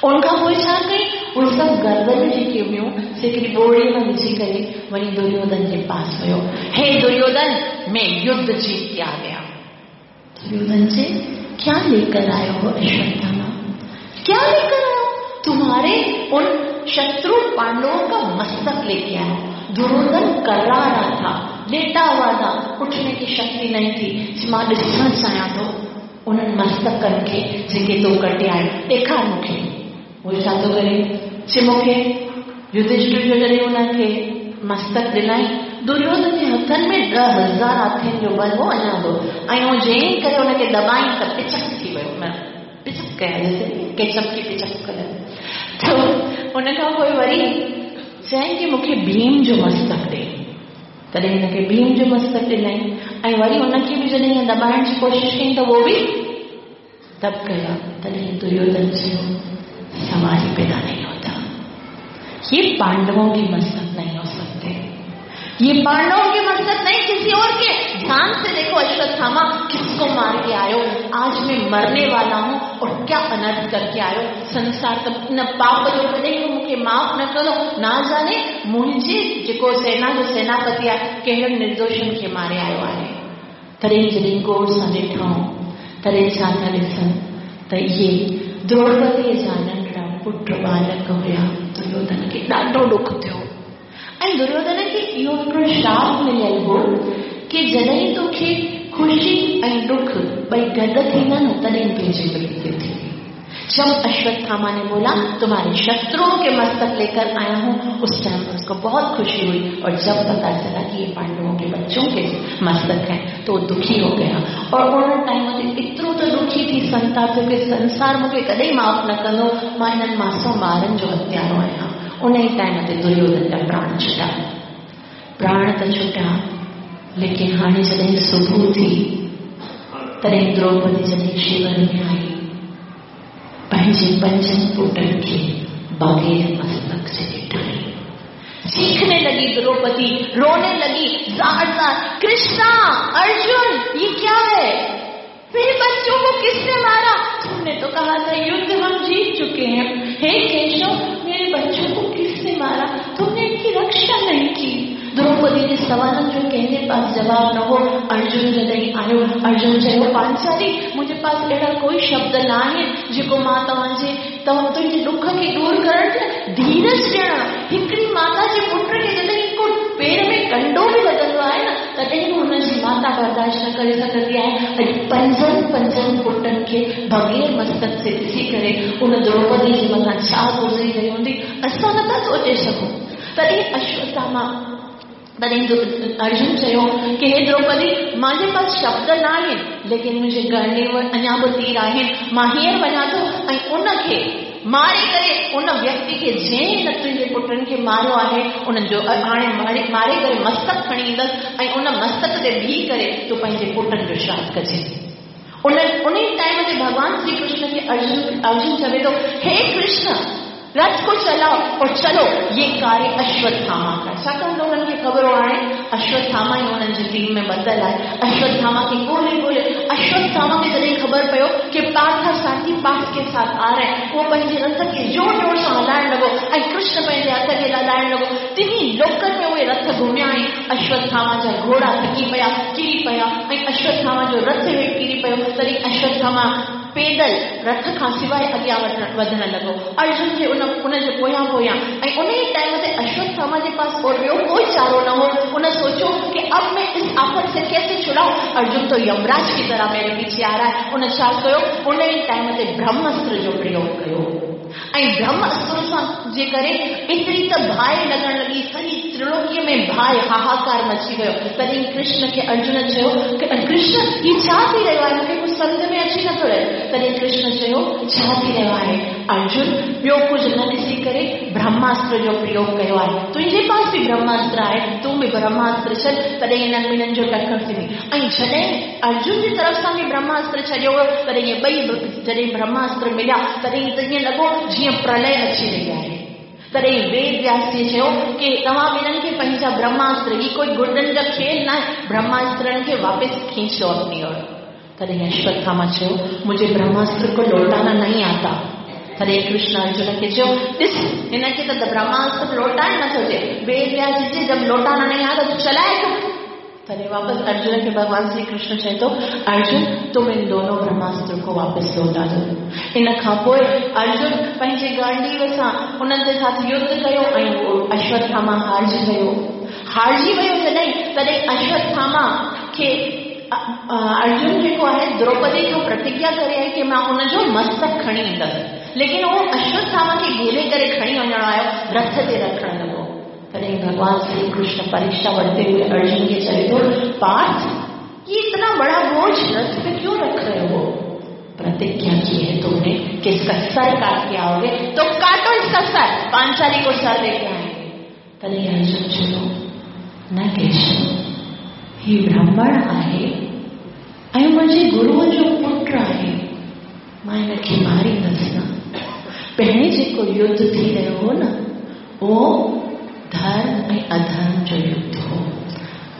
उन खां पोइ छा कई, उहे सभु गर्दन जेकी हुयूं से हिकिड़ी ॿोड़ीअ में विझी करे वञी दुर्योधन जे पास वियो। हे दुर्योधन, मैं युद्ध जीत के आ गया। दुर्योधन से क्या लेकर आयो हो अश्वत्थामा, क्या लेकर आयो? तुम्हारे उन शत्रु पांडवों का मस्तक लेके आयो। दुर्योधन कर्रा रहा था, लेटा हुआ था, उठने की शक्ति नहीं थी। मां ॾिसणु चाहियां थो उन्हनि मस्तकनि खे जेके तो कटे आयो, ॾेखार मूंखे। उहो छा थो करे, चए मूंखे युधिष्ठिर जो जॾहिं हुनखे मस्तक ॾिनई, दुर्योधन जे हथनि में 10,000 हाथियुनि जो बल हो अञा बि, ऐं उहो जंहिं करे हुनखे दॿाई त पिचक थी वियो, पिचक कया जैसे केचप की पिचक करे। त उन खां पोइ वरी चयईं की मूंखे भीम जो मस्तक ॾे। तॾहिं हुनखे भीम जो मस्तक ॾिनई, ऐं वरी हुनखे बि जॾहिं दॿाइण जी कोशिशि कई त उहो बि दब गया। तॾहिं दुर्योधन चयो सवाल ही पैदा नहीं होता, ये पांडवों के मस्तक नहीं हो सकते, ये पांडवों के मस्तक नहीं किसी और के। ध्यान से देखो अश्वत्थामा किसको मार के आयो, आज मैं मरने वाला हूं और क्या अनर्थ करके आयो। संसार त न पाप जो कॾहिं मूंखे माफ़ न कंदो, ना जाने मुंहिंजे जेको सेना जो सेनापति आहे कहिड़नि निर्दोषनि खे मारे आयो आहे। तॾहिं जॾहिं गौर सां ॾिठाऊं तॾहिं छा था ॾिसनि त इहे द्रौपदीअ जा नंढड़ा पुट बालक हुया। दुर्योधन खे ॾाढो ॾुख थियो ऐं दुर्योधन खे इहो हिकिड़ो श्राप मिलियल हो की जॾहिं तोखे ख़ुशी ऐं ॾुख ॿई गॾु थींदा न तॾहिं तुंहिंजी मृत्यु थींदी। जब अश्वत्थामा ने बोला तुम्हारे शत्रुओं के मस्तक लेकर आया हूं, उस टाइम उसको बहुत खुशी हुई, और जब पता चला कि ये पांडवों के बच्चों के मस्तक हैं तो दुखी हो गया। और उन टाइम ते एतिरो त दुखी थी संताप थियो कि संसार मूंखे कॾहिं माफ़ न कंदो, मां हिननि मासूम ॿारनि जो हत्यारो आहियां। उन ई टाइम ते दुर्योधन जा प्राण छुटा, प्राण त छुटा, लेकिन हाणे जॾहिं सुबुह थी तॾहिं द्रौपदी जॾहिं शिविर में आई, पंहिंजे पंजनि पुटनि खे बग़ैर मस्तक जे ॾिठाई। चीखने लगी द्रौपदी, रोने लगी जार जार, कृष्णा, अर्जुन, ये क्या है, मेरे बच्चों को किसने मारा? तुमने तो कहा था युद्ध हम जीत चुके हैं। हे केशव, मेरे बच्चों को किसने मारा? तुमने इनकी रक्षा नहीं की। द्रौपदी जे सवालनि जो कंहिंजे पास जवाब न हो। अर्जुन जॾहिं आयो, अर्जुन चयो, पांचाली, मुंहिंजे पास अहिड़ा कोई शब्द न आहिनि जेको मां तव्हांजे तुंहिंजे ॾुख खे दूर करण लाइ धीरज ॾियण। हिकिड़ी माता जे पुट खे जॾहिं को पेर में कंडो बि लॻंदो आहे न, तॾहिं बि हुनजी माता बर्दाश्त न करे सघंदी आहे। अॼु पंजनि पंजनि पुटनि खे बग़ैर मस्तक से ॾिसी करे उन द्रौपदी जे मथां छा गुज़री रही हूंदी, असां नथा सोचे सघूं। तॾहिं अश्वत्थामा, तॾहिं अर्जुन चयो की हे द्रौपदी, मुंहिंजे पास शब्द न आहिनि, लेकिन मुंहिंजे गणे अञा बि तीर आहिनि। मां हींअर वञा थो ऐं उनखे मारे करे उन व्यक्ति खे जंहिं हिन तुंहिंजे पुटनि खे मारियो आहे, उन्हनि जो हाणे मारे करे मस्तक खणी ईंदसि ऐं उन मस्तक ते बीह करे तूं पंहिंजे पुटनि जो श्राद्ध कजे। उन उन टाइम ते भॻवान श्री कृष्ण खे अर्जुन चवे थो, हे कृष्ण, रथ को चलाओ और चलो, ये कार्य अश्वत्थामा का। छाकाणि त उन्हनि खे ख़बर हो हाणे अश्वत्थामा ई उन्हनि जी टीम में ॿधल आहे। अश्वत्थामा खे ॻोल्हे ॻोल्हे, अश्वत्थामा खे जॾहिं ख़बर पियो कि पार्थ साथी पार्थ के साथ आ रहे हैं, उहो पंहिंजे रथ खे ज़ोर ज़ोर सां हलाइण लॻो ऐं कृष्ण पंहिंजे हथ खे हलाइण लॻो। टिन्ही लोकनि में उहे रथ घुमिया ऐं अश्वत्थामा जा घोड़ा थकी पिया, किरी पिया ऐं अश्वत्थामा जो रथ हेठि किरी पियो। तॾहिं अश्वत्थामा पैदल रथ खां सवाइ अॻियां वधण लॻो, अर्जुन जे उन जे पोयां पोयां। ऐं उन ई टाइम ते अश्वत्थामा जे पास और ॿियो कोई चारो न हो। उन सोचो कि अब मैं इस आफत से कैसे छुड़ाऊं, अर्जुन तो यमराज की तरह मेरे पीछे आ रहा है। उन छा कयो, उन ई टाइम ते ब्रह्मास्त्र जो प्रयोग कयो ऐं ब्रह्मास्त्र सां जे करे एतिरी त बाहि लॻण लॻी, सॼी त्रिलोकीअ में बाहि हाहाकार मची वियो। तॾहिं कृष्ण खे अर्जुन चयो, कृष्ण, हीउ छा थी रहियो आहे? मूंखे कुझु सम्झ में अची नथो रहे। तॾहिं कृष्ण चयो, छा थी रहियो आहे अर्जुन? ॿियो कुझु न ॾिसी करे ब्रह्मास्त्र जो प्रयोग कयो आहे। तुंहिंजे पास बि ब्रह्मास्त्र आहे, तूं बि ब्रह्मास्त्र छॾ, तॾहिं हिननि ॿिन्हिनि जो टकर थींदी। ऐं जॾहिं अर्जुन जी तरफ़ सां बि ब्रह्मास्त्र छॾियो वियो, तॾहिं इहे ॿई जॾहिं ब्रह्मास्त्र मिलिया, तॾहिं त ईअं लॻो जीअं प्रलय अची रही आहे। तॾहिं वेद व्यास जी चयो की तव्हां ॿिन्हिनि खे पंहिंजा ब्रह्मास्त्र, हीउ कोई गुॾनि जा खेल न आहे, ब्रह्मास्त्रनि खे वापसि खींचो अपनी ओर। तॾहिं अश्वत्थामा चयो, मुझे ब्रह्मास्त्र को लौटाना नहीं आता। तॾहिं कृष्ण अर्जुन खे चयो, ॾिस, हिन खे त ब्रह्मास्त्र लौटाइण नथो अचे। वेद व्यास जी जब लौटाना नहीं आता तो चलाए क्यों? तॾहिं वापसि अर्जुन खे भॻवान श्री कृष्ण चए थो, अर्जुन, तुम इन दोनों ब्रह्मास्त्र को वापसि लौटा दो। इन खां पोइ अर्जुन पंहिंजे गांडीव सां उन्हनि जे साथ युद्ध कयो ऐं उहो अश्वत्थामा हारिजी वियो। हारिजी वियो जॾहिं, तॾहिं अश्वत्थामा खे अर्जुन जेको आहे द्रौपदी खां प्रतिज्ञा करे आहे की मां हुनजो मस्तक खणी ईंदसि, लेकिन उहो अश्वत्थामा खे घेरे करे खणी वञणु आयो, रथ ते रखण लॻो। तॾहिं भगवान श्री कृष्ण परीक्षा वठते हुए अर्जुन खे चए थो, पार्थ, ये इतना बड़ा बोझ रथ पे क्यों रख रहे हो? प्रतिज्ञा की है तुमने कि इसका सर काट के आओगे, तो काटो इसका सर, पांचाली को सर लेके आएंगे। तॾहिं अर्जुन चयो, न केशव, ही ब्राह्मण आहे ऐं मुंहिंजे गुरूअ जो पुट आहे, मां हिनखे मारींदसि न। पहिरीं जेको युद्ध थी रहियो हो न, उहो धर्म ऐं अधर्म जो युद्ध हो।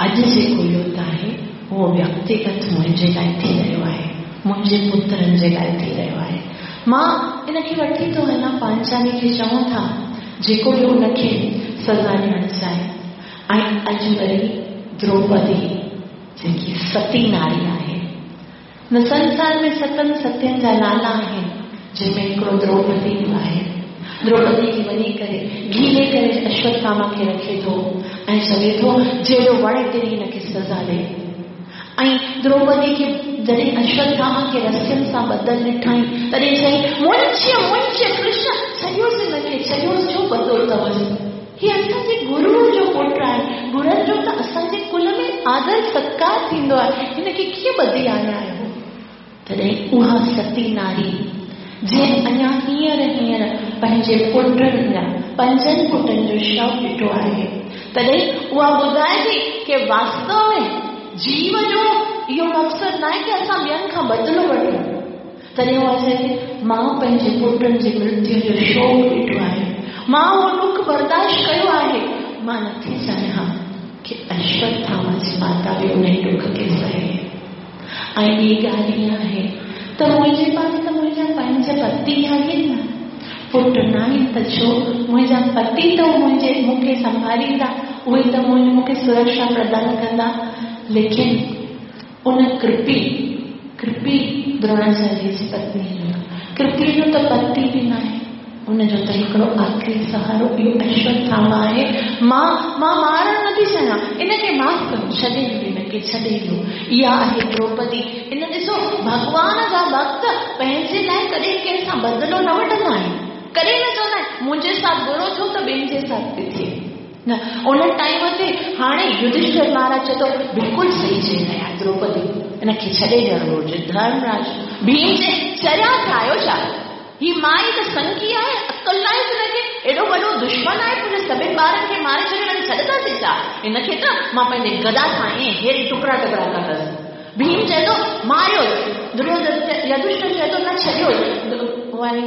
अॼु जेको युद्ध आहे उहो व्यक्तिगत मुंहिंजे लाइ थी रहियो आहे, मुंहिंजे पुत्रनि जे लाइ थी रहियो आहे। मां इनखे वठी थो वञा, पांचाली खे चऊं था जेको बि हुनखे सज़ा ॾियणु चाहे। ऐं अॼु वरी द्रौपदी जेकी सती नारी आहे, न संसार में सतनि सत्यनि जा नाला आहिनि, जंहिंमें हिकिड़ो द्रौपदी बि आहे। द्रौपदी खे वञी करे घीले करे अश्वत्थामा खे रखे थो ऐं चवे थो, जहिड़ो वणे तेरी हिनखे सज़ा ॾे। ऐं द्रौपदी खे जॾहिं अश्वत्थामा खे रसियुनि सां ॿधल ॾिठई, तॾहिं चयईं, मुंहिंजे मुंहिंजे कृष्ण, छॾियोसि हिनखे, छॾियोसि, छो ॿधो अथवसि? हीउ असांजे गुरूअ जो पुटु आहे, गुरुनि जो त असांजे कुल में आदर सत्कार थींदो आहे, हिनखे कीअं ॿधी आया आहियो? तॾहिं उहा सती नारी जंहिं अञा हींअर हींअर पंहिंजे पुटनि जा पंजनि पुटनि जो शव ॾिठो आहे, तॾहिं उहा ॿुधाए थी की वास्तव में जीव जो इहो मक़सदु न आहे की असां ॿियनि खां बदिलो वठूं। तॾहिं उहा चए थी, मां पंहिंजे पुटनि जी मृत्यु जो शोक ॾिठो आहे, मां उहो ॾुख बर्दाश्त कयो आहे, मां नथी चाहियां की अश्वत्थामा जी माता बि उन ॾुख खे सहे। ऐं ॿी ॻाल्हि ईअं आहे त मुंहिंजे पास त मुंहिंजा पंज पति आहिनि न, पुट न आहिनि त छो? मुंहिंजा पति त मुंहिंजे मूंखे संभालींदा, उहे त मूंखे सुरक्षा प्रदान कंदा। लेकिन उन कृपी कृपी द्रोणाचार्य जी पत्नी जो, कृपी जो त पति बि न आहे, उनजो त हिकिड़ो आख़िरी सहारो इहो अश्वत्थामा आहे। मां मां मारणु नथी चाहियां, इनखे माफ़ कयो, छॾे ॾियो, इनखे छॾे ॾियो। इहा आहे द्रौपदी। इन ॾिसो, भॻवान जा भक्त पंहिंजे लाइ कॾहिं कंहिंसां बदिलो न वठंदा आहिनि, कॾहिं न चवंदा आहिनि मुंहिंजे साथ बुरो थियो त ॿियनि जे साथ बि थिए न। उन टाइम ते हाणे युधिष्ठिर महाराज चए थो बिल्कुलु सही चई रहिया आहिनि द्रौपदी, इनखे छॾे ॾियणु घुरिजे। धर्मराज भीम चए चरिया थिया आहियो छा? ही माई त संकी आहे, अकल न आहे हुनखे, एॾो वॾो दुश्मन आहे, मुंहिंजे सभिनी ॿारनि खे मारे छॾियो, हिनखे छॾंदासीं छा? हिनखे त मां पंहिंजे गदा सां ईअं हेरे टुकड़ा टुकड़ा कंदसि। भीम चए थो मारियो, दुर्योधन युधिष्ठिर चए थो न छॾियो।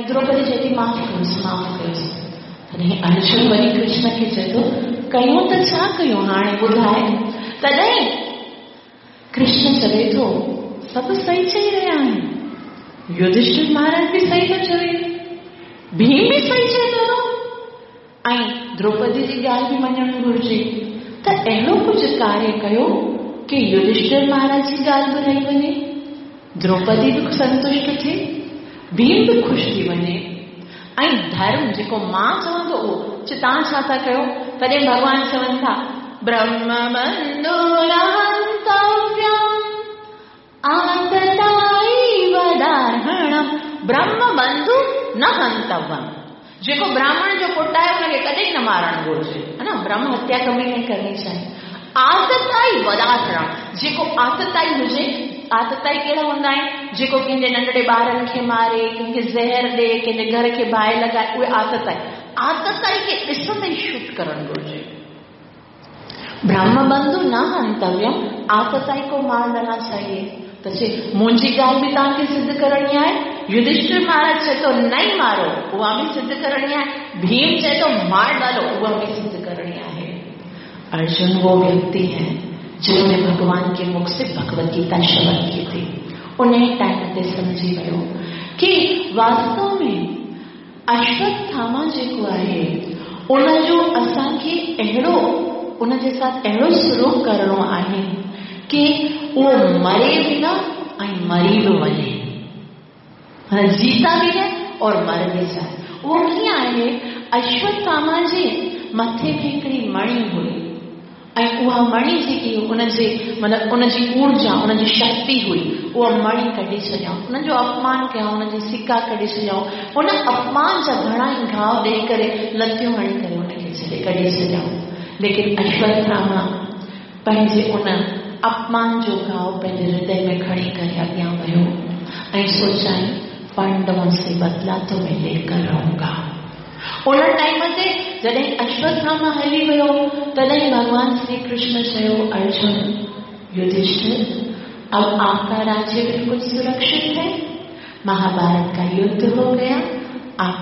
द्रौपदी चए थी माफ़ कयोसि, माफ़ कयोसि। तॾहिं अर्जुन वरी कृष्ण खे चए थो कयूं त छा कयूं हाणे ॿुधाए। तॾहिं कृष्ण चवे थो सभु सही चई रहिया आहिनि, युधिष्ठिर महाराज बि सही थो चवे, भीम बि सही चए थो, ऐं द्रौपदी जी ॻाल्हि बि मञणु घुरिजे। त अहिड़ो कुझु कार्य कयो की युधिष्ठिर महाराज जी ॻाल्हि बि रही वञे, द्रौपदी बि संतुष्ट थिए, भीम बि ख़ुशि थी वञे, ऐं धर्म जेको मां चवां थो उहो तव्हां छा था कयो? तॾहिं भॻवान चवनि था ब्रह्म बंधु आतताई ब्रह्म बंधु न हंतव्यम। जेको ब्राह्मण जो पुट आहे हुनखे कॾहिं न मारणु घुरिजे, है न? ब्रह्म हत्या कभी नहीं करनी चाहिए। आतताई वदारणु, जेको आतताई हुजे, आतताई कहिड़ा हूंदा आहिनि? जेको कंहिंजे नंढड़े ॿारनि खे मारे, कंहिंखे ज़हर ॾे, कंहिंजे घर खे बाहि लॻाए, उहे आतताई। आतताई खे ॾिसंदे ई शूट करणु घुरिजे। ब्रह्म बंधु न हंतव्यम, आतताई को मार डालना चाहिए। त चए मुंहिंजी ॻाल्हि बि तव्हांखे सिद्ध करणी आहे, युधिष्ठिर महाराज चए थो नहीं मारो, उहा बि सिद्ध करणी आहे, भीम चए थो मार डालो, उहा बि सिद्ध करणी आहे। अर्जुन वो व्यक्ति है जिन्होंने भगवान के मुख से भगवत गीता श्रवण की थी। उन टाइम ते समझी वियो कि वास्तव में अश्वत्थामा जेको आहे उनजो असांखे अहिड़ो उनजे साथ अहिड़ो सुलूक करिणो आहे कि उहो मरे बि न ऐं मरी बि वञे, जीता बि न और मर बि जाए। उहो कीअं आहे? अश्वत्थामा जे मथे में हिकिड़ी मणि हुई ऐं उहा मणि जेकी उनजे मतिलबु उनजी ऊर्जा उनजी शक्ति हुई, उहा मणि कढी छॾियऊं, उनजो अपमान कयऊं, उनजे सिक्का कढी छॾियऊं, उन अपमान जा घणा ई घाव ॾेई करे लतियूं हणी करे उनखे छॾे कढी छॾियऊं। लेकिन अश्वत्थामा पंहिंजे उन अपमान जो घाव पंहिंजे हृदय में खणी करे अॻियां वियो ऐं सोचाई पांडवों से बदला तो मैं लेकर रहूंगा। उन टाइम ते जॾहिं अश्वत्थामा हली वियो तॾहिं भॻवान श्री कृष्ण चयो अर्जुन युधिष्ठिर अब आपका राज्य बिल्कुल सुरक्षित है, महाभारत का युद्ध हो गया, आप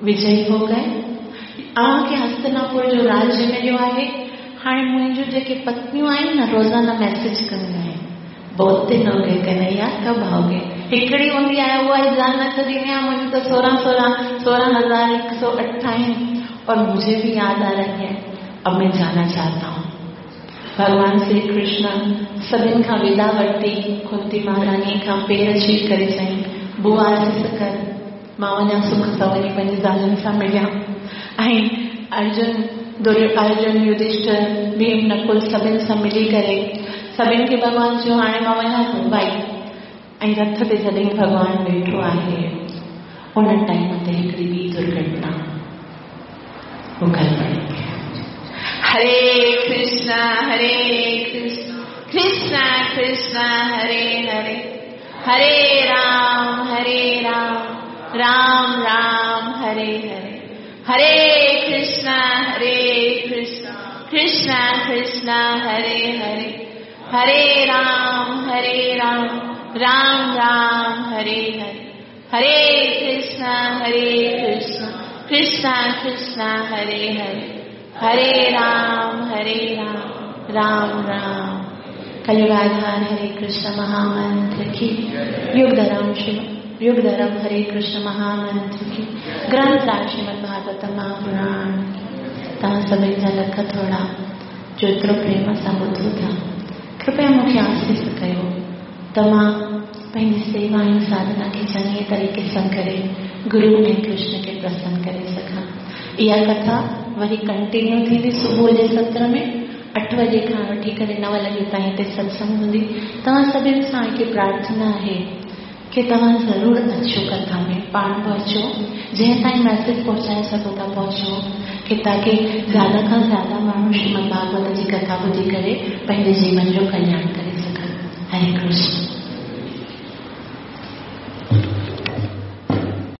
विजयी हो गए, अव्हांखे हस्तिनापुर जो राज्य मिलियो आहे। हाणे मुंहिंजूं जेके पत्नियूं आहिनि न रोज़ाना मैसेज कंदियूं आहिनि, बहुत दिन हो गए कन्हैया कब आओगे। हिकिड़ी हूंदी आहे उहा इल्ज़ाम न छॾींदी आहे, मुंहिंजूं त सोरहं सोरहं 16,108 आहिनि और मुझे भी याद आ रही है, अब मैं जाना चाहता हूँ। भगवान श्री कृष्ण सभिनि खां विदा वरिती, कुंती महारानी खां पेर छुई करे चयईं बुआ आसीस कर, मां वञा सुख सां वञी पंहिंजी ज़ालनि सां मिलियां। ऐं अर्जुन अर्जुन युधिष्ठिर भीम नकुल सभिनि सां मिली करे सभिनि खे भॻवान चयो हाणे मां वञा थो भाई। ऐं रथ ते जॾहिं भॻवान वेठो आहे उन टाइम ते हिकिड़ी ॿी दुर्घटना गड़बड़। हरे कृष्णा कृष्णा कृष्णा हरे हरे, हरे राम राम राम हरे हरे, हरे कृष्णा कृष्णा कृष्णा हरे हरे, हरे राम राम राम हरे हरे, हरे कृष्णा कृष्णा कृष्णा हरे हरे, हरे राम राम राम। कलयुगाधार हरे कृष्ण महामंत्र की, युग धर्म शिव युग धर्म हरे कृष्ण महामंत्र की, ग्रंथ राज श्रीमद् भागवतम महापुराण। तव्हां सभिनी जा लख थोरा जो एतिरो प्रेम सां ॿुधो था, कृपया मूंखे आसीस कयो त मां पंहिंजी सेवा ऐं साधना खे चङे तरीक़े सां करे गुरू ऐं कृष्ण खे प्रसन्न करे सघां। इहा कथा वरी कंटिन्यू थींदी सुबुह जे सत्र में 8 बजे खां वठी करे 9 लॻे ताईं हिते सत्संग हूंदी। तव्हां सभिनी सां हिकु प्रार्थना आहे की तव्हां ज़रूरु अचो कथा में, पाण बि अचो, जंहिं ताईं मैसेज पहुचाए सघो था पहुचो, की ताकी ज़्यादा खां ज़्यादा माण्हू श्रीमद् भागवत जी कथा ॿुधी करे पंहिंजे जीवन जो कल्याण करे सघनि। हरे कृष्ण।